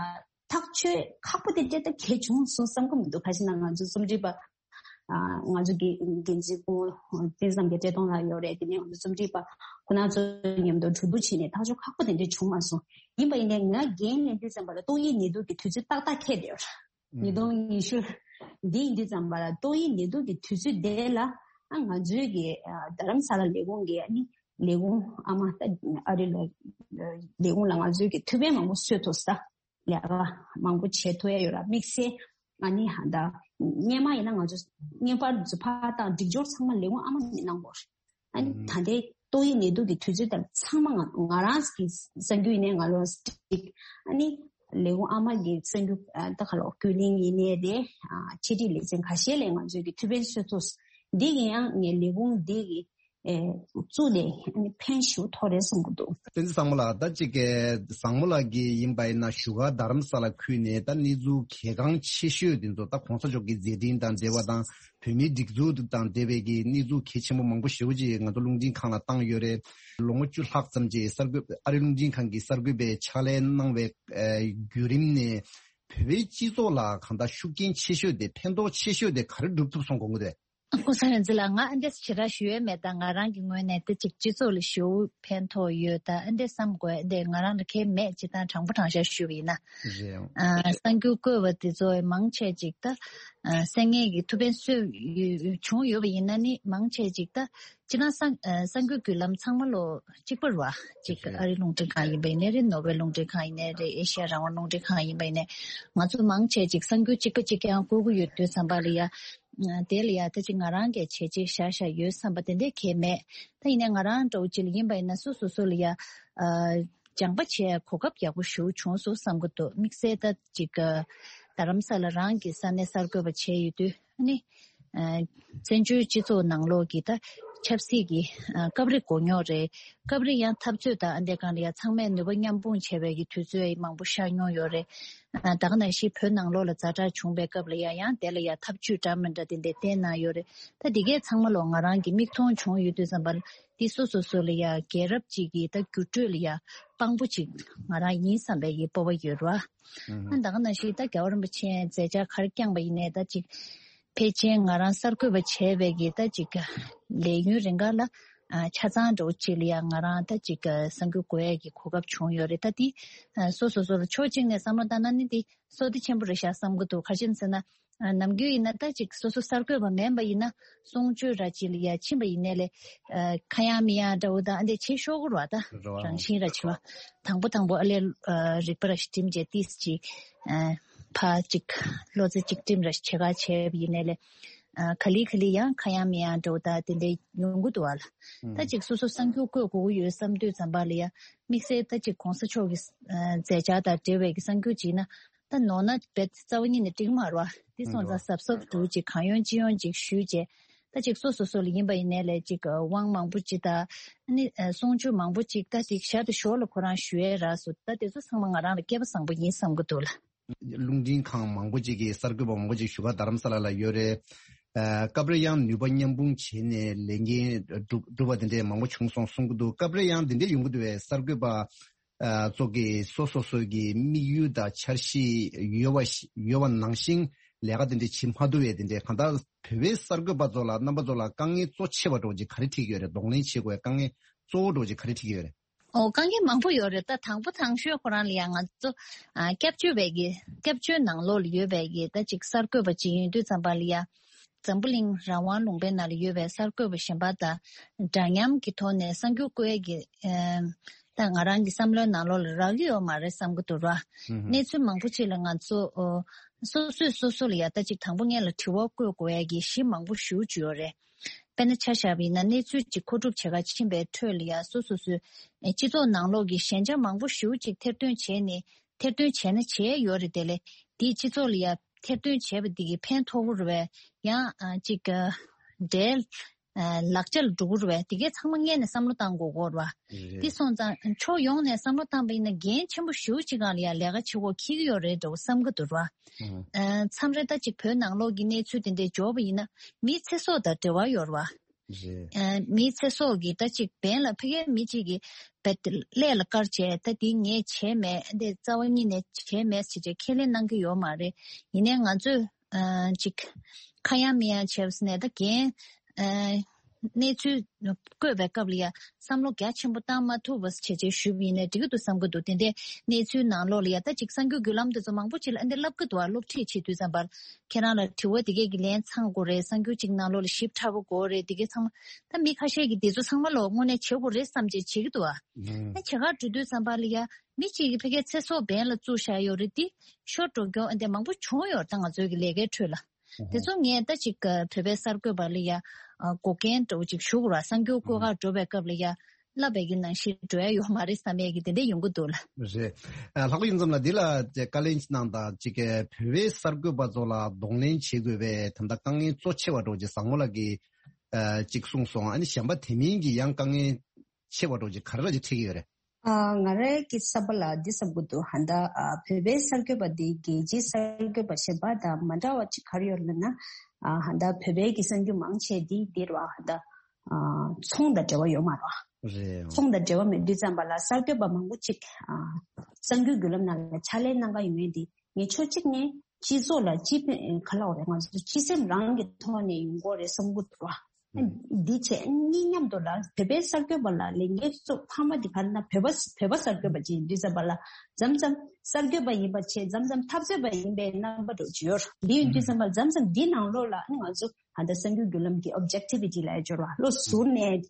ཐག་གཅོད་ཁག་པོ་དེ་འདྲ་ད་གལ་བྱུང་སོང་བསམ་གི་མི་འདུག་ཁ་ཤས་ན་ང་ཚོ་རྩོམ་སྒྲིག་པ། ང་ཚོ་གི་འགན་འཛིན་སྐུ་དེང་སང་གི་བཀྲས་མཐོང་ལགས་ཡོད་རེད། དེ་ནས་ང་ཚོ་རྩོམ་སྒྲིག་པ་ཁོ་ན་ཚོ་མཉམ་དུ་གྲོས་བསྡུར་བྱས་ནས་ཐག་གཅོད་ཁག་པོ་དེ་འདྲ་བྱུང་མ་སོང་། ཡིན་པ་ཡིན་ནའི་ང་འགན་ལེན་དུས་ཙམ་པ་ལ་ཏོག་དབྱིབས་ནད་དུག་གི་དུས་ཚོད་ཏག་ཏག་འཁེལ་བསྡད་ཡོད་རེད། ཉིས་སྟོང་ཉི་ཤུ། འདི་ཡིན་དུས་ཙམ་པ་ལ་ཏོག་དབྱིབས་ནད་དུག་གི་དུས་ཚོད་དེ་ལ་ང་ཚོའི་གི་རྡ་རམ་ས་ལ་ལས་ཁུངས་ཀྱི་ཨ་ནི་ལས་ཁུངས་ཨ་མ་ད་ཨ་རི་ལ་ལས་ཁུངས་ལ་ང་ཚོའི་གི་ཐུགས་ཕན་མང་པོ་གསོས་ཐུབ་ས་ལས་ཀ་མང་པོ་བྱེད་ཐུབ་ཡ་ཡོད་ར། དམིགས་བསལ་ཨ་ནི་ཧ་ད་སྔོན་མ་ཡིན་ན་ང་ཚོ་སྔོན་པར་ཚོ་ཕ་དང་སྒྲིག་སྦྱོར་ཚང་མ་ལས་ཁུངས་ཨ་མ་ནས་གནང་དགོས་རེད། ཨ་ནི་ད་ལྟའི་ཏོག་དབྱིབས་ནད་དུག་གི་དུས་ཚོད་དང་ཚང་མ་ང་ང་རང་གི་གསར་འགྱུར་ཡིན་ནའི་ང་རང་སྒྲིག་ཨ་ནི་ལས་ཁུངས་ཨ་མ་གི་གསར་འགྱུར་ད་ག་ལོ་ཀུན་གླེང་ཡིན་ནའི་རེད། ཆེད་སྒྲིག་ལེ་ཚན་ཁ་ཤས་ལས་ང་ཚོས་ཀྱི་ཐུགས་ཕན་གསོས་ཐུབ། འདི་གི་ཡང་ངའི་ལས་ཁུངས་འདི་གི་བཙུགས་ནས་ཨ་ནི་ཕན་ཞུ་ཐོག་རེད་བསམ་གི་འདུག་བསྟན་འཛིན་བཟང་མོ་ལགས། ད་ཅིག་གི་བཟང་མོ་ལགས་ཀྱི་ཡིན་པ་ཡིན་ན་བཞུགས་སྒར་རྡ་རམ་ས་ལ་ཁུལ་ནས་ད་གནས་ཚུལ་གལ་འགངས་ཆེ་ཤོས་དེ་ཚོ་ད་གོང་ས་མཆོག་གི་མཛད་འཕྲིན་དང་འབྲེལ་བ་དང་། བོད་མིའི་སྒྲིག་འཛུགས་དང་འབྲེལ་བའི་གི་གནས་ཚུལ་གལ་ཆེན་པོ་མང་པོ་ཞེ་པོ་ཅིག་ང་ཚོ་རླུང་འཕྲིན་ཁང་ལ་བཏང་ཡོད་རེད། ལོ་ངོ་བཅུ་ལྷག་ཙམ་ཅིག་གསར་འགོད་ཨ་རི་རླུང་འཕྲིན་ཁང་གི་གསར་འགོད་པའི་ཕྱག་ལས་གནང་བའི་བརྒྱུད་རིམ་ནས་བོད་པའི་སྤྱི་ཚོགས་ལ་གང་ལྟར་ཤུགས་རྐྱེན་ཆེ་ཤོས་དེ་ཕན་ཐོགས་ཆེ་ཤོས་དེ་ག་རེ་སྒྲུབ་ཐུབ་སོང་དགོངས་ཀྱི་འདུག་ཨ་ཁུ་སངས་རྒྱས་ལགས། ང་ཨ་འདྲས་ཞེ་དྲག་ཞུ་ཡས་མེད། ད་ང་རང་གི་ངོས་ནས་དེ་ཅིག་སྤྱི་ཚོགས་ལ་ཞེ་པོ་ཕན་ཐོགས་ཡོད། ད་ཨ་འདྲས་བསམ་དགོས་འདི་ང་རང་ལ་གལ་མེད། སྤྱིར་བཏང་དྲང་པོ་དྲང་བཞག་ཞུ་བ་ཡིན་ན། རེད། ཨ་གསར་འགྱུར་བཀོད་པ་དེ་ཚོ་མང་ཆེ་ཅིག་ད་ཨ་གསན་མཁན་གྱི་ཐུགས་ཕན་གསོས་ཡོད་བྱུང་ཡོད་པ་ཡིན་ན་ནི་མང་ཆེ་ཅིག་ད་སྤྱིར་ན་གསར་ཨ་གསར་འགྱུར་བརྒྱུད་ལམ་ཚང་མ་ལོ་གཅིག་པ་རེད་བ། ཅིག་རེད། ཨ་རི་རླུང་འཕྲིན་ཁང་ཡིན་པ་ཡིན་ནའི་རེད། ནོར་ཝེ་རླུང་འཕྲིན་ཁང་ཡིན་ནའི་རེད། ཨེ་ཤི་ཡ་རང་དབང་རླུང་འཕྲིན་ཁང་ཡིན་པ་ཡིན་ནའི་ང་ཚོ་མང་ཆེ་ཅིག་གསར་འགྱུར་གཅིག་པ་གཅིག་རྐྱང་བཀོད་ཀྱི་ཡོད་དུས་ཙམ་པ་ལ་ཡ། དེ་ལ་ཡ་ད་ཅིག་ང་རང་གིས་བྱས་རྗེས་བཞག་བཞག་ཡོད་བསམ་པ་དེ་འདྲས་གང་ཡང་མེད། ད་ཡིན་ནའི་ང་རང་འདྲ་བོ་ཅིག་ལ་ཡིན་པ་ཡིན་ན་སོ་སོ་སོ་ལ་ཡ་ཨ་སྦྱང་པ་བྱས་གོ་སྐབས་ཡག་པོ་ཞེ་པོ་བྱུང་སོང་བསམ་གྱི་འདུག་དམིགས་བསལ་ད་ཅིག་ཨ་རྡ་རམ་ས་ལ་རང་གི་ས་གནས་གསར་འགོད་པ་བྱས་ཡོད་དུས་ཨ་ནི་ཨ་བཙན་བྱོལ་སྤྱི་ཚོགས་ནང་ལོགས་ཀྱི་ད་ཆབ་སྲིད་ཀྱི་ཨ་སྐབས་རེ་མགོ་རྙོག་རེད། སྐབས་རེ་ཡང་འཐབ་རྩོད་དང་ཨ་འདྲས་སྒང་ལ་ཡ་ཚང་མས་ནུས་པ་མཉམ་སྤུངས་བྱས་པའི་གི་དུས་ཚོད་མང་པོ་ཤར་མྱོང་ཡོད་རེད། ཨ་ད་ག་ནང་བཞིན་བོད་ནང་ལོགས་ལ་ཛ་དྲག་བྱུང་བའི་སྐབས་ལ་ཡང་ཡང་དེ་ལ་ཡང་ཐབས་ཇུས་འདྲ་མི་འདྲ་དེ་འདྲ་བསྟན་གནང་ཡོད་རེད། ད་འདི་གས་ཚང་མ་ལོ་ང་རང་གི་མིག་མཐོང་བྱུང་ཡོད་དུས་ཙམ་པ་ལ་འདི་སོ་སོ་སོ་ལ་ཡང་རྒྱལ་རབས་གཅིག་གི་ད་འགྱུར་འགྲོས་ལ་ཡང་དཔང་པོ་གཅིག་ང་རང་ཡིན་བསམ་པའི་གི་སྤོབས་པ་ཡོད་རེད་བ། ཨ་ད་ག་ནང་བཞིན་ད་རྒྱལ་བ་རིན་པོ་ཆེ་མཛད་འཆར་ག་རེ་བསྐྱངས་པ་ཡིན་ནའི་ད་ཅིག་ཕལ་ཆེར་ང་རང་གསར་འགོད་པ་བྱས་པའི་གི་ད་ཅིག་ལས་ཡུན་རིང་ག་ལ་ཨ་ཆ་ཚང་འདྲ་བོ་ཅིག་ལ་ཡང་ང་རང་ད་ཅིག་གསར་འགོད་དགོས་ཡས་ཀྱི་གོ་སྐབས་བྱུང་ཡོད་རེད། ད་འདི་ཨ་སོ་སོ་སོ་ལ་ཕྱོགས་གཅིག་ནས་བསམ་བློ་བཏང་ན་ནི་འདི་བསོད་བདེ་ཆེན་པོ་རེད་ཤག་བསམ་གྱི་འདུག་ག་རེ་བྱས་ཟེར་ན་ཨ་ནམ་རྒྱུན་ཡིན་ན་ད་ཅིག་སོ་སོ་གསར་འགོད་པ་མིན་པ་ཡིན་ན་གསུང་ཆོས་ར་ཅིག་ལ་ཡ་ཕྱིན་པ་ཡིན་ནའི་ལས་ཨ་ཁ་ཡང་མི་ཡང་འདྲ་བོ་དང་ཨ་འདྲས་བྱེད་ཤོག་གི་རེད་བ། ད་རེད་བ། རང་བཞིན་ར་བྱེད་བ། དང་པོ་དང་པོ་ཨ་ལས་ཨ་རིག་པ་ར་ཞིག་སྒྲིམ་བྱས་ཏིས་ཅིག་ཨ་ཕ་ཅིག་བློ་རྩེ་གཅིག་སྒྲིམ་ར་ཞིག་བྱེད་ག་བྱས་པ་ཡིན་ནའི་ལས་ཨ་ག་ལེ་ག་ལེ་ཡང་ཁ་ཡང་མི་ཡང་འདྲ་བོ་ད་དེ་འདྲས་ཡོང་གི་འདུག་བ་ལ། ད་ཅིག་སོ་སོ་གསར་འགྱུར་བཀོད་དགོས་ཀྱི་ཡོད་བསམ་དུས་ཙམ་པ་ལ་ཡ་དམིགས་བསལ་ད་ཅིག་གོང་ས་མཆོག་གི་ཨ་མཛད་འཆར་དང་འབྲེལ་བའི་གི་གསར་འགྱུར་ཅིག་ཡིན་ན། ད་ནོར་ན་རྦད་རྩ་བ་ཉིད་ནས་འགྲིག་མ་རེད་བ། འདི་སོང་ཙང་གཟབ་གཟབ་འདུག་ཅིག་གང་ཡོང་ཅི་ཡོང་ཅིག་ཞུས་རྗེས། ད་ཅིག་སོ་སོ་སོ་ལ་ཡིན་པ་ཡིན་ནའི་ལས་ཅིག་དབང་མང་པོ་ཅིག་དང་། ཨ་ནི་གསུང་ཆོས་མང་པོ་ཅིག་ད་ཅིག་ཞར་དུ་ཞོར་ལ་ཁོ་རང་ཞུ་ཡས་རག་སོང་། ད་དེ་ཚོ་ཚང་མ་ང་རང་ལ་སྐལ་པ་བཟང་པོ་ཡིན་བསམ་གྱི་འདུག་ལ། རླུང་འཕྲིན་ཁང་མང་པོ་ཅིག་གིས་གསར་འགོད་པ་མང་པོ་ཅིག་བཞུགས་སྒར་རྡ་རམ་ས་ལ་ལ་ཡོད་རེད། ཨ། སྐབས་རེ་ཡང་ནུས་པ་མཉམ་སྤུངས་བྱས་ནས་ལས་འགན་སྒྲུབ་སྒྲུབ་པ་དེ་འདྲས་མང་པོ་བྱུང་སོང་གསུང་གི་འདུག་སྐབས་རེ་ཡང་དེ་འདྲས་ཡོང་གི་འདུག་བས། གསར་འགོད་པ་ཨ། ཚོ་གིས་སོ་སོ་སོའི་གི་དམིགས་ཡུལ་དང་འཆར་གཞི་ཡོད་པ་ཞིག་ཡོད་པ་ནང་བཞིན་ལས་ཀ་དེ་འདྲས་བྱེད་མ་ཐུབ་པས། དེ་འདྲས་གང་ལྟར་བོད་པའི་གསར་འགོད་པ་ཚོ་ལ་རྣམ་པ་ཚོ་ལ་དཀའ་ངལ་གཙོ་ཆེ་བ་འདྲ་བོ་ཅིག་ག་རེ་འཕྲད་ཀྱི་ཡོད་རེད། གདོང་ལེན་བྱེད་དགོས་པའི་དཀའ་ངལ་གཙོ་བོ་འདྲ་བོ་ཅིག་ག་རེ་འཕྲད་ཀྱི་ཡོད་རེད། ཨོ། དཀའ་ངལ་མང་པོ་ཡོད་རེད། ད་དང་པོ་དང་ཤོས་ཁོ་རང་ལ་ཡང་ང་ཚོ་ཨ། སྐྱབས་བཅོལ་བའི་གི་སྐྱབས་བཅོལ་ནང་ལོགས་ལ་ཡོད་པའི་གི་ད་ཅིག་གསར་འགོད་པ་ཅིག་ཡིན་དུས་ཙམ་པ་ལ་ཡ། འཛམ་བུ་གླིང་རང་དབང་ལུང་པའི་ནང་ལ་ཡོད་པའི་གསར་འགོད་པ་གཞན་པ་དང་འདྲ་མཉམ་གྱི་ཐོག་ནས་གསར་འགྱུར་བཀོད་ཡས་ཀྱི་ཨ། ད་ང་རང་གི་བསམ་བློའི་ནང་ལོགས་ལ་རག་གི་ཡོད་མ་རེད་བསམ་གྱི་འདུག་ར། ཧུམ་ཧུམ། གནས་ཚུལ་མང་པོ་ཅིག་ལ་ང་ཚོ་ཨོ། སོ་སོས་སོ་སོ་ལ་ཡ་ད་ཅིག་དང་པོ་སྔོན་ལ་དྲི་བ་བཀོད་དགོས་ཡ་གི་གཞི་མང་པོ་ཞེ་པོ་ཅིག་ཡོད་རེད། དཔེར་ན་ཆ་བཞག་པ་ཡིན་ན་གནས་ཚུལ་ཅིག་མཁོ་སྒྲུབ་བྱེད་གར་ཕྱིན་པའི་ཁྲོད་ལ་ཡ་སོ་སོ་སོའི་ཨེ། སྤྱི་ཚོགས་ནང་ལོགས་ཀྱི་ཞན་ཆ་མང་པོ་ཞེ་པོ་ཅིག་ཐེར་འདོན་བྱས་ནས་ཐེར་འདོན་བྱས་ན་བྱས་ཡོད་རེད། དེ་ལས་དེའི་སྤྱི་ཚོགས་ལ་ཡ་ཐེར་འདོན་བྱས་པ་འདི་གི་ཕན་ཐོགས་ཀྱི་རེད་པས། ཡང་ཨ། ཅིག་ཨ། འབྲེལ་ཨ། ལག་ཆ་ལ་འགྲོ་གི་རེད་པས། དེ་གའི་ཚང་མ་སྔོན་ནས་བསམ་བློ་བཏང་དགོས་ཀྱི་རེད་པ། རེད། དེ་སོང་ཙང་ཕྱོགས་ཡོངས་ནས་བསམ་བློ་བཏང་པ་ཡིན་ན་འགན་ཆེན་པོ་ཞེ་པོ་ཅིག་སྒང་ལ་ཡ་ལས་ཀ་བྱེད་དགོས་འཁེལ་གྱི་ཡོད་རེད་འདྲ་བོ་བསམ་གྱི་འདུག་ར། ཨ། མཚམས་རེ་ད་ཅིག་བོད་ནང་ལོགས་ཀྱི་གནས་ཚུལ་དེ་འདྲའི་འབྱོར་བ་ཡིན་ན་མིའི་ཚེ་སྲོག་དང་འབྲེལ་བ་ཡོད་རེད་པ། རེད། ཨ། མིའི་ཚེ་སྲོག་གི་ད་ཅིག་འབེན་ལ་ཕ་གིའི་མི་གཅིག་གིས་བེད་ཀླད་ལ་བཀར་བྱས་ད་འདི་ངས་བྱས་མེད། འདི་རྩ་བ་ཉིད་ནས་བྱས་མེད་ཟེར་བྱས་ཁས་ལེན་གནང་གི་ཡོད་མ་རེད། ཡིན་ནའི་ང་ཚོས་ཨ། ཅིག་ཁ་ཡང་མིག་ཡང་བྱས་པ་ཟེར་ནས་ད་འགན་ཨ། གནས་ཚུལ་བཀོད་པའི་སྐབས་ལ་ཡ་བསམ་བློ་རྒྱ་ཆེན་པོ་བཏང་མ་ཐུབ་པ་བྱས་བྱས་ཞུས་པ་ཡིན་ནའི་འགྲིག་གི་འདུག་བསམ་གྱི་འདུག་དེ་འདྲའི་གནས་ཚུལ་ནང་ལོགས་ལ་ཡ་ད་ཅིག་གསར་འགྱུར་བརྒྱུད་ལམ་དེ་ཚོ་མང་པོ་ཅིག་ལ་ཨ། འདི་ལབ་ཀྱི་འདུག་པ། སློབ་ཁྲིད་བྱེད་དུས་ཙམ་པར་ཁྱེད་རང་ལ་དྲི་བ་དེ་གས་ཀྱི་ལན་ཚང་དགོས་རེད། གསར་འགྱུར་ཅིག་ནང་ལོགས་ལ་ཞིབ་ཕྲ་པོ་དགོས་རེད། དེ་གས་ཚང་མ་ད་མི་ཁ་ཤས་ཀྱིས་དེ་ཚོ་ཚང་མ་ལོ་དངོས་གནས་བྱེད་དགོས་རེད་བསམ་བྱས་བྱེད་ཀྱི་འདུག་པ། ཨ། བྱེད་གར་འགྲོ་དུས་ཙམ་པ་ལ་ཡ་མི་གཅིག་གིས་ཕ་གིའི་ཚེ་སྲོག་འབེན་ལ་བཙུགས་བཞག་ཡོད་རེད། དེ་ཤོར་འགྲོ་མཁན་ཨ། འདི་མང་པོ་བྱུང་ཡོད་རེད། ད་ང་ཚོའི་གི་ལས་ཀའི་ཁྲོད་ལ། དེ་ཚོ་ངས་ད་ཅིག་བོད་པའི་གསར་འགོད་པ་ལ་ཡ་འགོག་རྐྱེན་འདྲ་བོ་ཅིག་ཞུ་དགོས་ར། གསར་འགྱུར་བཀོད་གར་འགྲོ་བའི་སྐབས་ལ་ཡ་ལབ་པའི་གི་ནང་བཞིན་འགྲོ་ཡ་ཡོད་མ་རེད་བསམ་ཡས་ཀྱི་དེ་འདྲ་ཡོང་གི་འདུག་ལ། རེད། ཨ། ལྷག་པ་ཡིན་ཙམ་ལ་འདི་ལ་བཀའ་ལན་གནང་དང་ཅིག་བོད་པའི་གསར་འགོད་པ་ཚོ་ལ་གདོང་ལེན་བྱེད་དགོས་པའི་ད་ལྟ་དཀའ་ངལ་གཙོ་ཆེ་བ་འདྲ་བོ་ཅིག་བཟང་མོ་ལགས་ཀྱིས་ཨ། ཅིག་གསུངས་སོང་། ཨ་ནི་གཞན་པ་དེ་མིན་གྱི་ཡང་དཀའ་ངལ་ཆེ་བ་འདྲ་བོ་ཅིག་ག་རེ་ལ་ཅིག་འཕྲད་ཀྱི་ཡོད་རེད། ཨ། ང་རའི་གི་བསམ་པ་ལ་འདི་བསམ་གྱི་འདུག་ཧ་ད་ཨ། བོད་པའི་གསར་འགོད་པ་འདི་རྒྱལ་སྤྱིའི་གསར་འགོད་པ་གཞན་པ་དང་མ་འདྲ་བ་ཅིག་ག་རེ་ཡོད་ལབ་ན། ཨ། ཧ་ད་བོད་པའི་གི་གསར་འགྱུར་མང་ཆེ་འདི་འདིར་བ་ཧ་ད་ཨ། ཚོང་དང་འབྲེལ་བ་ཡོད་མ་རེད་བ། རེད། ཚོང་དང་འབྲེལ་བ་མེད་དུས་ཙམ་པ་ལ་གསར་འགོད་པ་མང་པོ་ཅིག་ཨ། གསར་འགྱུར་བརྒྱུད་ལམ་ནང་ལ་ཕྱག་ལས་གནང་ག་ཡོང་ཡས་འདི་ངས་ཕྱོགས་གཅིག་ནས་སྤྱི་ཚོགས་ལ་སྤྱི་ཕན་ག་ལབ་དགོས་རེད། ང་ཚོ་སྤྱི་སེམས་རང་གི་ཐོག་ནས་ཡོང་གི་རེད་བསམ་གྱི་འདུག་བ། འདི་བྱས་གཉིས་མཉམ་དུ་ལ་བོད་པའི་གསར་འགོད་པ་ལ་ལས་འགན་གཙོ་ཕ་མ་འདི་ག་རེ་ན་བོད་པ་བོད་པ་གསར་འགོད་པ་ཅིག་ཡིན་དུས་ཙམ་པ་ལ་མཚམས་མཚམས་གསར་འགོད་པ་ཡིན་པ་བྱས་མཚམས་མཚམས་འཐབ་རྩོད་པ་ཡིན་པའི་རྣམ་པ་འདྲ་ཅིག་ཡོད་རེད། འདི་ཡིན་དུས་ཙམ་པ་ལ་མཚམས་མཚམས་འདི་ནང་ལོགས་ལ་ཨ་ནི་ང་ཚོ་ད་ལྟ་གསར་འགྱུར་བརྒྱུད་ལམ་གྱི་ཨོབ་ཇེག་ཊི་བི་ཊི་ལ་ཡ་སྦྱོར་བ་བློ་གཟུར་ནས་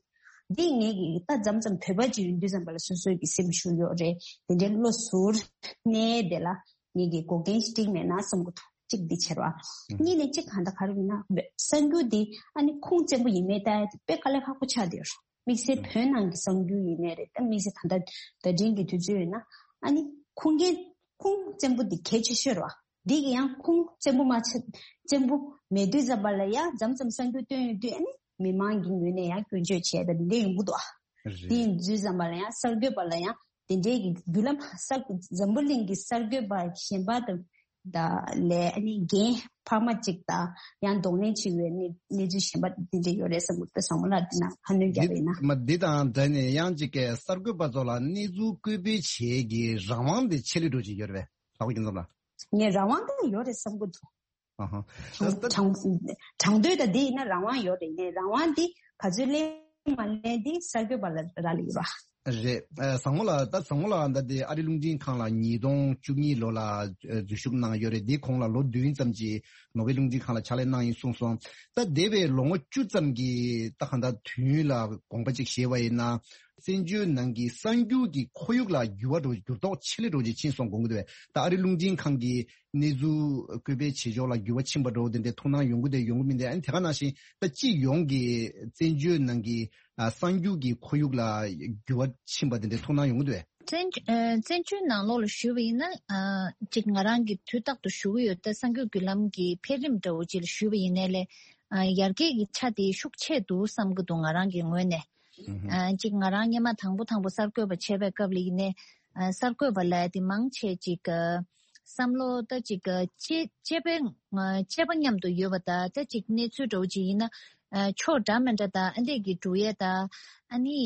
འདི་ངེད་ཀྱི་ད་མཚམས་མཚམས་བོད་པ་ཅིག་ཡིན་དུས་ཙམ་པ་ལ་སོ་སོའི་གི་སེམས་ཤུགས་ཡོད་རེད། དེ་འདྲའི་བློ་གཟུར་ནས་དེ་ལ་ངེད་ཀྱི་འགོག་རྐྱེན་ཞིག་འགྲིག་མེད་ན་བསམ་གྱི་འདུག་གཅིག་འདི་བྱེད་རོགས། གཉིས་ནས་གཅིག་གང་ལྟར་ག་རེ་ཡིན་ན་གསར་འགྱུར་འདི་ཨ་ནི་ཁུངས་བཙན་པོ་ཡིན་མེད་ལྟ་ཡ་དེ་དཔེ་དཀའ་ལས་ཁག་པོ་ཆགས་བསྡད་ཡོད་རེད། དམིགས་བསལ་བོད་ནང་གི་གསར་འགྱུར་ཡིན་ནའི་རེད། ད་དམིགས་བསལ་ད་ལྟ་ད་ཐེངས་ཀྱི་དུས་ཚོད་ཡིན་ན་ཨ་ནི་ཁུངས་སྐྱེལ་ཁུངས་བཙན་པོ་འདི་གལ་ཆེ་ཤོས་རེད་བ། འདི་གི་ཡང་ཁུངས་བཙན་པོ་མ་ཆེ་བཙན་པོ་མེད་དུས་ཙམ་པ་ལ་ཡང་མཚམས་མཚམས་གསར་འགྱུར་བཏོན་ཡོང་དུས་ཨ་ནི་མི་མང་གི་ངོས་ནས་ཡང་སྐྱོན་བརྗོད་བྱས་ད་འདི་འདྲ་ཡོང་གི་འདུག་ཨ། རེད། དེ་ཡིན་དུས་ཙམ་པ་ལ་ཡང་གསར་འགོད་པ་ལ་ཡང་དེ་འདྲའི་གི་བརྒྱུད་ལམ་གསར་འཛམ་བུ་གླིང་གི་གསར་འགོད་པ་གཞན་པ་དང་ད་ལས་ཨ་ནི་རྒན་ཕ་མ་གཅིག་དང་ཡང་གདོང་ལེན་བྱེད་པའི་གནས་གནས་ཚུལ་གཞན་པ་དེ་འདྲ་ཡོད་རེད་བསམ་གྱི་འདུག་བཟང་མོ་ལགས་འདི་ན་ཁ་སྣོན་རྒྱག་པ་ཡིན་ན། འདི་མ་འདི་དང་འབྲེལ་ནས་ཡང་ཅིག་གི་གསར་འགོད་པ་ཚོ་ལ་གནས་ཚུལ་བཀོད་སྤེལ་བྱེད་ཀྱི་རང་དབང་དེ་ཆེད་ལས་འགྲོ་བཞིན་ཡོད་རེད་པས། ལྷག་པ་རྒྱུ་མཚན་ལ། ངས་རང་དབང་དེ་ཡོད་རེད་བསམ་གྱི་འདུག་ཨ་ཧ། དྲང་དྲང་དྲང་དོད་དང་འདི་ཡིན་ན་རང་དབང་ཡོད་རེད། ངས་རང་དབང་འདི་ག་ཚོད་ལེན་མ་ལེན་འདི་གསར་འགོད་པ་ལ་རག་ལས་ཡོད་ར། རེད། ཨ། བཟང་མོ་ལགས། ད་བཟང་མོ་ལགས་ད་ལྟ་ཨ་རི་རླུང་འཕྲིན་ཁང་ལ་ཉིས་སྟོང་བཅུ་གཉིས་ལོ་ལ་ཨ་འཛུལ་ཞུགས་གནང་ཡོད་རེད། འདིའི་གོང་ལ་ལོ་བདུན་ཙམ་ཅིག་ནོར་ཝེ་རླུང་འཕྲིན་ཁང་ལ་ཕྱག་ལས་གནང་ཡིན་གསུངས་སོང་། ད་འདས་པའི་ལོ་ངོ་བཅུ་ཙམ་གྱི་ད་གང་ལྟར་དུས་ཡུན་ལ་དགོངས་པ་ཅིག་བཞེས་པ་ཡིན་ན། བཙན་བྱོལ་ནང་གི་གསར་འགྱུར་གྱི་ཁོར་ཡུག་ལ་འགྱུར་བ་འགྲོ་འགྱུར་ལྡོག་ཆེ་ལས་འགྲོ་ཅིག་ཕྱིན་སོང་དགོངས་ཀྱི་འདུག་པས། ད་ཨ་རི་རླུང་འཕྲིན་ཁང་གི་གནས་ཚུལ་བཀོད་སྤེལ་བྱེད་ཕྱོགས་ལ་འགྱུར་བ་ཕྱིན་པ་འདྲ་བོ་དེ་འདྲའི་ཐུགས་སྣང་ཡོང་གི་འདུག་ཡོང་གི་མི་འདུག་ཨ་ནི་དེ་ག་ནང་བཞིན་ད་སྤྱི་ཡོངས་ཀྱི་བཙན་བྱོལ་ནང་གི་ཨ་གསར་འགྱུར་གྱི་ཁོར་ཡུག་ལ་འགྱུར་བ་ཕྱིན་པ་དེ་འདྲའི་ཐུགས་སྣང་ཡོང་གི་འདུག་གས། བཙན་ཨ་བཙན་བྱོལ་ནང་ལོགས་ལ་ཞུས་པ་ཡིན་ན་ཨ་ཅིག་ང་རང་གིས་དུས་རྟག་ཏུ་ཞུ་གི་ཡོད། ད་གསར་འགྱུར་བརྒྱུད་ལམ་གྱི་འཕེལ་རིམ་འདྲ་བོ་ཅིག་ལ་ཞུས་པ་ཡིན་ནའི་ལས་ ཨ་ཡར་རྒྱས་ཀྱི་ཆ་དེ་ཤུགས་ཆེ་འདུག་བསམ་གྱི་འདུག་ང་རང་གི་ངོས་ནས། ཨ་གཅིག་ང་རང་སྔོན་མ་དང་པོ་དང་པོ་གསར་འགོད་པ་བྱས་པའི་སྐབས་ལ་ཡིན་ནའི་ཨ་གསར་འགོད་པ་ལབ་ཡ་དེ་མང་ཆེ་གཅིག་ཨ་བསམ་བློ་ད་གཅིག་ཨ་གཅེས་གཅེས་པའི་ཨ་གཅེས་པ་མཉམ་དུ་ཡོད་པ་དང་ད་གཅིག་གནས་ཚུལ་འདྲ་བོ་ཅིག་ཡིན་ན་ཨ་ཕྱོགས་འདྲ་མི་འདྲ་དང་ཨ་འདྲས་ཀྱི་འགྲོ་ཡས་དང་ཨ་ནི་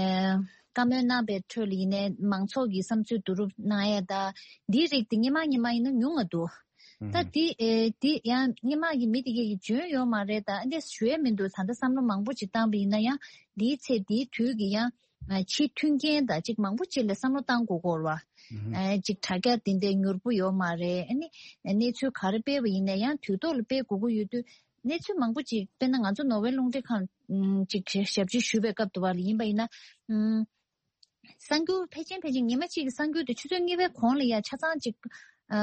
ཨ་བཀའ་མོལ་གནང་པའི་ཁྲོད་ལ་ཡིན་ནའི་མང་ཚོགས་ཀྱི་བསམ་ཚུལ་བསྡུ་རུབ་གནང་ཡས་དང་འདིའི་རིགས་དེ་སྔོན་མ་སྔོན་མ་ཡིན་ན་ཉུང་ང་འདུག་ད་འདི་ཨེ་འདི་ཡང་སྔོན་མ་གི་མི་དེ་གས་ཀྱིས་འཇོན་ཡོད་མ་རེད། ད་འདི་ཞུ་ཡས་མི་འདུག་ད་ལྟ་བསམ་བློ་མང་པོ་ཅིག་བཏང་པ་ཡིན་ན་ཡང་འདིའི་ཚེ་འདིའི་དུས་ཀྱི་ཡང་ཨ་ཕྱི་མཐུན་རྐྱེན་དང་ཅིག་མང་པོ་ཅིག་ལ་བསམ་བློ་བཏང་དགོས་ཀྱི་ཡོད་རེད་བ། ཨ་ཅིག་དྲ་རྒྱ་དེ་འདྲའི་མྱུར་པོ་ཡོད་མ་རེད། ཨ་ནི་གནས་ཚུལ་ག་རེ་སྤེལ་བ་ཡིན་ན་ཡང་དུས་ཐོག་ལ་སྤེལ་དགོས་ཀྱི་ཡོད་དུས་གནས་ཚུལ་མང་པོ་ཅིག་དཔེར་ན་ང་ཚོ་ནོར་ཝེ་རླུང་འཕྲིན་ཁང་ཅིག་ཞབས་ཕྱི་ཞུས་པའི་སྐབས་དུ་བ་ལ་ཡིན་པ་ཡིན་ན། གསར་འགྱུར་ཕལ་ཆེར་ཕལ་ཆེར་ཉི་མ་གཅིག་གི་གསར་འགྱུར་དེ་ཆུ་ཚོད་གཉིས་པའི་གོང་ལ་ཡ་ཆ་ཚང་ཅིག་ཨ་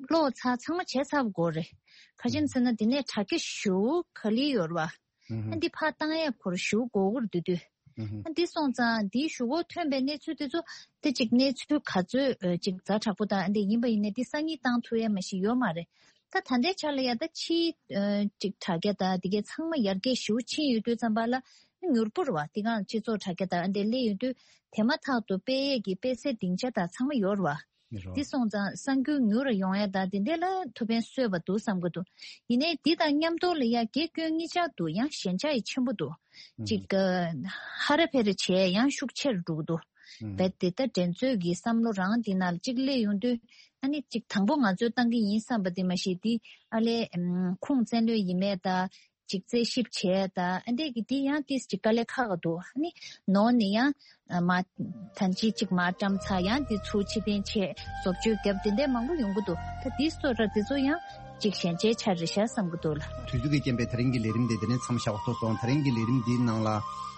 ཀློག་ཚར་ཚང་མ་བྱས་ཚར་བ་དགོས་རེད། ག་ཅི་ཡིན་ཟེར་ན་དེ་ནས་དྲ་རྒྱ་ཞུ་ག་ལེ་ཡོད་རེད་བ། ཨ་འདི་ཕར་བཏང་ཡས་ཁོར་ཞུ་དགོས་ཀྱི་རེད་དུས་དུས། ཨ་འདི་སོང་ཙང་འདིའི་ཞུ་སྒོ་ཐོན་པའི་གནས་ཚུལ་དེ་ཚོ་དེ་ཅིག་གནས་ཚུལ་ག་ཚོད་ཅིག་ཛ་དྲག་པོ་དང་ཨ་འདི་ཡིན་པ་ཡིན་ནའི་འདི་སང་ཉིན་བཏང་ཐུབ་ཡས་མ་ཞིག་ཡོད་མ་རེད། ད་ད་ལྟའི་ཆ་ལ་ཡ་ད་ཕྱིའི་ཨ་ཅིག་དྲ་རྒྱ་དང་དེ་གའི་ཚང་མ་ཡར་རྒྱས་ཞེ་པོ་ཕྱིན་ཡོད་དུས་ཙམ་པ་ལ་མྱུར་པོ་རེད་བ། དེ་གང་སྤྱི་ཚོགས་དྲ་རྒྱ་དང་ཨ་འདྲས་སླེབས་ཡོང་དུས་དེ་མ་ཐག་ཏུ་སྤེལ་ཡས་ཀྱི་སྤེལ་སའི་སྡིངས་ཆ་དང་ཚང་མ་ཡོད་རེད་བ། ཡོད་རེད་བ། དེ་སོང་ཙང་གསར་འགྱུར་མྱུར་རུ་ཡོང་ཡས་དང་དེ་འདྲས་ལ་ཐུགས་ཕན་གསོས་པ་འདུག་བསམ་གྱི་འདུག་ཡིན་ནའི་དེ་དང་མཉམ་དུ་ལ་ཡ་དགེ་སྐྱོན་གཉིས་ཆར་འདུག་ཡང་ཞན་ཆ་ཡི་ཆེན་པོ་འདུག་ཅིག་ཨ་ཧ་ར་ཕེ་ར་བྱས་ཡང་ཤུགས་ཆེར་འགྲོ་གི་འདུག་རྦད་དེ་ད་འགྲན་རྩོད་ཀྱི་བསམ་བློ་རང་འདི་ནང་ལ་གཅིག་སླེབས་ཡོང་དུས་ཨ་ནི་གཅིག་དང་པོ་ང་ཚོས་བཏང་གི་ཡིན་བསམ་པ་དེ་མ་གཞི་དེ་ཨ་ལས་ཨམ་ཁུངས་བཙན་ལོས་ཡིན་མེད་ད་གཅིག་རྩད་ཞིབ་བྱས་ད་ཨ་འདྲས་ཀྱི་དེ་ཡང་ཏིས་གཅིག་དཀའ་ལས་ཁག་ག་འདུག་ཨ་ནི་ནོར་ནི་ཡང་ཨ་མ་ཐན་ཅི་གཅིག་མ་བཀྲམ་ཚར་ཡང་དེ་ཚུར་ཕྱི་འཐེན་བྱས་བཟོ་བཅོས་བརྒྱབ་དེ་འདྲས་མང་པོ་ཡོང་གི་འདུག་ད་དེ་སོ་ར་དེ་ཚོ་ཡང་གཅིག་ཞན་ཆའི་ཆ་རེད་ཤག་བསམ་གི་འདུག་ལ། དུས་ཚོད་ཀྱི་རྐྱེན་པས་དེ་རིང་གི་ལས་རིམ་དེ་དེ་ནས་མཚམས་བཞག་པ་ཐོག་སོང་། དེ་རིང་གི་ལས་རིམ་འདིའི་ནང་ལ་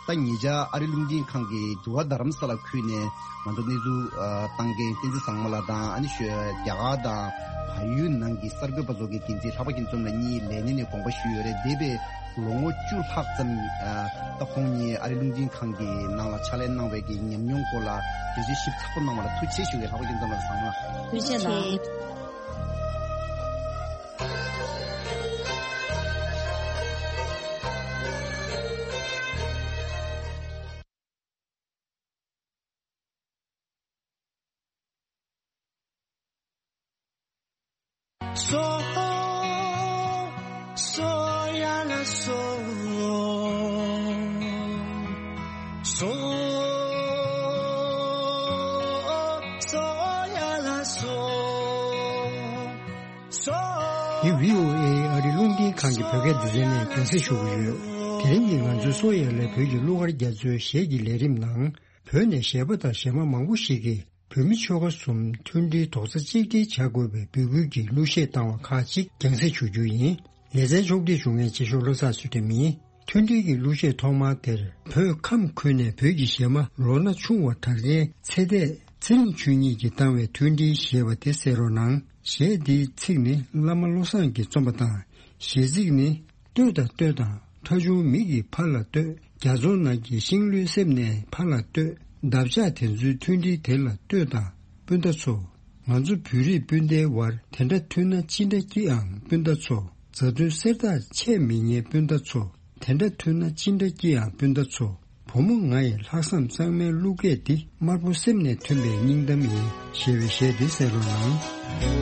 ད་ཉེ་ཆར་ཨ་རི་རླུང་འཕྲིན་ཁང་གི་འདུ་བ་རྡ་རམ་ས་ལ་ཁུལ་ནས་ང་ཚོ་གནས་ཚུལ་ཨ་བཏང་མཁན་བསྟན་འཛིན་བཟང་མོ་ལགས་དང་ཨ་ནི་ཤོད་རྒྱ་གར་དང་བལ་ཡུལ་ནང་གི་གསར་འགོད་པ་ཚོ་གི་འགན་འཛིན་ལྷག་པ་རྒྱལ་འཛོམས་ལགས་གཉིས་ལས་གནས་ནས་དགོངས་པ་ཞུས་ཡོད་རེད། འདས་པའི་ལོ་ངོ་བཅུ་ལྷག་ཙམ་ཨ་ད་ཁོང་གཉིས་ཨ་རི་རླུང་འཕྲིན་ཁང་གི་ནང་ལ་ཕྱག་ལས་གནང་བའི་གི་ཉམས་མྱོང་སྐོར་ལ་འགྲེལ་བརྗོད་ཞིབ་ཚགས་པོ་གནང་བ་ལ་ཐུགས་རྗེ་ཆེ་ཞུ་གི། ལྷག་པ་རྒྱལ་འཛོམས་ལགས་བཟང་མོ། ཐུགས་རྗེ་ཆེ་གནང་། སོ་སོ་ཡ་ལ་སོ་སོ་སོ་ཡ་ལ་སོ། འདི་བྷི་ཨོ་ཨེ་ཨ་རི་རླུང་འཕྲིན་ཁང་གི་བོད་སྐད་སྡེ་ཚན་ནས་རྒྱང་སྲིང་ཞུ་གི་ཡོད། དེ་རིང་གི་ང་ཚོའི་སོ་ཡ་ལ་བོད་ཀྱི་གླུ་གར་རྒྱ་མཚོའི་གཞས་ཀྱི་ལས་རིམ་ནང་། བོད་ནས་གཞས་པ་དང་གཞས་མ་མང་པོ་ཞིག་གིས་བོད་མི་ཆོལ་ཁ་གསུམ་མཐུན་སྒྲིལ་རྡོག་རྩ་གཅིག་སྒྲིལ་བྱ་དགོས་པའི་འབོད་སྐུལ་གྱི་གླུ་གཞས་བཏང་བ་ཁག་ཅིག་རྒྱང་སྲིང་ཞུ་རྒྱུ་ཡིན། ལེ་ཚན་ཕྱོགས་སྒྲིག་ཞུ་མཁན་ཆེ་ཤོས་བློ་བཟང་ཚུལ་ཁྲིམས་ཡིན། མཐུན་སྒྲིལ་གྱི་གླུ་གཞས་ཐོག་མར་དེར་བོད་ཁམས་ཁུལ་ནས་བོད་ཀྱི་གཞས་མ་ལོ་ན་ཆུང་བ་གྲགས་ཅན་ཚེ་འདས་ཚེ་རིང་ཆོས་ཉིད་ཀྱིས་བཏང་བའི་མཐུན་སྒྲིལ་ཞེས་པ་དེ་གསན་རོགས་གནང་། གཞས་འདིའི་ཚིག་ནི་བླ་མ་བློ་བཟང་གིས་རྩོམ་པ་དང་། གཞས་ཚིག་ནི། ལྟོས་དང་ལྟོས་དང་། ཁྲ་ཆུང་མིག་གིས་ཕར་ལ་ལྟོས། རྒྱ་མཚོ་ནང་གི་ཤིང་ལོའི་གསེབ་ནས་ཕར་ལ་ལྟོས། འདབ་ཆགས་དེ་ཚོའི་མཐུན་སྒྲིལ་དེ་ལ་ལྟོས་དང་། སྤུན་ཟླ་ཚོ། ང་ཚོ་བོད་རིགས་སྤུན་ཟླའི་བར་དེ་འདྲ་མཐུན་ན་ཅི་འདྲ་སྐྱིད་ཨང་སྤུན་ཟླ་ཚོ། མཛའ་མཐུན་གསེར་ཐག་ཆད་མི་ཉན་སྤུན་ཟླ་ཚོ། དེ་འདྲ་མཐུན་ན་ཅི་འདྲ་སྐྱིད་ཨང་སྤུན་ཟླ་ཚོ། བུ་མོ་ང་ཡི་ལྷག་བསམ་གཙང་མའི་གླུ་སྐད་འདི། དམར་པོ་སེམས་ནས་ཐོན་པའི་སྙིང་གཏམ་ཡིན། ཞེས་པའི་གཞས་འདི་གསན་རོགས་གནང་།